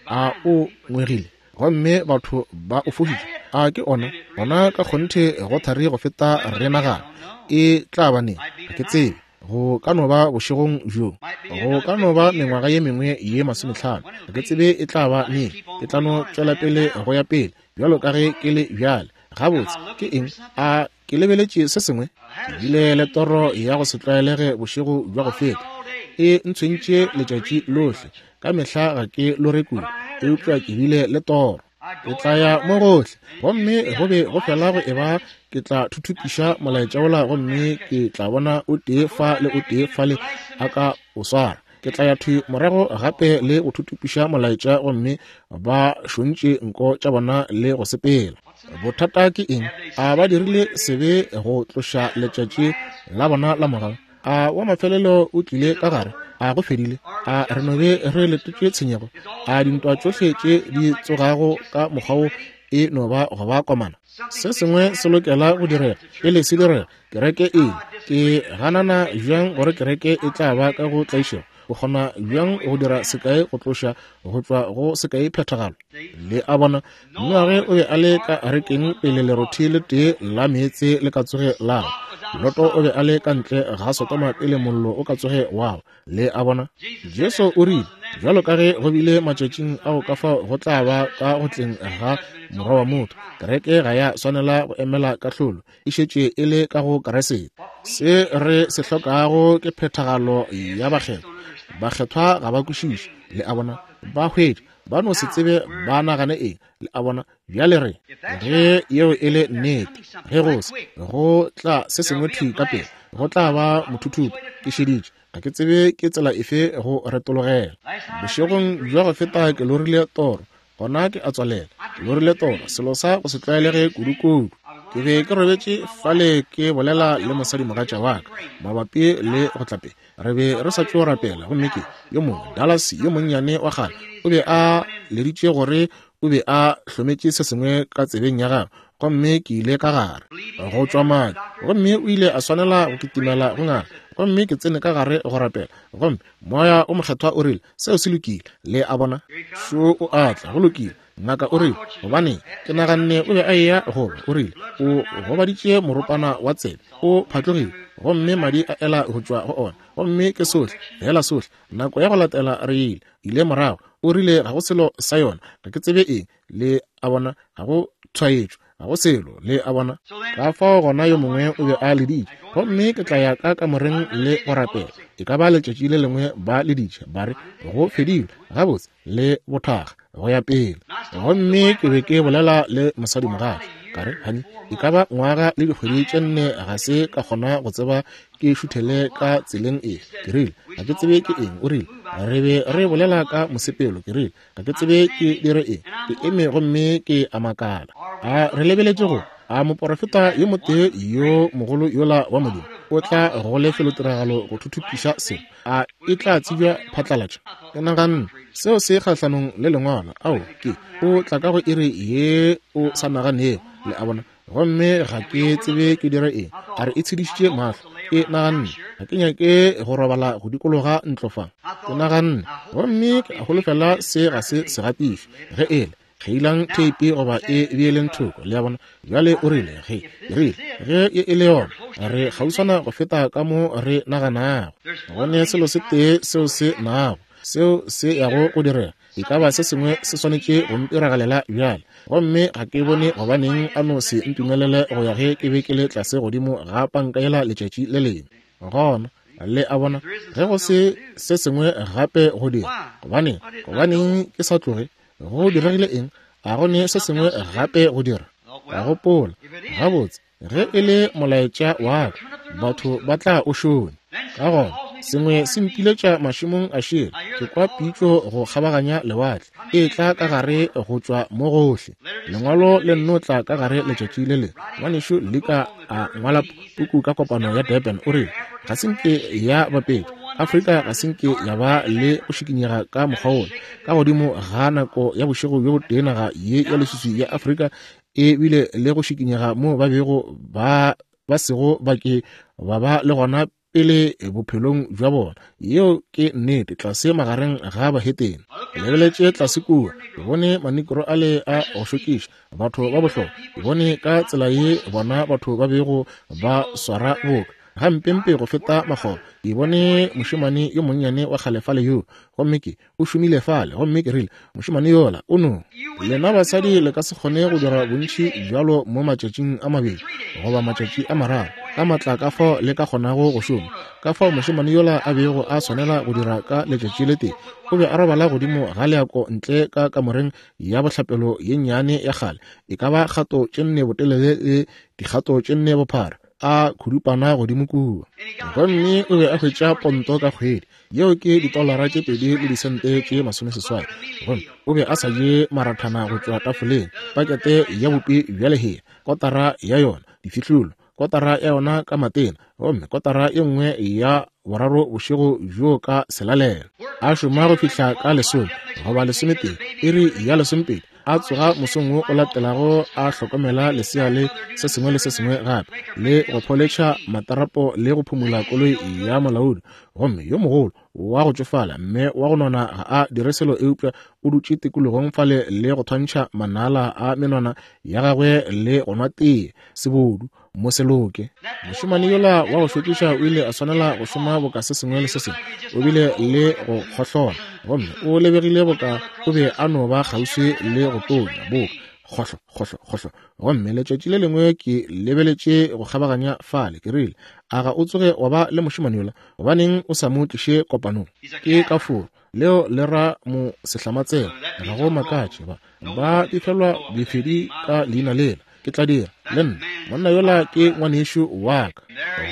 A o ngwegile gomme batho ba o fošitše? A ke ona? Gona ka kgonthe go thari go feta re nagana. E tla ba neng? Ga ke tsebe. Go ka no ba bošegong bjo, go ka no ba mengwaga ye mengwe ye 50. Ga ke tsebe e tla ba neng. Ke tla no tšwela pele go ya pele bjalo ka ge ke le bjale. Gabotse, ke eng? A ke lebeletše se sengwe? Ke bile le toro ya go se tlwaelege bošego bja go feta. E ntshwentše letšatši lohle. Ka mehla ga ke lore kudu, eupša ke bile le toro. Ke tla ya mo gohle, gomme go be go fela go eba ke tla thuthupiša molaetša wola, gomme ke tla bona o tee fa le o tee fale a ka o swara. Ke tla ya thwi morago gape le go thuthupiša molaetša, gomme ba šontše nko tša bona le go sepela. Bothata ke eng? A ba dirile sebe go tloša letšatši la bona la mogau? A wa mafelelo o tlile ka gare? A go fedile? A re no be re letetše tshenyego? A dintwa tšohle tše di tsogago ka mokgwa wo e no ba go ba komana? Se sengwe se lokela go direga pele se direga. Kereke e ke ganana bjang gore kereke e tla ba ka go tlaišego? O kgona bjang go dira sekai go tloša go tšwa go sekai phethagalo? Le a bona, Noage o be a le ka arekeng pele lerothi le tee la meetse le ka tsoge la wa. Loto o be a le ka ntle ga Sodoma pele mollo o ka tsoge wa wa. Le a bona? Jesu o rile, Bjalo ka ge go bile matšatšing ao, ka fao go tla ba ka go tleng ga Morwa wa motho. Kereke ga ya swanela go emela kahlolo, e šetše e le ka go Kriste. Se re se hlokago ke phethagalo ya bakgethwa. Bakgethwa ga ba kwešiše. Le a bona? Ba hwetša ba no se tsebe ba nagane eng. Le a bona? Bjale re, ge yeo e le nnete, ge go se go tla se sengwe thwi ka pele, go tla ba mothuthupo. Ke šeditše, ga ke tsebe ke tsela efe go retologela. Bošegong bja go feta ke lorile toro, gona ke a tswalela. Ke lorile toro, selo sa go se tlwaelege kudu-kudu. Ke be ke robetše fale ke bolela le mosadimogatša wa ka mabapi le go tla pele. Re be re sa tšo rapela, gomme ke yo mongwe, Dallas yo monnyane wa kgale, o be a leditše gore o be a hlometše se sengwe ka tsebeng ya gagwe, gomme ke ile ka gare go tšwa madi, gomme o ile a swanela go kitimela go ngaka, gomme ke tsene ka gare go rapela, gomme Moya o Mokgethwa o rile, Seo se lokile. Le a bona? Šo o a tla, go lokile. Ngaka o rile, Gobaneng, ke naganne o be a eya go ba. O rile, O gobaditše moropana wa tsebe, o phatlogile, gomme madi a ela go tšwa go ona. Gomme ke sohle, feela sohle. Nako ya go latela re ile, ile morago. O rile, Ga go selo sa yona. Ga ke tsebe eng. Le a bona, ga go tshwaetšo, ga go selo. Le a bona? Ka fao gona yo mongwe o be a leditše, gomme ke tla ya ka kamoreng le go rapela. E ka ba letšatši le lengwe ba leditše, ba re, Go fedile. Gabotse, le bothaga go ya pele. Gomme ke be ke bolela le mosadimogatša, ka re, Hani, e ka ba ngwaga le dikgwedi tše nne ga se ka kgona go tseba ke šuthele ka tseleng efe. Ke rile, Ga ke tsebe ke eng. O rile, Re be re bolela ka mosepelo. Ke rile, Ga ke tsebe ke dire eng. Ke eme gomme ke a makala. A re lebeletše go a moporofeta yo motee yo mogolo yola wa Modimo o tla go lefelotiragalo go thuthupiša selo? A e tla tsebja phatlalatša? Ke naganne, Seo se kgahlanong le Lengwalo. Ao, ke, o tla ka go iri ye o sa naganego, le a bona. Gomme ga ke tsebe ke dire eng. A re e tshedišitše mahlo. Ke naganne, Ga ke nyake go robala go dikologa ntlo fa. Ke naganne, Gomme ke a holofela se ga se segatišo. Ge e le, kgeilang theipi goba e beeleng thoko, le a bona. Bjale o rile, ge, ke rile, ge ye e le yona, re kgauswana go feta ka mo re naganago. Go ne selo se tee seo se nago, seo se yago go direga. E ka ba se sengwe se swanetše go ntiragalela bjale. Gomme ga ke bone gobaneng a no se ntumelele go ya ge ke be ke le tlase godimo ga panka yela letšatši le lengwe. Gona, le a bona, ge go se se sengwe gape go dira, gobaneng, gobaneng ke sa tloge? Go diregile eng? A go ne se sengwe gape go dira? Ka gopola, Gabotse, Ge e le molaetša wa ka, batho ba tla o šonya. Ka gona, sengwe se mpiletša mašemong a šele, ke kwa pitšo go kgabaganya lewatle, e tla ka gare go tšwa mo gohle. Lengwalo le nno tla ka gare letšatši le lengwe. Ngwanešu Lika a ngwala puku ka kopano ya Durban, o rile, Ga se nke ya bapetšwa. Afrika ga se nke ya ba le go šikinyega ka mokgwa wola. Ka godimo ga nako ya bošego bjo botee naga ye ya leswiswi ya Afrika e bile le go šikinyega moo ba bego ba ba sego ba ke ba ba le gona pele bophelong bja bona. Yeo ke nnete, tlase magareng ga bahetene. Ke lebeletše tlase kua, ke bone manikro ale a go šokiša, batho ba bohlokwa. Ke bone ka tsela ye bona batho ba bego ba swara boka gampempe go feta makgoba. Ke bone mošemane yo monnyane wa kgale fale yoo, gomme ke o šomile fale, gomme ke rile, Mošemane yola o no. Lena basadi le ka se kgone go dira bontši bjalo mo matšatšing a mabedi goba matšatši a mararo, ka matla ka fao le ka kgonago go šoma, ka fao mošemane yola a bego a swanela go dira ka letšatši le tee. O be a robala godimo ga leako ntle ka kamoreng ya bohlapelo ye nnyane ya kgale, e ka ba kgato tše nne botelele le dikgato tše nne bophara, a khudupana godimo kua. Gomme o be a hwetša ponto ka kgwedi. Yeo ke ditolara tše pedi le disente tše masomeseswai. Gomme o be a sa je marathana go tšwa tafoleng, pakete ya bupi bja lehea, kotara ya yona, difihlolo, kotara ya yona ka matena, gomme kotara ye nngwe ya boraro bošego bjoo ka selalelo. A šoma go fihla ka lesome goba lesometee, iri ya lesomepedi, a tsoga mosong wo o latelago a hlokomela lesea le se sengwe le se sengwe gape, le go pholetšha matarapo le go phumula koloi ya molaodi. Gomme yo mogolo wa go tšofala mme wa go nona ga a dire selo eupša o dutše tikologong fale le go thwantšha manala a menwana ya gagwe le go nwa tee, sebodu, mo se loke. Mošemane yola wa go šokiša o ile a swanela go šoma boka se sengwe le se sengwe. O bile le go kgohlola, gomme o lebegile boka o be a no ba kgauswi le go tonya, boka kgohlo, kgohlo, kgohlo. Gomme letšatši le lengwe ke lebeletše go kgabaganya fale, ke rile, A ga o tsoge wa ba le mošemane yola? Gobaneng o sa mo tliše kopanong? Ke ka foro. Leo le ra mo sehlamatsela. Ga go makatše ba ba befelwa befedi ka leina lela. Ke tla dira le nna. Monna yola ke ngwanešu wa ka.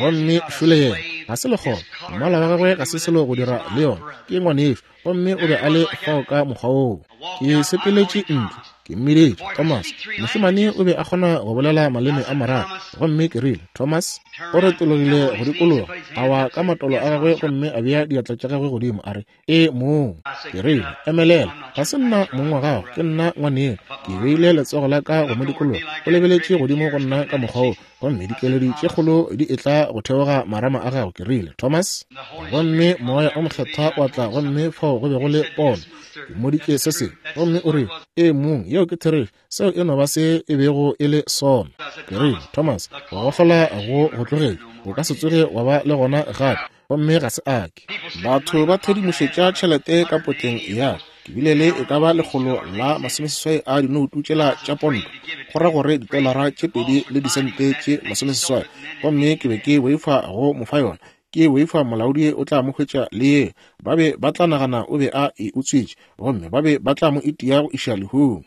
Gomme šole yena. Ga se lekgoba. Mmala wa gagwe ga se selo go dira le yona. Ke ngwanešu. Gomme o be a le fao ka mokgwa woo. Ke sepeletše ntle. Ke mmiditše, Thomas. Mošemane o be a kgona go bolela maleme a mararo. Gomme ke rile, Thomas. O retologile go dikologa, a wa ka matolo a gagwe gomme a bea diatla tša gagwe godimo, a re, E mong. Ke rile, Emelela. Ga se nna mong wa gago, ke nna ngwaneno. Ke beile letsogo la ka go mo dikologa. O lebeletše godimo go nna ka mokgwa wo, gomme dikeledi tše kgolo di etla go theoga marama a gago. Ke rile, Thomas. Gomme Moya o Mokgethwa wa tla, gomme fao go be go le pono. Ke mmoditše se sengwe, gomme o rile, Ee, mong, yeo ke therešo. Seo e no ba se e bego e le sona. Ke rile, Thomas, go gohlola go go tlogetše. O ka se tsoge wa ba le gona gape. Gomme ga se a ke. Batho ba thedimošetša tšhelete ka potleng ya ka. Ke bile le e ka ba 160 a dinoutu tšela tša ponto, go ra gore ditolara tše pedi le disente tše masomeseswai. Gomme ke be ke boifa go mo fa yona. Ke boifa molaodi o tla mo hwetša le ye. Ba be ba tla nagana o be a e utswitše, gomme ba be ba tla mo itia go iša lehung.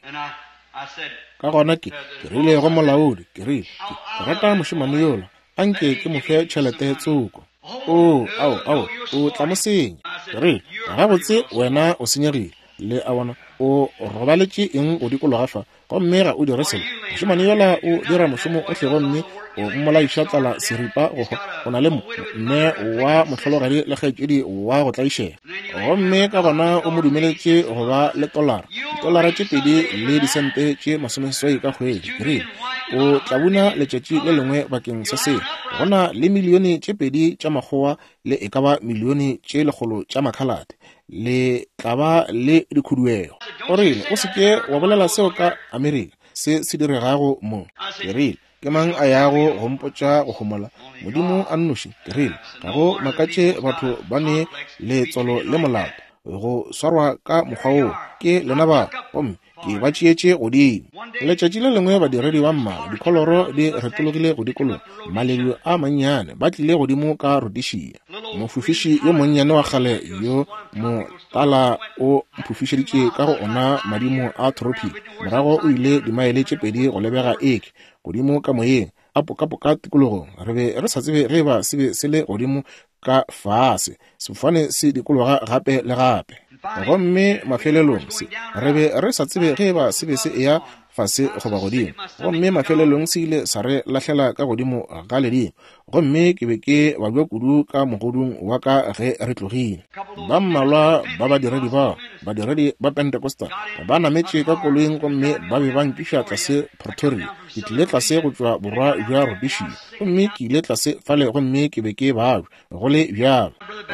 Ka gona ke, ke rile go molaodi, ke rile, Ke, ke rata mošemane yola. A nke ke mo fe tšhelete tsoko. Oo, ao, ao, o tla mo senya. Ke rile, Gabotse, wena o senyegile. Le a bona, o robaletše eng go dikologa fa, gomme ga o dire selo? Mošemane yola o dira mošomo ohle gomme o mmolaiša tlala seripa go hwa. O na le mme wa mohlologadi le kgaetšedi wa go tlaišega. Gomme ka gona o mo dumeletše go ba le tolara, ditolara tše pedi le disente tše masomeseswai ka kgwedi. Ke rile, O tla buna letšatši le lengwe bakeng sa seo. Go na le milione tše pedi tša makgowa le e ka ba milione tše lekgolo tša makhalate. Le tla ba le dikhuduego. O rile, O se ke wa bolela seo ka Amerika, se se diregago mo. Ke rile, Ke mang a yago go mpotša go homola? Modimo a nnoši. Ke rile, Ga go makatše batho ba ne letswalo le molato go swarwa ka mokgwa woo. Ke lena ba, gomme ke ba tšeetše godimo. Letšatši le lengwe badiredi ba mmala dikholoro di retologile go dikologa, maledu a mannyane, ba tlile godimo ka Rhodesia. Mofofiši yo monnyane wa kgale yo motala o mphofišeditše ka go ona madimo a tropic, morago o ile dimaele tše pedi go lebega eke godimo ka moyeng, a pokapoka tikologong. Re be re sa tsebe ge eba se be se le godimo ka fase, sefofane se dikologa gape le gape. Gomme mafelelong se, re be re sa tsebe ge eba se be se eya fase goba godimo. Gomme mafelelong se ile sa re lahlela ka godimo ga ledimo. Gomme ke be ke babja kudu ka mogodung wa ka ge re tlogile. Ba mmalwa ba badiredi bao, badiredi ba Pentecostal, ba nametše ka koloing gomme ba be ba nkiša tlase Pretoria. Ke tlile tlase go tšwa borwa bja Rhodesia, gomme ke ile tlase fale gomme ke be ke babja, go le bjalo.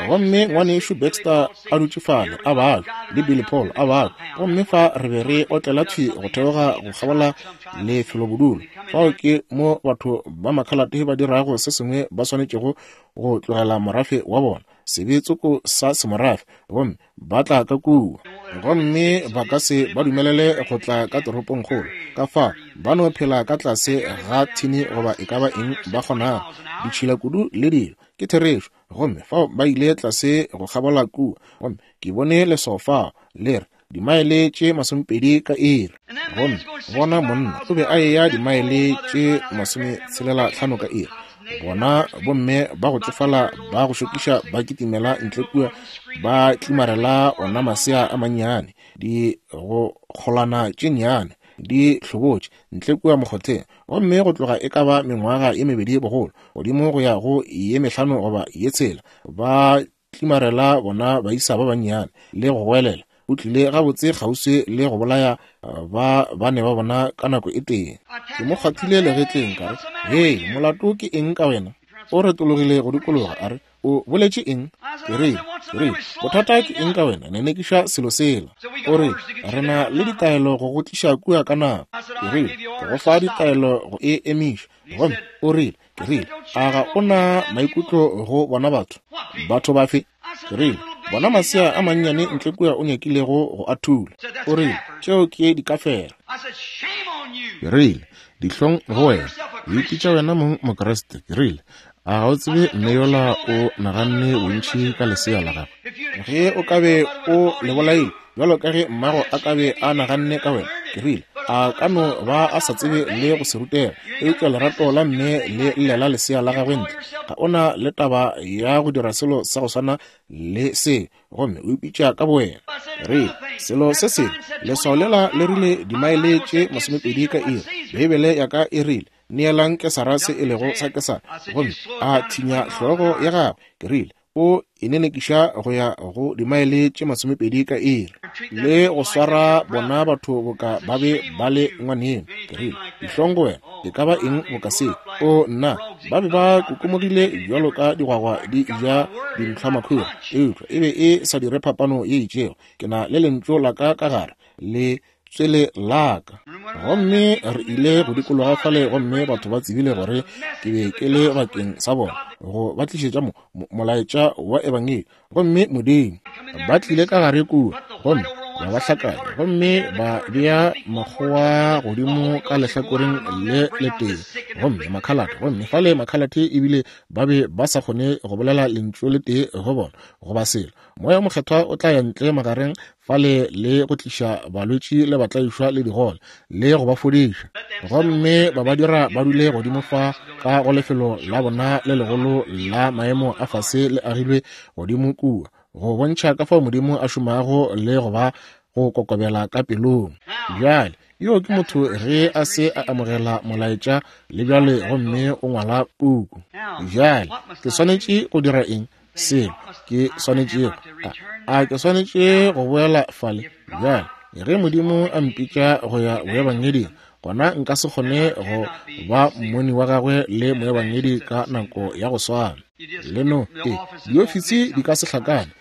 Gomme ngwanešu Baxter a dutše fale, a babja, le Billy Paul a babja. Gomme fa re be re otlela thwi go theoga go kgabola lefelobodulo. Fao ke mo batho ba makhalate ba dirago se sengwe ba swanetšego go tlogela morafe wa bona, sebe tsoko sa semorafe, gomme ba tla ka kua. Gomme ba ka se ba dumelele go tla ka toropongkgolo, ka fa ba no phela ka tlase ga thini goba e ka ba eng ba kgonago, ditšhila kudu le dilo. Ke therešo. Gomme fao ba ile tlase go kgabola kua, gomme ke bone leswao fao, le re, dimaele tše masomepedi ka iri. Gomme bona monna o be a eya dimaele tše masometshelelathlano ka iri. Bona bomme ba go tšofala ba go šokiša ba kitimela ntle kua, ba tlimarela ona masea a mannyane, di go kgolwana tše nnyane di hlobotše ntle kua mokgotheng. Gomme go tloga e ka ba mengwaga ye mebedi bogolo, godimo go ya go ye mehlano goba ye tshela, ba tlimarela bona baisa ba bannyane le go goelela. O tlile gabotse kgauswi le go bolaya ba bane ba bona ka nako e tee. Ke mo kgwathile legetleng ka re, Hei, molato ke eng ka wena? O retologile go dikologa a re, O boletše eng? Ke re, ke re, bothata ke eng ka wena? Nenekiša selo sela. O re, re na le ditaelo go go tliša kua ka nako. Ke re, ke go fa ditaelo go e emiša. Gomme o rile, Ke rile, a ga o na maikutlo go bona batho? Batho bafe? Ke rile, bona masea a mannyane ntle kua o nyakilego go a thula. O rile, tšeo ke dikafera. Ke rile, dihlong go wena. O ipitša wena mong Mokriste. Ke rile, a ga o tsebe mme yola o naganne bontši ka lesea la gagwe? Ge o ka be o le bolaile, bjalo ka ge mmago a ka be a naganne ka wena. Ke rile, a ka no ba a sa tsebe le go se rutega, eupša lerato la mme le llela lesea la gagwe ntle. Ga o na le taba ya go dira selo sa go swana le se, gomme o ipitša ka bowena. Re, selo se sengwe, leswao lela le rile dimaele tše masomepedi ka iri. Beibele ya ka e rile, Neelang Kesara se e lego sa Kesara. Gomme a thinya hlogo ya gagwe. Ke rile, o e nenekiša go ya go dimaele tše masomepedi ka iri, le go swara bona batho boka ba be ba le ngwaneno. Ke rile, Dihlong go wena, e ka ba eng boka se? O, nna, ba be ba kokomogile bjalo ka digwagwa di ja dintlhwamakhura, eupša e be e sa dire phapano ye itšego. Ke na le lentšu la ka ka gare, le tswele la ka. Gomme re ile go dikologa fale, gomme batho ba tsebile gore ke be ke le bakeng sa bona, go ba tlišetša mo, mo, molaetša wa Ebangedi. Gomme Modimo, ba tlile ka gare kua, gomme ba ba hlakanya gomme ba bea makgowa godimo ka lehlakoreng le letee, gomme makhalate, gomme fale makhalate ebile ba be ba sa kgone go bolela lentšu le tee go bona goba selo. Moya o Mokgethwa o tla ya ntle magareng fale le go tliša balwetši le batlaišwa le digole le go ba fodiša, gomme ba ba dira ba dule godimo fa ka go lefelo la bona le legolo la maemo a fase le agilwe godimo kua, go bontšha ka fao Modimo a šomago le go ba go kokobela ka pelong. Bjale, yo ke motho ge a se a amogela molaetša le bjale, gomme o ngwala puku. Bjale, ke swanetše go dira eng? Selo ke swanetšego, a ke swanetše go boela fale? Bjale, ge Modimo a mpitša go ya boebangeding, gona nka se kgone go ba mmoni wa gagwe le moebangedi ka nako ya go swana. Le no, e, diofisi di ka se hlakane.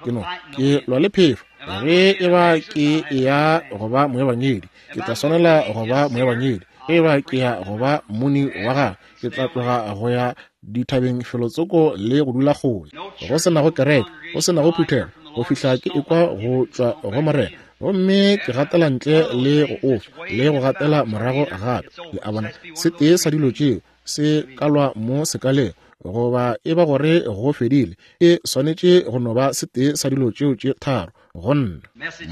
Ke no, ke lwa le phefo. Ge e ba ke ya go ba moebangedi, ke tla swanela go ba moebangedi. Ge e ba ke ya go ba mmoni wa gagwe, ke tla tloga go ya dithabeng felotsoko le go dula kgole, go se nago kereke, go se nago phuthego, go fihla ke ekwa go tšwa go Morena, gomme ke gatela ntle le go ofa le go gatela morago gape. Le a bona, se tee sa dilo tšeo se ka lwa mo sekaleng, goba e ba gore go fedile. E swanetše go no ba se tee sa dilo tšeo tše tharo go nna.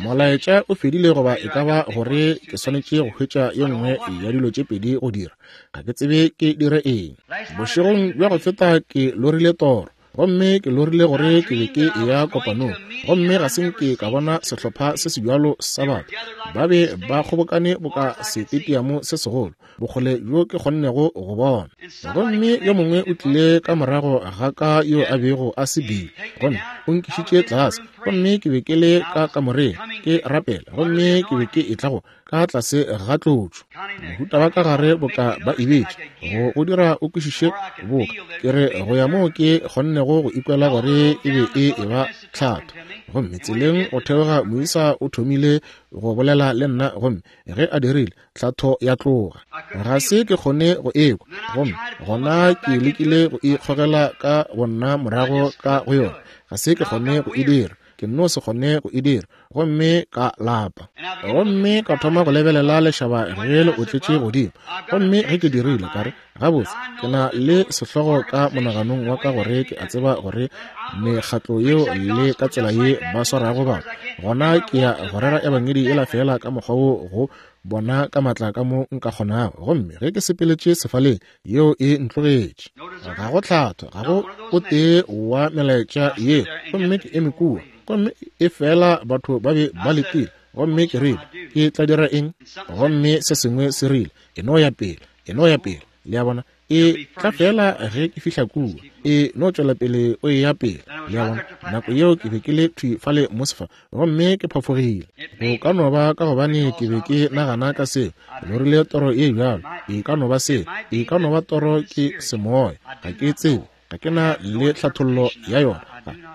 Molaetša o fedile, goba e ka ba gore ke swanetše go hwetša ye nngwe ya dilo tše pedi go dira. Ga ke tsebe ke dire eng. Bošegong bja go feta ke lorile toro, gomme ke lorile gore ke be ke eya kopanong, gomme ga se nke ka bona sehlopha se sebjalo sa batho. Ba be ba kgobokane boka setetiamo se segolo, bokgole bjo ke kgonnego go bona. Gomme yo mongwe o tlile ka morago ga ka yo a bego a se bile, gomme o nkišitše tlase, gomme ke be ke le ka kamoreng ke rapela, gomme ke be ke etla go ka tlase ga tlotšo, mohuta wa ka gare boka ba e betše, go go dira o kwešiše boka ke re go ya moo ke kgonnego go ikwela gore e be e eba tlhatho. Gomme tseleng go theoga moisa o thomile go bolela le nna, gomme ge a dirile, tlhatho ya tloga. Ga se ke kgone go ekwa, gomme gona ke lekile go ikgogela ka bonna morago ka go yona. Ga se ke kgone go e dira, ke nno se kgone go e dira, gomme ka lapa. Gomme ka thoma go lebelela lešaba ge le otletše godimo, gomme ge ke dirile, ka re, Gabotse, ke na le sehlogo ka monaganong wa ka gore ke a tseba gore mekgatlo yeo le ka tsela ye ba swarago batho, gona ke ya go rera ebangedi yela feela ka mokgwa wo go bona ka matla ka mo nka kgonago. Gomme ge ke sepeletše sefaleng, yeo e ntlogetše. Ga go tlhatho, ga go o tee wa melaetša yeo. Gomme ke eme kua, gomme e fela batho ba be ba letile. Gomme ke rile, Ke tla dira eng? Gomme se sengwe se rile, E no ya pele, e no ya pele. Le a bona? E tla fela ge ke fihla kua. E no tšwela pele o eya pele. Le a bona? Nako yeo ke be ke le thwi fale mo sefa, gomme ke phafogile. Go ka no ba ka gobane ke be ke nagana ka seo. Ke lorile toro ye bjalo. E ka no ba seo. E ka no ba toro ke semoya. Ga ke tsebe. Ga ke na le tlhathollo ya yona.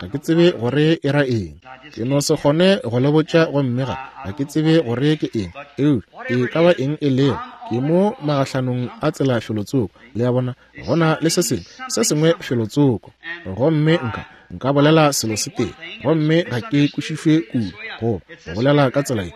Ga ke tsebe gore e ra eng. Ke no se kgone go le botša, gomme ga ke tsebe gore ke eng. Eupša e ka ba eng e lego, ke mo magahlanong a tsela felotsoko. Le a bona, go na le se sengwe, se sengwe felotsoko. Gomme nka bolela selo se tee, gomme ga ke kwešišwe kudu, goba go bolela ka tsela ye,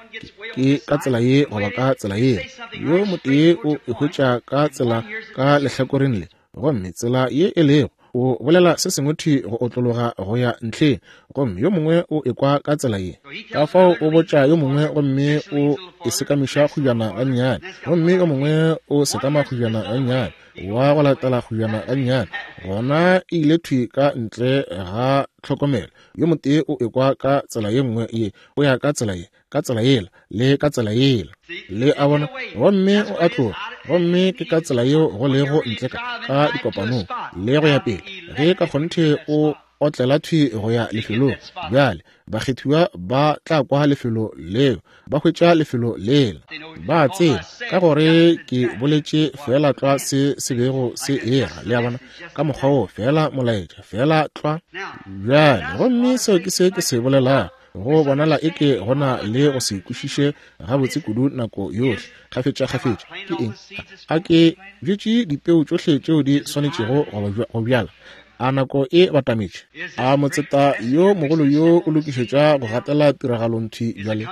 ke ka tsela ye goba ka tsela yela. Yo motee o e hwetša ka tsela ka lehlakoreng le, gomme tsela ye e lego, o bolela se sengwe thwi go otlologa go ya ntlheng, gomme yo mongwe o ekwa ka tsela ye. Ka fao o botša yo mongwe, gomme o e sekamiša kgujana gannyane, gomme yo mongwe o sekama kgujana gannyane, wa go latela kgujana gannyane, gona e ile thwi ka ntle ga tlhokomelo. Yo motee o ekwa ka tsela ye nngwe ye, o ya ka tsela ye, ka tsela yela, le ka tsela yela. Le a bona? Gomme o a tloga. Gomme ke ka tsela yeo go lego ntle ka, ka dikopanong, le go ya pele. Ge ka kgonthe o otlela thwi go ya lefelong, bjale bakgethiwa ba tla kwa lefelo leo, ba hwetša lefelo lela. Ba tseba, ka gore ke boletše feela tlwa se se bego se era, le a bona, ka mokgwa wo, feela molaetša, feela tlwa. Bjale, gomme seo ke se ke se bolelago. Go bonala eke go na le go se kwešiše gabotse kudu nako yohle, kgafetšakgafetša. Ke eng? A ke bjetše dipeu tšohle tšeo di swanetšego go bjala? A nako e batametše? A motseta yo mogolo yo o lokišetša go gatela tiragalong thwi bjale?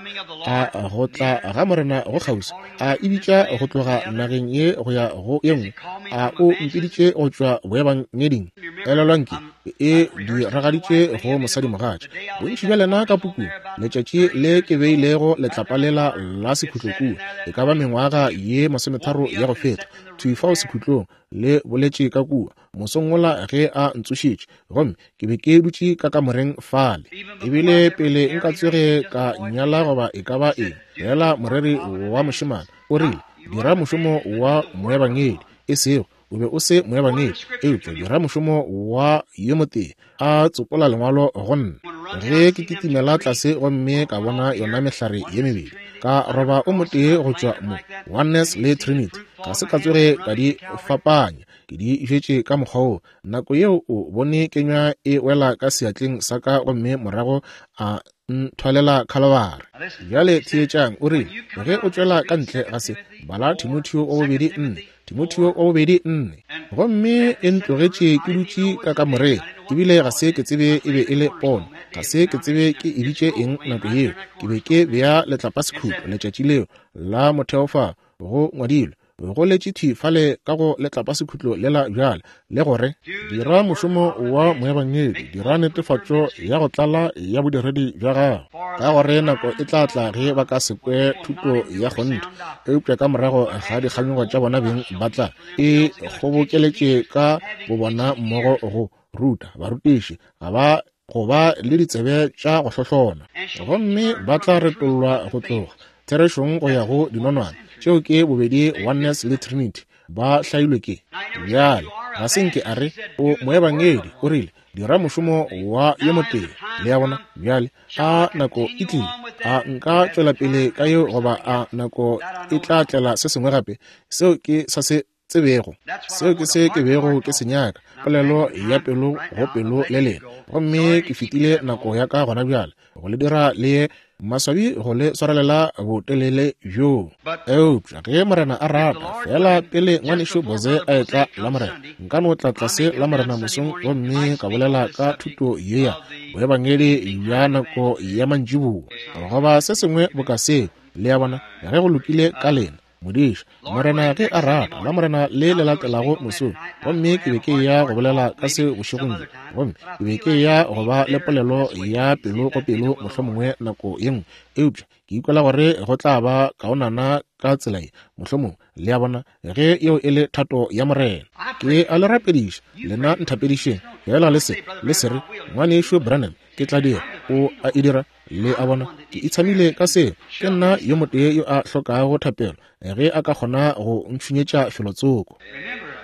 A go tla ga Morena go kgauswi? A e bitša go tloga nageng ye go ya go ye nngwe? A o mpiditše go tšwa boebangeding? Elelwang ke e diragaditše go mosadimogatša. Bontši bja lena ka pukung, letšatši le ke beilego letlapa lela la sekhutlo kua, e ka ba mengwaga ye 30 ya go feta, thwi fao sekhutlong, le boletše ka kua mosong wola ge a ntsošitše, gomme ke be ke dutše ka kamoreng fale. Ebile pele nka tsoge ka nyala goba e ka ba eng, feela moreri wa mošemane o rile, Dira mošomo wa moebangedi, e sego o be o se moebangedi, eupša dira mošomo wa yo motee. A tsopola lengwalo go nna. Ge ke kitimela tlase gomme ka bona yona mehlare ye mebedi, ka roba o motee go tšwa mo, Oneness le Trinity, ga se ka tsoge ka di fapanya, ke di jwetše ka mokgwa wo. Nako yeo o bone kenywa e wela ka seatleng sa ka gomme morago a nthwalela Khalabare. Bjale theetšang, o rile, ge o tšwela ka ntle ga se, bala Timotheo wa bobedi 4, Timotheo wa bobedi 4. Gomme e ntlogetše ke dutše ka kamoreng, ebile ga se ke tsebe e be e le pono, ga se ke tsebe ke e bitše eng nako yeo. Ke be ke bea letlapasekhutlo letšatši leo la motheo fa go ngwadilwe, go letše thwi fale ka go letlapasekhutlo lela bjale, le gore, Dira mošomo wa moebangedi, dira netefatšo ya go tlala ya bodiredi bja gago, ka gore nako e tla tla ge ba ka se kwe thuto ya kgonthe, eupša ka morago ga dikganyogo tša bona beng ba tla e kgobokeletše ka bobona mmogo go ruta barutiši, ga ba go ba le ditsebe tša go hlohlona, gomme ba tla retollwa go tloga therešong go ya go dinonwane. Tšeo ke bobedi Oneness le Trinity ba hlailwe ke. Bjale, ga se nke a re o moebangedi, o rile, dira mošomo wa yo motee. Le a bona? Bjale, a nako e tlile? A nka tšwela pele ka yeo goba a nako e tla tlela se sengwe gape? Seo ke sa se tsebego. Seo ke se ke bego ke se nyaka, polelo ya pelo go pelo le lena. Gomme ke fetile nako ya ka gona bjale go le dira le ye maswabi go le swarelela botelele bjoo. Eupša ge Morena a rata, feela pele ngwanešu Boze a etla Lamorena, nka no tla tlase Lamorena mosong gomme ka bolela ka thuto ye ya boebangedi bja nako ya mantšiboa goba se sengwe boka seo. Le a bona, ge go lokile ka lena. Modiša, Morena ge a rata, Lamorena le le latelago mosong, gomme ke be ke eya go bolela ka se bošegong bjo, gomme ke be ke eya go ba le polelo ya pelo go pelo mohlomongwe nako ye nngwe, eupša ke ikwela gore go tla ba kaonana ka tsela ye, mohlomongwe, le a bona, ge yeo e le thato ya Morena. Ke a le rapediša, lena nthapedišeng, feela le se, le se re, Ngwanešu Branham, ke tla dira, o a e dira. Le a bona, ke itshamile ka seo. Ke nna yo motee yo a hlokago thapelo, ge a ka kgona go ntšhunyetša felotsoko.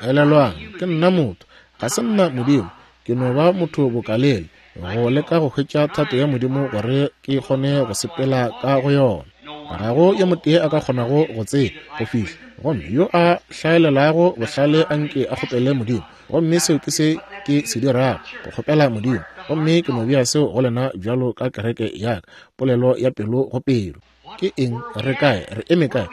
Elelwang, ke nna motho, ga se nna Modimo. Ke no ba motho bokalele, go leka go hwetša thato ya Modimo gore ke kgone go sepela ka go yona. Ga go yo motee a ka kgonago go tseba go fihla, gomme yo a hlaelelago bohlale a nke a kgopele Modimo. Gomme seo ke se ke se dirago, go kgopela Modimo. Gomme ke no bea seo go lena bjalo ka kereke ya ka, polelo ya pelo go pelo. Ke eng? Re kae? Re eme kae?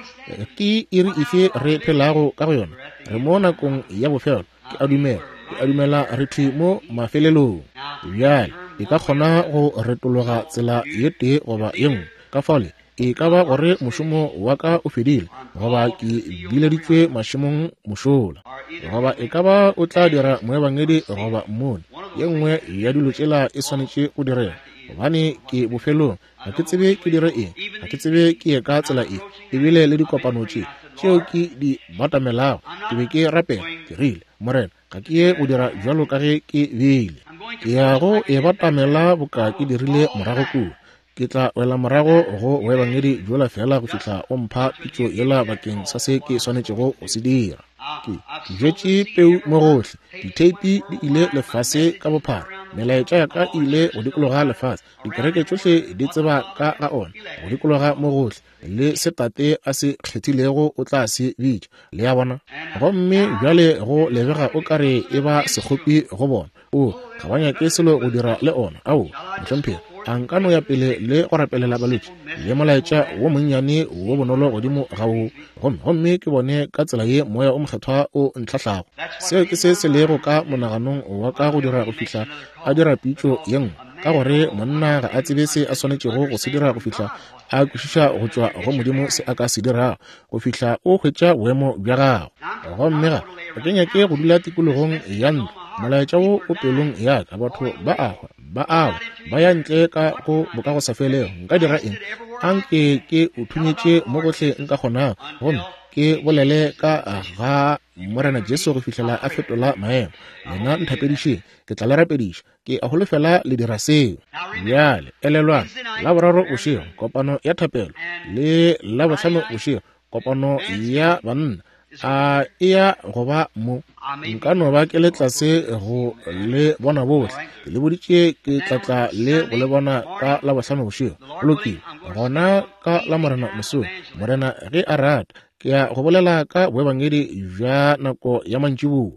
Ke iri efe re phelago ka go yona? Re mo nakong ya bofelo. Ke a dumela, ke a dumela re thwi mo mafelelong. Bjale, e ka kgona go retologa tsela ye tee goba ye nngwe. Ka fao le, e ka ba gore mošomo wa ka o fedile, goba ke bileditšwe mašemong mošola, goba e ka ba o tla dira moebangedi goba mmoni. Ye nngwe ya dilo tšela e swanetše go direga, gobane ke bofelong. Ga ke tsebe ke dire eng, ga ke tsebe ke ye ka tsela efe. Ebile le dikopano tše tšeo ke di batamelago, ke be ke rapela, ke rile, Morena, ga ke ye go dira bjalo ka ge ke beile. Ke ya go e batamela boka ke dirile morago kua. Ke tla wela morago go boebangedi bjola feela go fihla o mpha pitšo yela bakeng sa se ke swanetšego go se dira. Ke, ke bjetše peu mo gohle. Ditheipi di ile lefase ka bophara. Melaetša ya ka e ile go dikologa lefase. Dikereke tšohle di tseba ka ga ona, go dikologa mo gohle. Le se Tate a se kgethilego o tla se bitša. Le a bona? Gomme bjale go lebega o ka re e ba sekgopi go bona. O, ga ba nyake selo go dira le ona. Aowa, mohlomphegi. A nka no ya pele le go rapelela balwetši le molaetša wo monnyane wo bonolo godimo ga wo, gomme ke bone ka tsela ye Moya o Mokgethwa o ntlhahlago. Seo ke se se lego ka monaganong wa ka go dira go fihla a dira pitšo ye nngwe, ka gore monna ga a tsebe se a swanetšego go se dira go fihla a kwešiša go tšwa go Modimo se a ka se dirago, go fihla o hwetša boemo bja gago. Gomme ga ke nyake go dula tikologong ya ntlo, molaetša wo o pelong ya ka, batho ba a hwa, ba awa, ba ya ntle ka go bokagosafelego. Nka dira eng? Anke ke o thunyetše mo gohle nka kgonago, gomme ke bolele ka ga Morena Jesu go fihlela a fetola maemo. Lena nthapedišeng, ke tla le rapediša. Ke a holofela le dira seo. Bjale, elelwang, Laboraro bošego, kopano ya thapelo, le Labohlano bošego, kopano ya banna. A e ya go ba mo? Nka no ba ke le tlase go le bona bohle. Ke le boditše ke tla tla le go le bona ka Labohlano bošego. Go lokile. Gona ka Lamorena mosong, Morena ge a rata, ke ya go bolela ka boebangedi bja nako ya mantšiboa.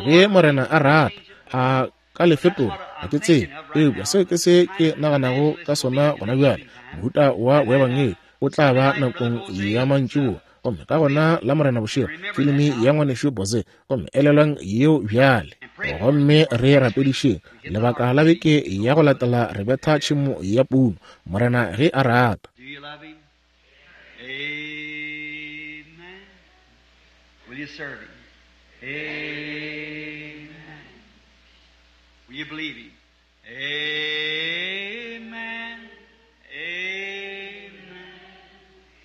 Ge Morena a rata, a ka le fetola, ga ke tsebe, eupša seo ke se ke naganago ka sona gona bjale. Mohuta wa boebangedi o tla ba nakong ya mantšiboa, gomme ka gona Lamorena bošego, filimi ya Ngwanešu Boze, gomme elelwang yeo bjale. Gomme re rapedišeng lebaka la beke ya go latela re betha tšhemo ya puno, Morena ge a rata. Do you love him? Amen. Will you serve him? Amen. Will you believe him? Amen. Amen.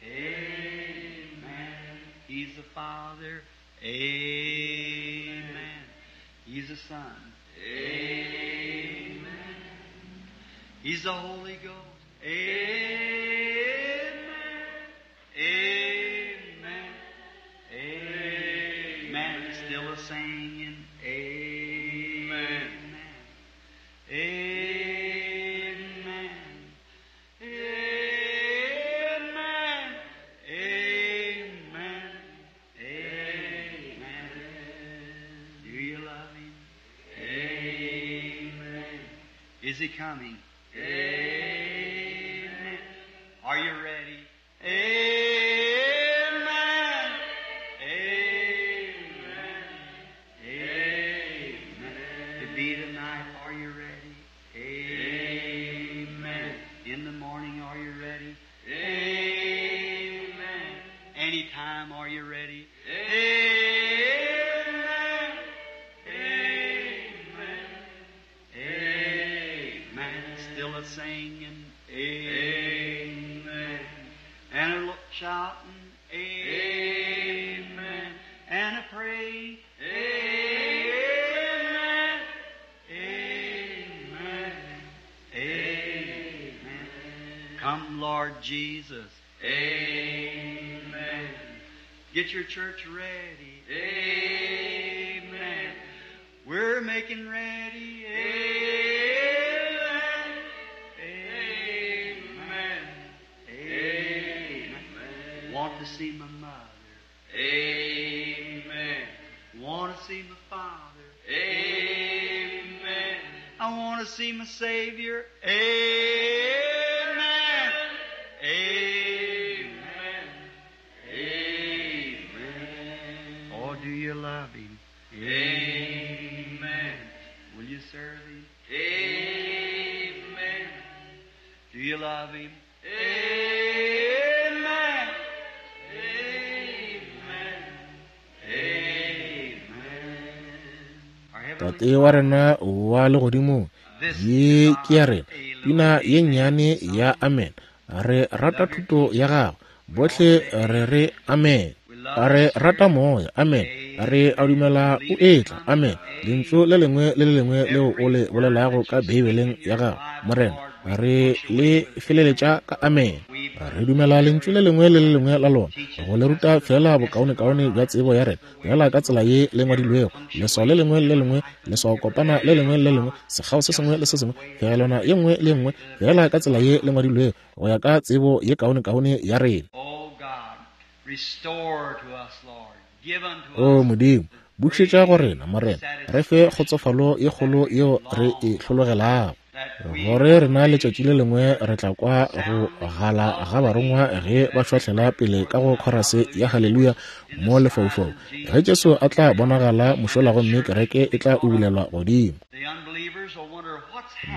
Amen. He's the Father. Amen. He's the Son. Amen. He's the Holy Ghost. Amen. Amen. Amen. Still a singing. Amen. Amen. Amen. Amen. Amen. Do you love him? Amen. Is he coming? Amen. Are you ready? Amen. Amen. Amen. To be tonight, are you ready? Amen. In the morning, are you ready? Amen. Anytime, are you ready? Amen. Amen. Amen. Still a singing. Amen. And a shouting. Amen. And a praying. Amen. Amen. Amen. Come, Lord Jesus. Amen. Get your church ready. Amen. We're making ready. Amen. Amen. Amen. Want to see my mother. Amen. Want to see my father. Amen. I want to see my Savior. Amen. Amen. Amen. Oh, do you love him? Amen. Will you serve him? Amen. Do you love him? Amen. Amen. Amen. Our Heavenly Tate wa rena wa legodimong, ye ke ya rena pina ye nnyane ya amen. Re rata thuto ya gago, bohle re re amen. Re rata moya, amen. Re a dumela o etla, amen. Lentšu le lengwe le le lengwe leo o le bolelago ka Beibeleng ya gago, Morena, re le feleletša ka amen. Re dumela lentšu le lengwe le le lengwe la lona, go le ruta fela bokaonekaone bja tsebo ya rena, fela ka tsela ye le ngwadilwego, leswao le lengwe le lengwe, leswao kopana le lengwe le lengwe, sekgao se sengwe le se sengwe, phegelwana ye nngwe le nngwe, fela ka tsela ye le ngwadilwego, go ya ka tsebo ye kaonekaone ya rena. Oh God, restore to us, Lord. Give unto O us Modimo, bušetša go rena, Morena, re fe kgotsofalo ye kgolo yeo re e hlologelago. Gore rena letšatši le lengwe re tla kwa go gala ga barongwa ge ba šwahlela pele ka go khorase ya Haleluya mo lefaufau, ge Jesu a tla bonagala mošola gomme kereke e tla ubulelwa godimo.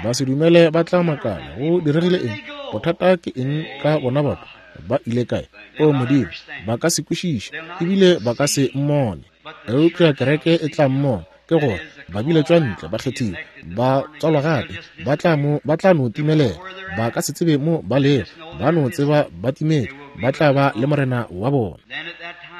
Basedumele ba tla makala, go diregile eng? Bothata ke eng ka bona batho? Ba ile kae? O Modimo, ba ka se kwešiše, ebile ba ka se mmone. Eupša kereke e tla mmona, ke gore ba biletšwa ntle, ba kgethiwe, ba tswalwa gape, ba tla mo, ba tla no timelela, ba ka se tsebe mo ba lego, ba no tseba ba timetše, ba tla ba le Morena wa bona.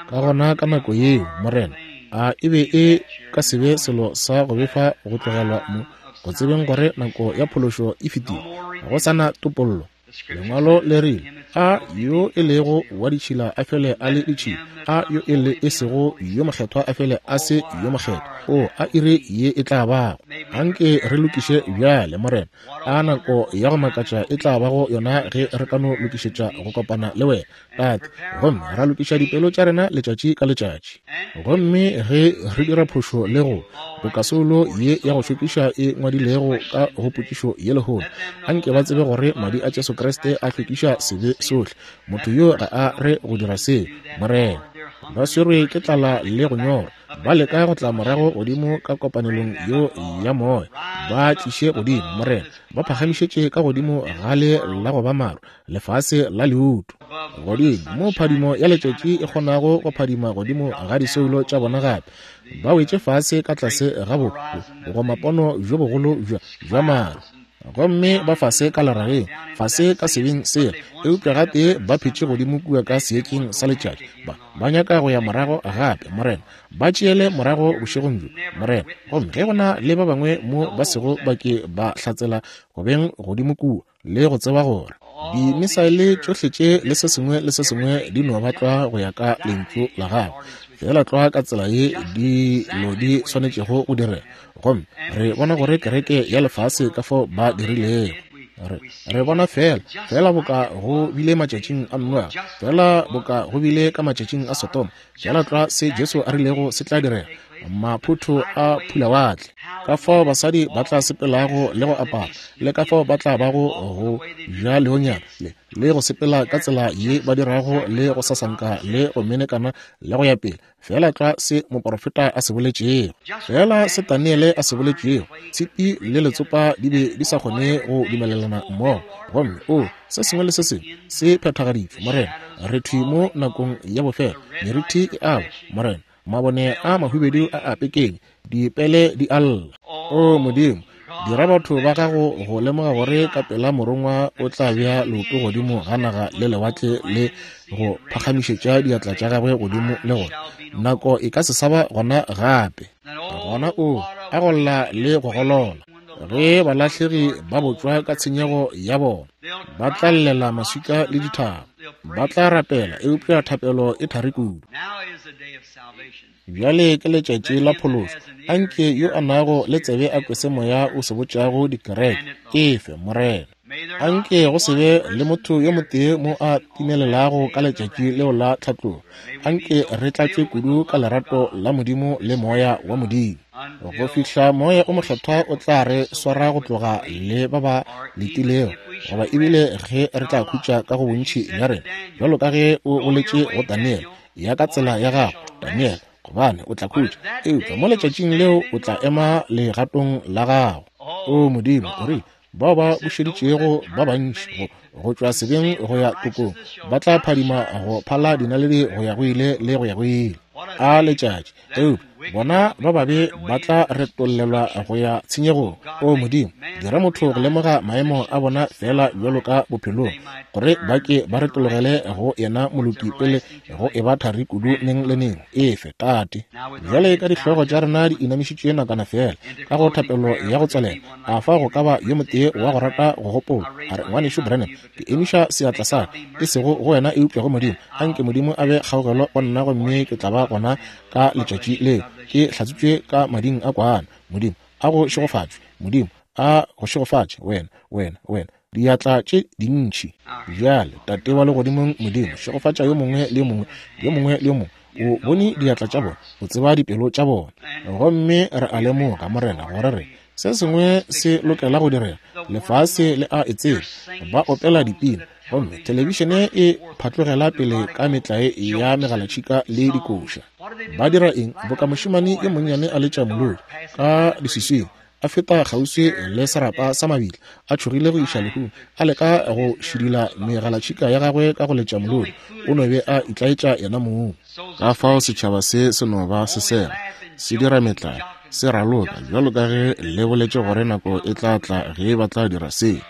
Ka gona ka nako yeo, Morena, a e be e ka se be selo sa go befa go tlogelwa mo, go tsebeng gore nako ya phološo e fetile, go sa na topollo. Lengwalo le rile, A yo e lego wa ditšhila a fele a le ditšhila, a yo e le e sego yo mokgethwa a fele a se yo mokgethwa. O, a iri ye e tla bago. Anke re lokiše bjale, Morena. A nako ya go makatša e tla bago yona ge re ka no lokišetša go kopana le wena, Tate, gomme ra lokiša dipelo tša rena letšatši ka letšatši. Gomme ge re dira phošo le go boka soulo ye ya go šokiša e ngwadilego ka go potšišo ye lehono, anke ba tsebe gore madi a Jesu Kriste a hlwekiša sebe sohle. Motho yo ga a re go dira seo, Morena. Ba swerwe ke tlala le go nyorwa, ba leka go tla morago godimo ka kopanelong yo ya moya. Ba tliše godimo, Morena, ba phagamišetše ka godimo ga le la go ba maru, lefase la leuto, godimo mo phadimo ya letšatši e kgonago go phadima godimo ga disoulo tša bona gape, ba wetše fase ka tlase ga bo bogomapono bjo bogolo bja maru, gomme ba fase ka lerageng, fase ka sebeng sela, eupša gatee ba phetše godimo kua ka seetšeng sa letšatši. Ba nyaka go ya morago gape, Morena. Ba tšeele morago bošegong bjo, Morena. Gomme ge go na le ba bangwe mo ba sego ba ke ba hlatsela go beng godimo kua, le go tseba gore dimisaele tšohle tše le se sengwe le se sengwe di no ba tlwa go ya ka lentšu la gago, feela tlwa ka tsela ye dilo di swanetšego go direga. Gomme re bona gore kereke ya lefase ka fao ba dirilego. Re bona feela, feela boka go bile matšatšing a Noa, feela boka go bile ka matšatšing a Sodoma, feela tlwa se Jesu a rilego se tla direga, maphotho a phulawatle, ka fao basadi ba tla sepelago le go apara, le ka fao ba tla bago go ja leonyana le go sepela ka tsela ye ba dirago, le go sasanka le go menekana le go ya pele, feela tlwa se moporofeta a se boletšego, feela se Daniele a se boletšego. Tshipi le letsopa di be di sa kgone go dumelelana mmogo, gomme o se sengwe le se sengwe se phethagaditšwe, Morena. Re thwi mo nakong ya bofelo, merithi e awa, Morena, mabone a mahubedu a a pekenya, dipele di a lla. O Modimo, dira batho ba gago go lemoga gore ka pela morongwa o tla bea leoto godimo ga naga le lewatle le go phagamišetša diatla tša gagwe godimo, le gore nako e ka se sa ba gona gape. Gona o a go lla le go golola ge balahlegi ba botšwa ka tshenyego ya bona, ba tla llela maswika le dithaba, ba tla rapela, eupša thapelo e thari kudu. Bjale ke letšatši la phološo. Anke yo a nago le tsebe a kwe se Moya o se botšago dikereke. Efe, Morena. Anke go se be le motho yo motee mo a timelelago ka letšatši leo la tlhatlogo. Anke re tlatšwe kudu ka lerato la Modimo le Moya wa Modimo, go fihla Moya o Mokgethwa o tla re swara go tloga le ba ba letilego, goba ebile ge re tla khutša ka go bontši bja rena, bjalo ka ge o boletše go Daniele, ya ka tsela ya gago, Daniele, gobane o tla khutša, eupša mo letšatšing leo o tla ema legatong la gago. O Modimo, o rile, bao ba bušeditšego ba bantši go tšwa sebeng go ya tokong ba tla phadima go phala dinaledi go ya go ile le go ya go ile. A letšatši, eupša bona ba babe ba tla retollelwa go ya tshenyegong. O Modimo, dira motho go lemoga maemo a bona feela bjalo ka bophelong, gore ba ke ba retologele go yena moloki pele go e ba thari kudu neng le neng. Efe, Tate. Bjale ka dihlogo tša rena di inamišitšwe nakwana feela ka go thapelo ya go tswalela, a fa go ka ba yo motee wa go rata go gopola, a re, Ngwanešu Branham, ke emiša seatla sa ka, e sego go wena eupša go Modimo. Anke Modimo a be kgaogelo go nna gomme ke tla ba gona ka letšatši leo ke hlatswitšwe ka mading a kwana. Modimo a go šegofatšwe. Modimo a go šegofatše, wena, wena, wena. Diatla tše dintši. Bjale, Tate wa Legodimong, Modimo, šegofatša yo mongwe le yo mongwe, yo mongwe le yo mongwe. O bone diatla tša bona, o tseba dipelo tša bona. Gomme re a lemoga, Morena, gore re Se sengwe se lokela go direga. Lefase le a e tseba. Ba opela dipina, gomme thelebišene e phatlogela pele ka metlae ya megalatšhika le dikoša. Ba dira eng? Boka mošemane yo monnyane a letša molodi ka leswiswing, a feta kgauswi le serapa sa mabitla, a tšhogile go iša lehung, a leka go šidila megalatšhika ya gagwe ka go letša molodi. O no be a itlaetša yena mong. Ka fao setšhaba se se no ba se sega, se dira metlae, se raloka, bjalo ka ge le boletše gore nako e tla tla ge ba tla dira se.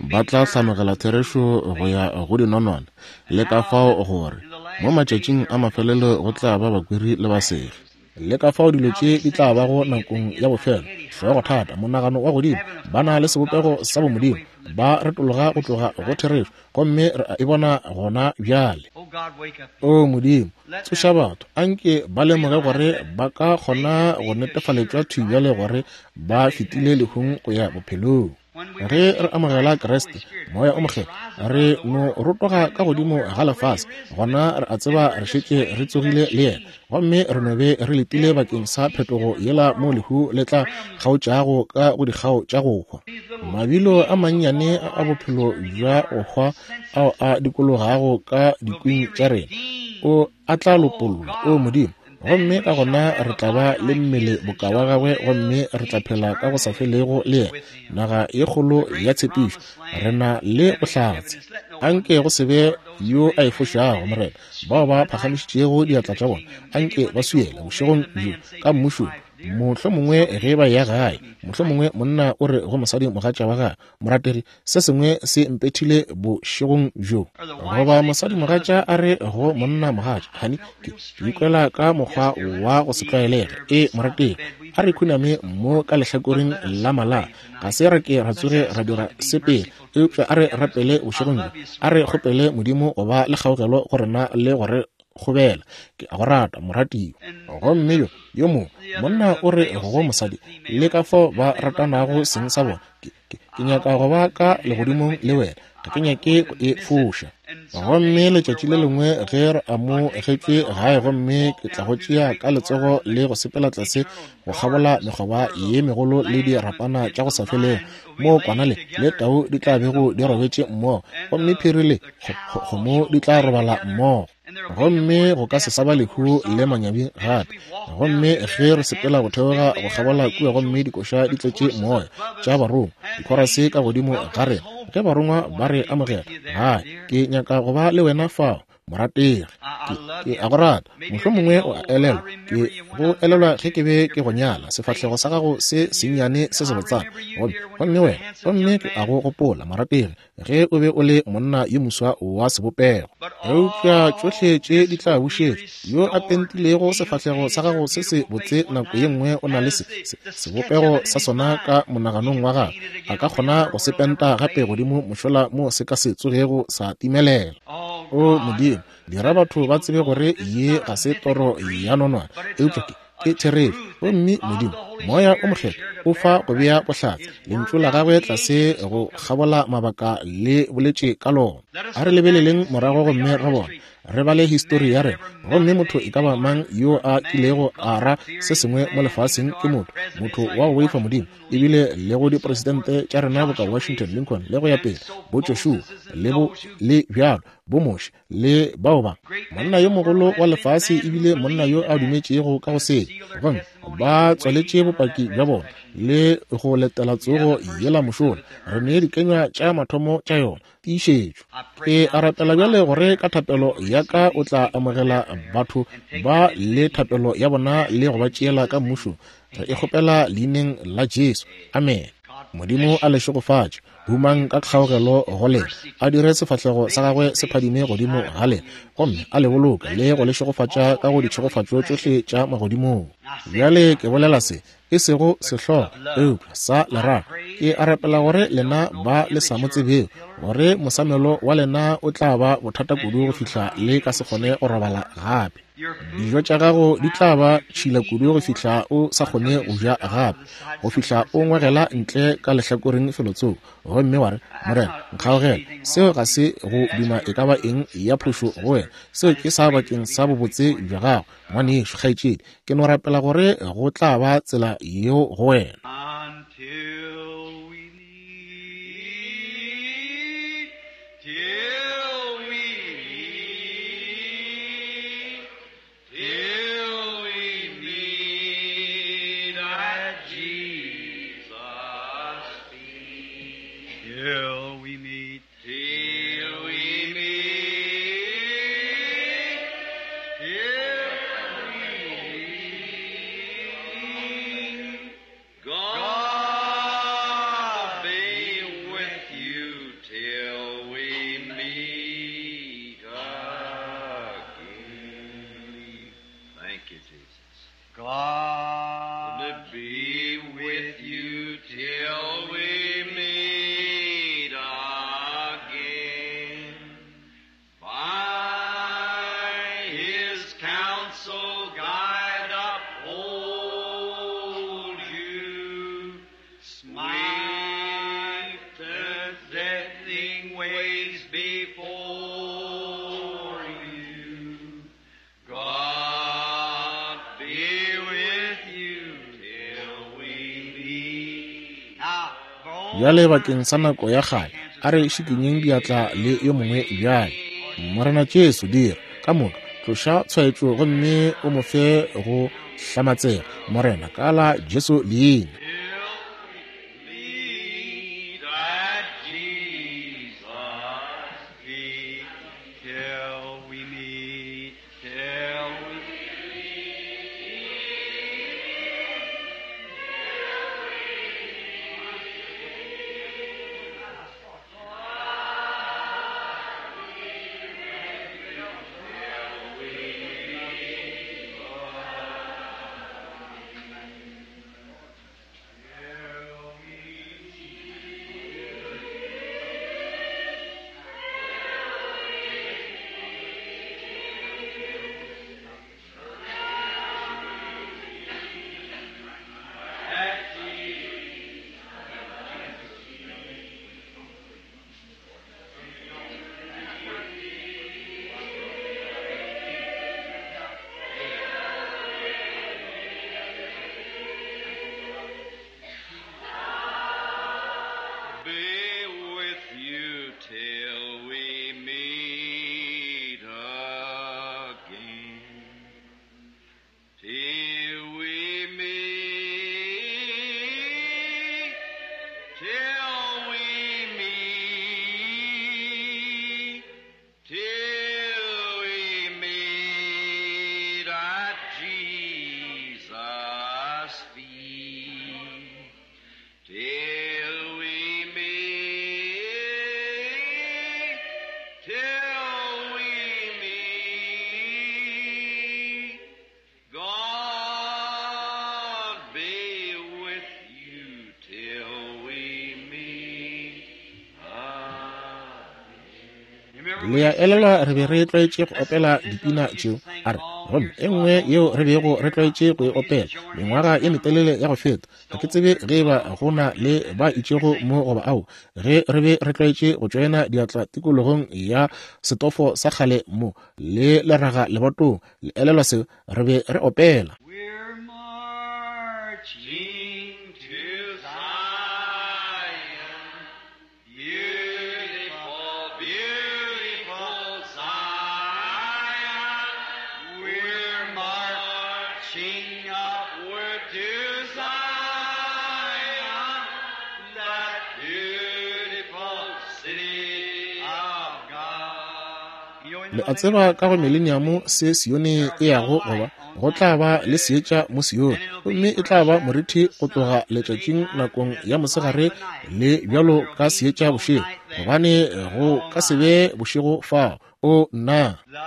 Ba tla hlanogela therešo go ya go dinonwane, le ka fao gore mo matšatšing a mafelelo go tla ba bakweri le basegi. Le ka fao dilo tše di tla bago nakong ya bofelo, hlogothata, monagano wa godimo, ba na le sebopego sa bomodimo, ba retologa go tloga go therešo, gomme re a e bona gona bjale. O Modimo, tsoša batho, anke ba lemoge gore ba ka kgona go netefaletšwa thwi bjale gore ba fetile lehung go ya bophelong. Ge re amogela Kriste, Moya o Mokgethwa, re no rotoga ka godimo ga lefase, gona re a tseba re šetše re tsogile le yena, gomme re no be re letile bakeng sa phetogo yela mo lehu le tla kgaotšago ka go dikgao tša go hwa. Mabilo a mannyane a bophelo bja go hwa ao a dikologago ka dikwing tša rena, o a tla lopollwa, o Modimo, gomme ka gona re tla ba le mmele boka wa gagwe, gomme re tla phela ka go sa felego le yena, naga ye kgolo ya tshepišo. Re na le bohlatse. Anke go se be yo a e fošago, Morena, bao ba phagamišitšego diatla tša bona, anke ba swiele bošegong bjo ka mmušong. Mohlomongwe ge ba eya gae, mohlomongwe monna o re go mosadi mogatša wa gagwe, morategi, se sengwe se mpethile bošegong bjo. Goba mosadi mogatša a re go monna mogatša, honey, ke ikwela ka mokgwa wa go se tlwaelege. E, morategi, a re khuname mo ka lehlakoreng la mala. Ga se ra ke ra tsoge ra dira se pele, eupša a re rapele bošegong bjo. A re kgopele Modimo go ba le kgaogelo go rena le go re kgobela. Ke a go rata, moratiwa. Gomme yo yo mongwe monna o re go mosadi, le ka fao ba ratanago seng sa bona, ke nyaka go ba ka legodimong le wena, ga ke nyake go e foša. Gomme letšatši le lengwe ge re amogetšwe gae, gomme ke tla go tšea ka letsogo le go sepela tlase go kgabola mekgoba ye megolo le dirapana tša go sa felego, moo kwana le tau di tla bego di robetše mmogo, gomme phiri le kgomo di tla robala mmogo, gomme go ka se sa ba lehu le manyabi gape. Gomme ge re sepela go theoga go kgabola kua, gomme dikoša di tletše moya tša barongwa, dikhorase ka godimo ga rena, ge barongwa ba re amogela gae, ke nyaka go ba le wena fao, morategi. Ke a go rata. Mohlomongwe o a elelwa, ke go elelwa ge ke be ke go nyala, sefahlego sa gago se sennyane se sebotsana, gomme wena, gomme ke a go gopola, morategi, ge o be o le monna yo moswa wa sebopego. Eupša tšohle tše di tla bušetšwa. Yo a pentilego sefahlego sa gago se se botse nako ye nngwe o na le se sebopego sa sona ka monaganong wa gagwe, a ka kgona go se penta gape godimo mošola mo se ka se tsogego sa timelela. O Modimo, dira batho ba tsebe gore ye ga se toro ya nonwane, eupša ke therešo. Gomme Modimo, Moya o Mokgethwa o fa go bea bohlatse lentšu la gagwe tlase go kgabola mabaka le boletše ka lona. A re lebeleleng morago gomme re bone, re bale histori ya rena, gomme motho e ka ba mang yo a kilego a ra se sengwe mo lefaseng ke motho, motho wa go boifa Modimo, ebile le go dipresidente tša rena boka Washington, Lincoln le go ya pele, bo Joshua le bo le bjalo, bo Moshe le bao ba monna yo mogolo wa lefase, ebile monna yo a dumetšego ka go sele, gomme ba tswaletše bopaki bja bona le go letela tsogo yela mošola. Re ne dikenywa tša mathomo tša yona, tiišetšo. Ke a rapela bjale gore ka thapelo ya ka o tla amogela batho ba le thapelo ya bona le go ba tšeela ka mmušong. Re e kgopela leineng la Jesu. Amen. Modimo a le šegofatše. Humang ka kgaogelo go lena, a dire sefahlego sa gagwe se phadime godimo ga lena, gomme a le boloke le go le šegofatša ka go ditšhegofatšo tšohle tša magodimong. Bjale ke bolela se, e sego sehlogo, eupša sa lerato. Ke a rapela gore lena ba le sa mo tsebego, gore mosamelo wa lena o tla ba bothata kudu go fihla le ka se kgone go robala gape. Dijo tša gago di tla ba tšhila kudu go fihla o sa kgone go ja gape, go fihla o ngwegela ntle ka lehlakoreng felotsoko, gomme wa re, Morena, nkgaogele. Seo ga se go duma e ka ba eng ya phošo go wena. Seo ke sa bakeng sa bobotse bja gago, ngwanešu, kgaetšedi. Ke no rapela gore go tla ba tsela yeo go wena. His counsel guide uphold you. Smite the deathing ways before you. God be with you till we meet. Now, Bjale bakeng sa nako ya kgale, a re šikinyeng diatla le yo mongwe bjale. Morena Jesu, dira ka moka, tloša tshwaetšo gomme o mo fe go hlamatsega, Morena, ka la Jesu leina. Till we meet at Jesus' feet. Till we meet, till we be with you till we meet again. Till we meet, till we meet, till we meet at Jesus' feet. Till we meet, till we meet, God be with you till we meet again. Le a elelwa re be re tlwaetše go opela dipina tšeo, a re, gomme e nngwe yeo re bego re tlwaetše go e opela mengwaga ye metelele ya go feta, ga ke tsebe ge e ba go na le ba itšego mo goba ao, ge re be re tlwaetše go tšoena diatla tikologong ya setofo sa kgale mo le leraga lebatong, le elelwa seo, re be re opela. We're marching to Zion, beautiful, beautiful Zion. We're marching upward to Zion, that beautiful city of God. You know, in Le the a tseba ka go mileniamo se Sione e yago goba, go tla ba le seetša mo Sione, gomme e tla ba morithi go tloga letšatšing nakong ya mosegare le bjalo ka seetša bošego, gobane go ka se be bošego fao. O nna! The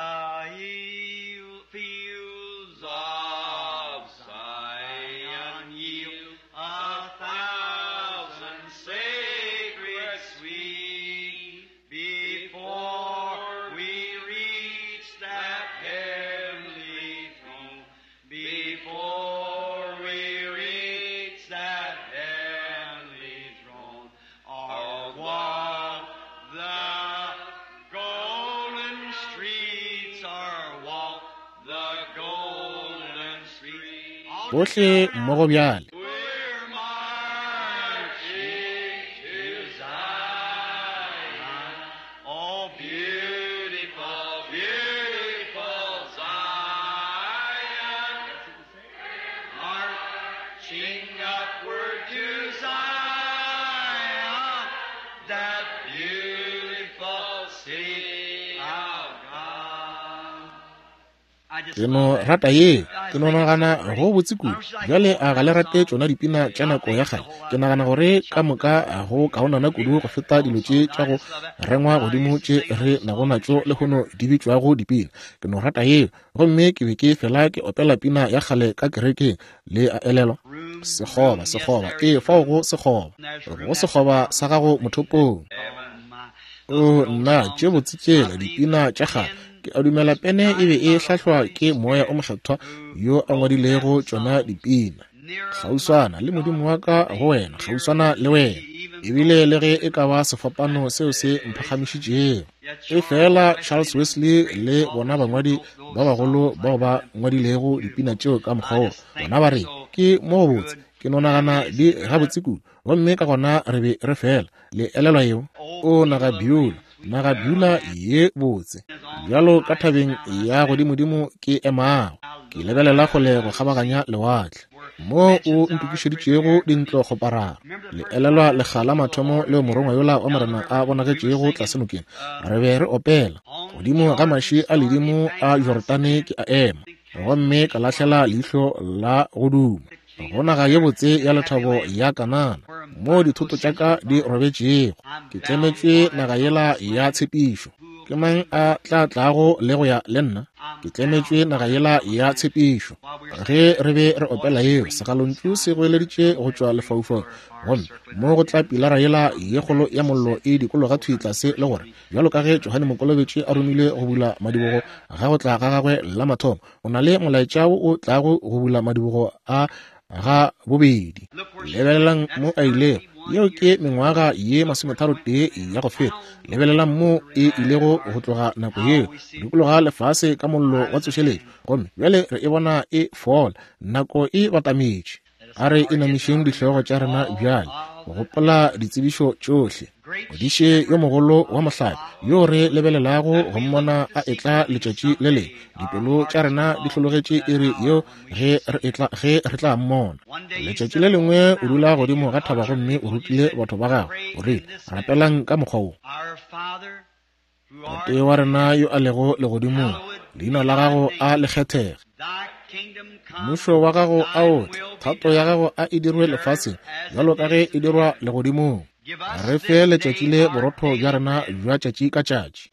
fields of Zion yield 1,000 sacred sweet before we reach that heavenly throne. Before we reach that heavenly throne, or walk the golden streets, or walk the golden streets. Bohle mmogo bjale. We're marching to Zion. Oh, beautiful, beautiful Zion. Marching upward to Zion, that beautiful city of God. Ke no rata ye, ke no nagana go botse kudu. Bjale a ga le rate tšona dipina tša nako ya kgale? Ke nagana gore ka moka go kaonana kudu go feta dilo tše tša go rengwa godimo tše re nago natšo lehono di bitšwago dipina. Ke no rata yeo, gomme ke be ke fela ke opela pina ya kgale ka kerekeng. Le a elelwa? Sekgoba, sekgoba, ee, fao go sekgoba, go sekgoba sa gago mothopong. O nna, tše botse tšela dipina tša kgale. Ke Ke a dumela pene e be e hlahlwa ke Moya o Mokgethwa yo a ngwadilego tšona dipina. Kgauswana le Modimo wa ka go wena, kgauswana le wena. Ebile le ge e ka ba sefapano seo se mphagamišitšego. Efela Charles Wesley le bona bangwadi ba bagolo bao ba ngwadilego dipina tšeo ka mokgwa wo, bona ba re, Ke mo go botse, ke no nagana di gabotse kudu. Gomme ka gona re be re fela. Le elelwa yeo? O naga Beulah, naga Beulah ye botse. Bjalo ka thabeng ya godimodimo ke emago, ke lebelela kgole go kgabaganya lewatle, moo o ntokišeditšego dintlo kgoparara. Le elelwa lekga la mathomo leo morongwa yola wa Morena a bonagetšego tlase nokeng? Re be re opela godimo ga maši a ledimo a Jorodane ke a ema, gomme ka lahlela leihlo la go duma go naga ye botse ya lethabo ya Kanana, moo dithoto tša ka di robetšego. Ke tlemetšwe naga yela ya tshepišo. Ke mang a tla tlago le go ya le nna? Ke tlemetšwe naga yela ya tshepišo. Ge re be re opela yeo, segalontšu se goeleditše go tšwa lefaufaung, gomme mo go tla pilara yela ye kgolo ya mollo e dikologa thwi tlase le gore, bjalo ka ge Johane Mokolobetši a romilwe go bula madibogo ga go tla ga gagwe la mathomo, o na le molaetša wo o tlago go bula madibogo a ga bobedi. Lebelelang mo a ilego. Yeo ke mengwaga ye 33 ya go feta. Lebelelang mo e ilego go tloga nako yeo, go dikologa lefase ka mollo wa tsošeletšo. Gomme bjale re e bona e fola. Nako e batametše. A re inamišeng dihlogo tša rena bjale go gopola ditsebišo tšohle. Modiše yo mogolo wa mohlape yo re lebelelago go mmona a etla letšatši le lengwe. Dipelo tša rena di hlologetše iri yeo ge re etla, ge re tla mmona. Letšatši le lengwe o dula godimo ga thaba gomme o rutile batho ba gagwe. O rile, Rapelang ka mokgwa wo. Tate wa rena yo a lego legodimong, leina la gago a le kgethege. Mmušo wa gago a o tle, thato ya gago a e dirwe lefaseng bjalo ka ge e dirwa legodimong. Re fe letšatši le borotho bja rena bja tšatši ka tšatši,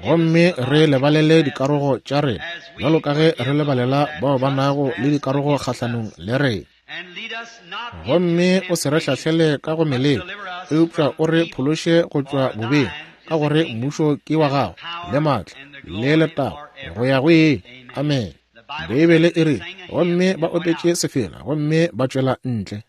gomme re lebalele dikarogo tša rena bjalo ka ge re lebalela bao ba nago le dikarogo kgahlanong le rena. Gomme o se re hlahlele ka go meleko, eupša o re phološe go tšwa bobeng, ka gore mmušo ke wa gago, le maatla, le letago, go ya go ile. Amene. Beibele e re, gomme ba opetše sefela, gomme ba tšwela ntle.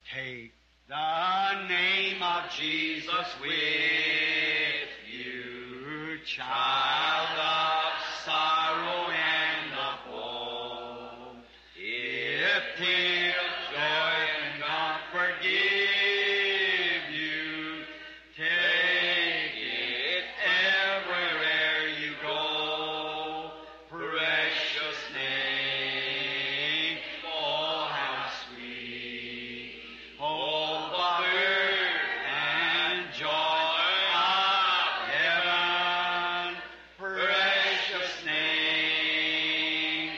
The name of Jesus with you, child of sorrow and of woe. If tears, joy, and comfort give you, take it everywhere you go. Precious name, oh how sweet. Hope of earth and joy of heaven, precious name,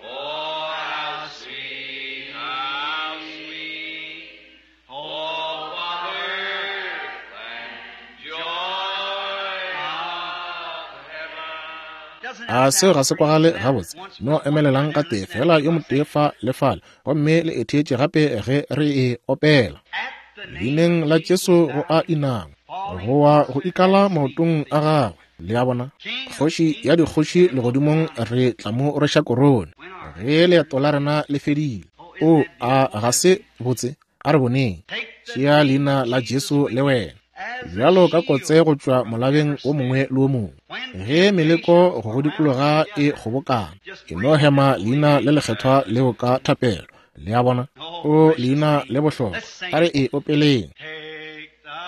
oh how sweet, how sweet. Hope of earth and joy of heaven. A seo ga se kwagale gabotse? No emelelang ka tee fela yo motee fa le fale, gomme le e theetše gape ge re e opela. Leineng la Jesu go a inama, go wa go ikala maotong a gagwe. Le a bona? Kgoši ya dikgoši legodimong re tla mo rweša korone ge leeto la rena le fedile. O a ga se botse? A re boneng. Tšea leina la Jesu le wena, bjalo ka kotse go tšwa molabeng o mongwe le o mongwe. Ge meleko go go dikologa e kgobokana, ke no hema leina le lekgethwa leo ka thapelo. Le a bona? O leina le bohlokwa. A re e opeleng. Take the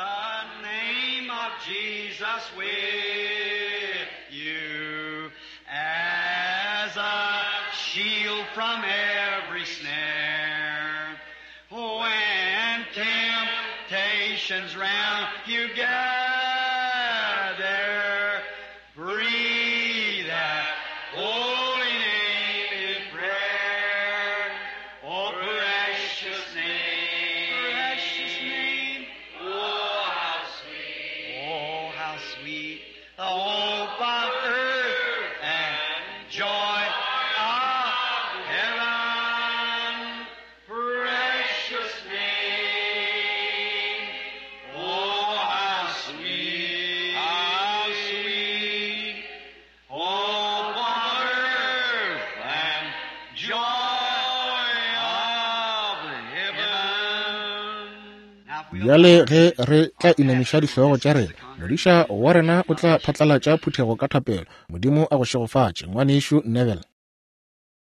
name of Jesus with you as a shield from every snare. When temptations round you gather, breathe that holy name in prayer. Oh, precious name, precious name, oh, how sweet, oh, how sweet, the hope of earth and joy of heaven. Precious name, oh, how sweet. Bjale ge re tla inamiša dihlogo tša rena, modiša wa rena o tla phatlalatša phuthego ka thapelo. Modimo a go šegofatše, Ngwanešu Neville.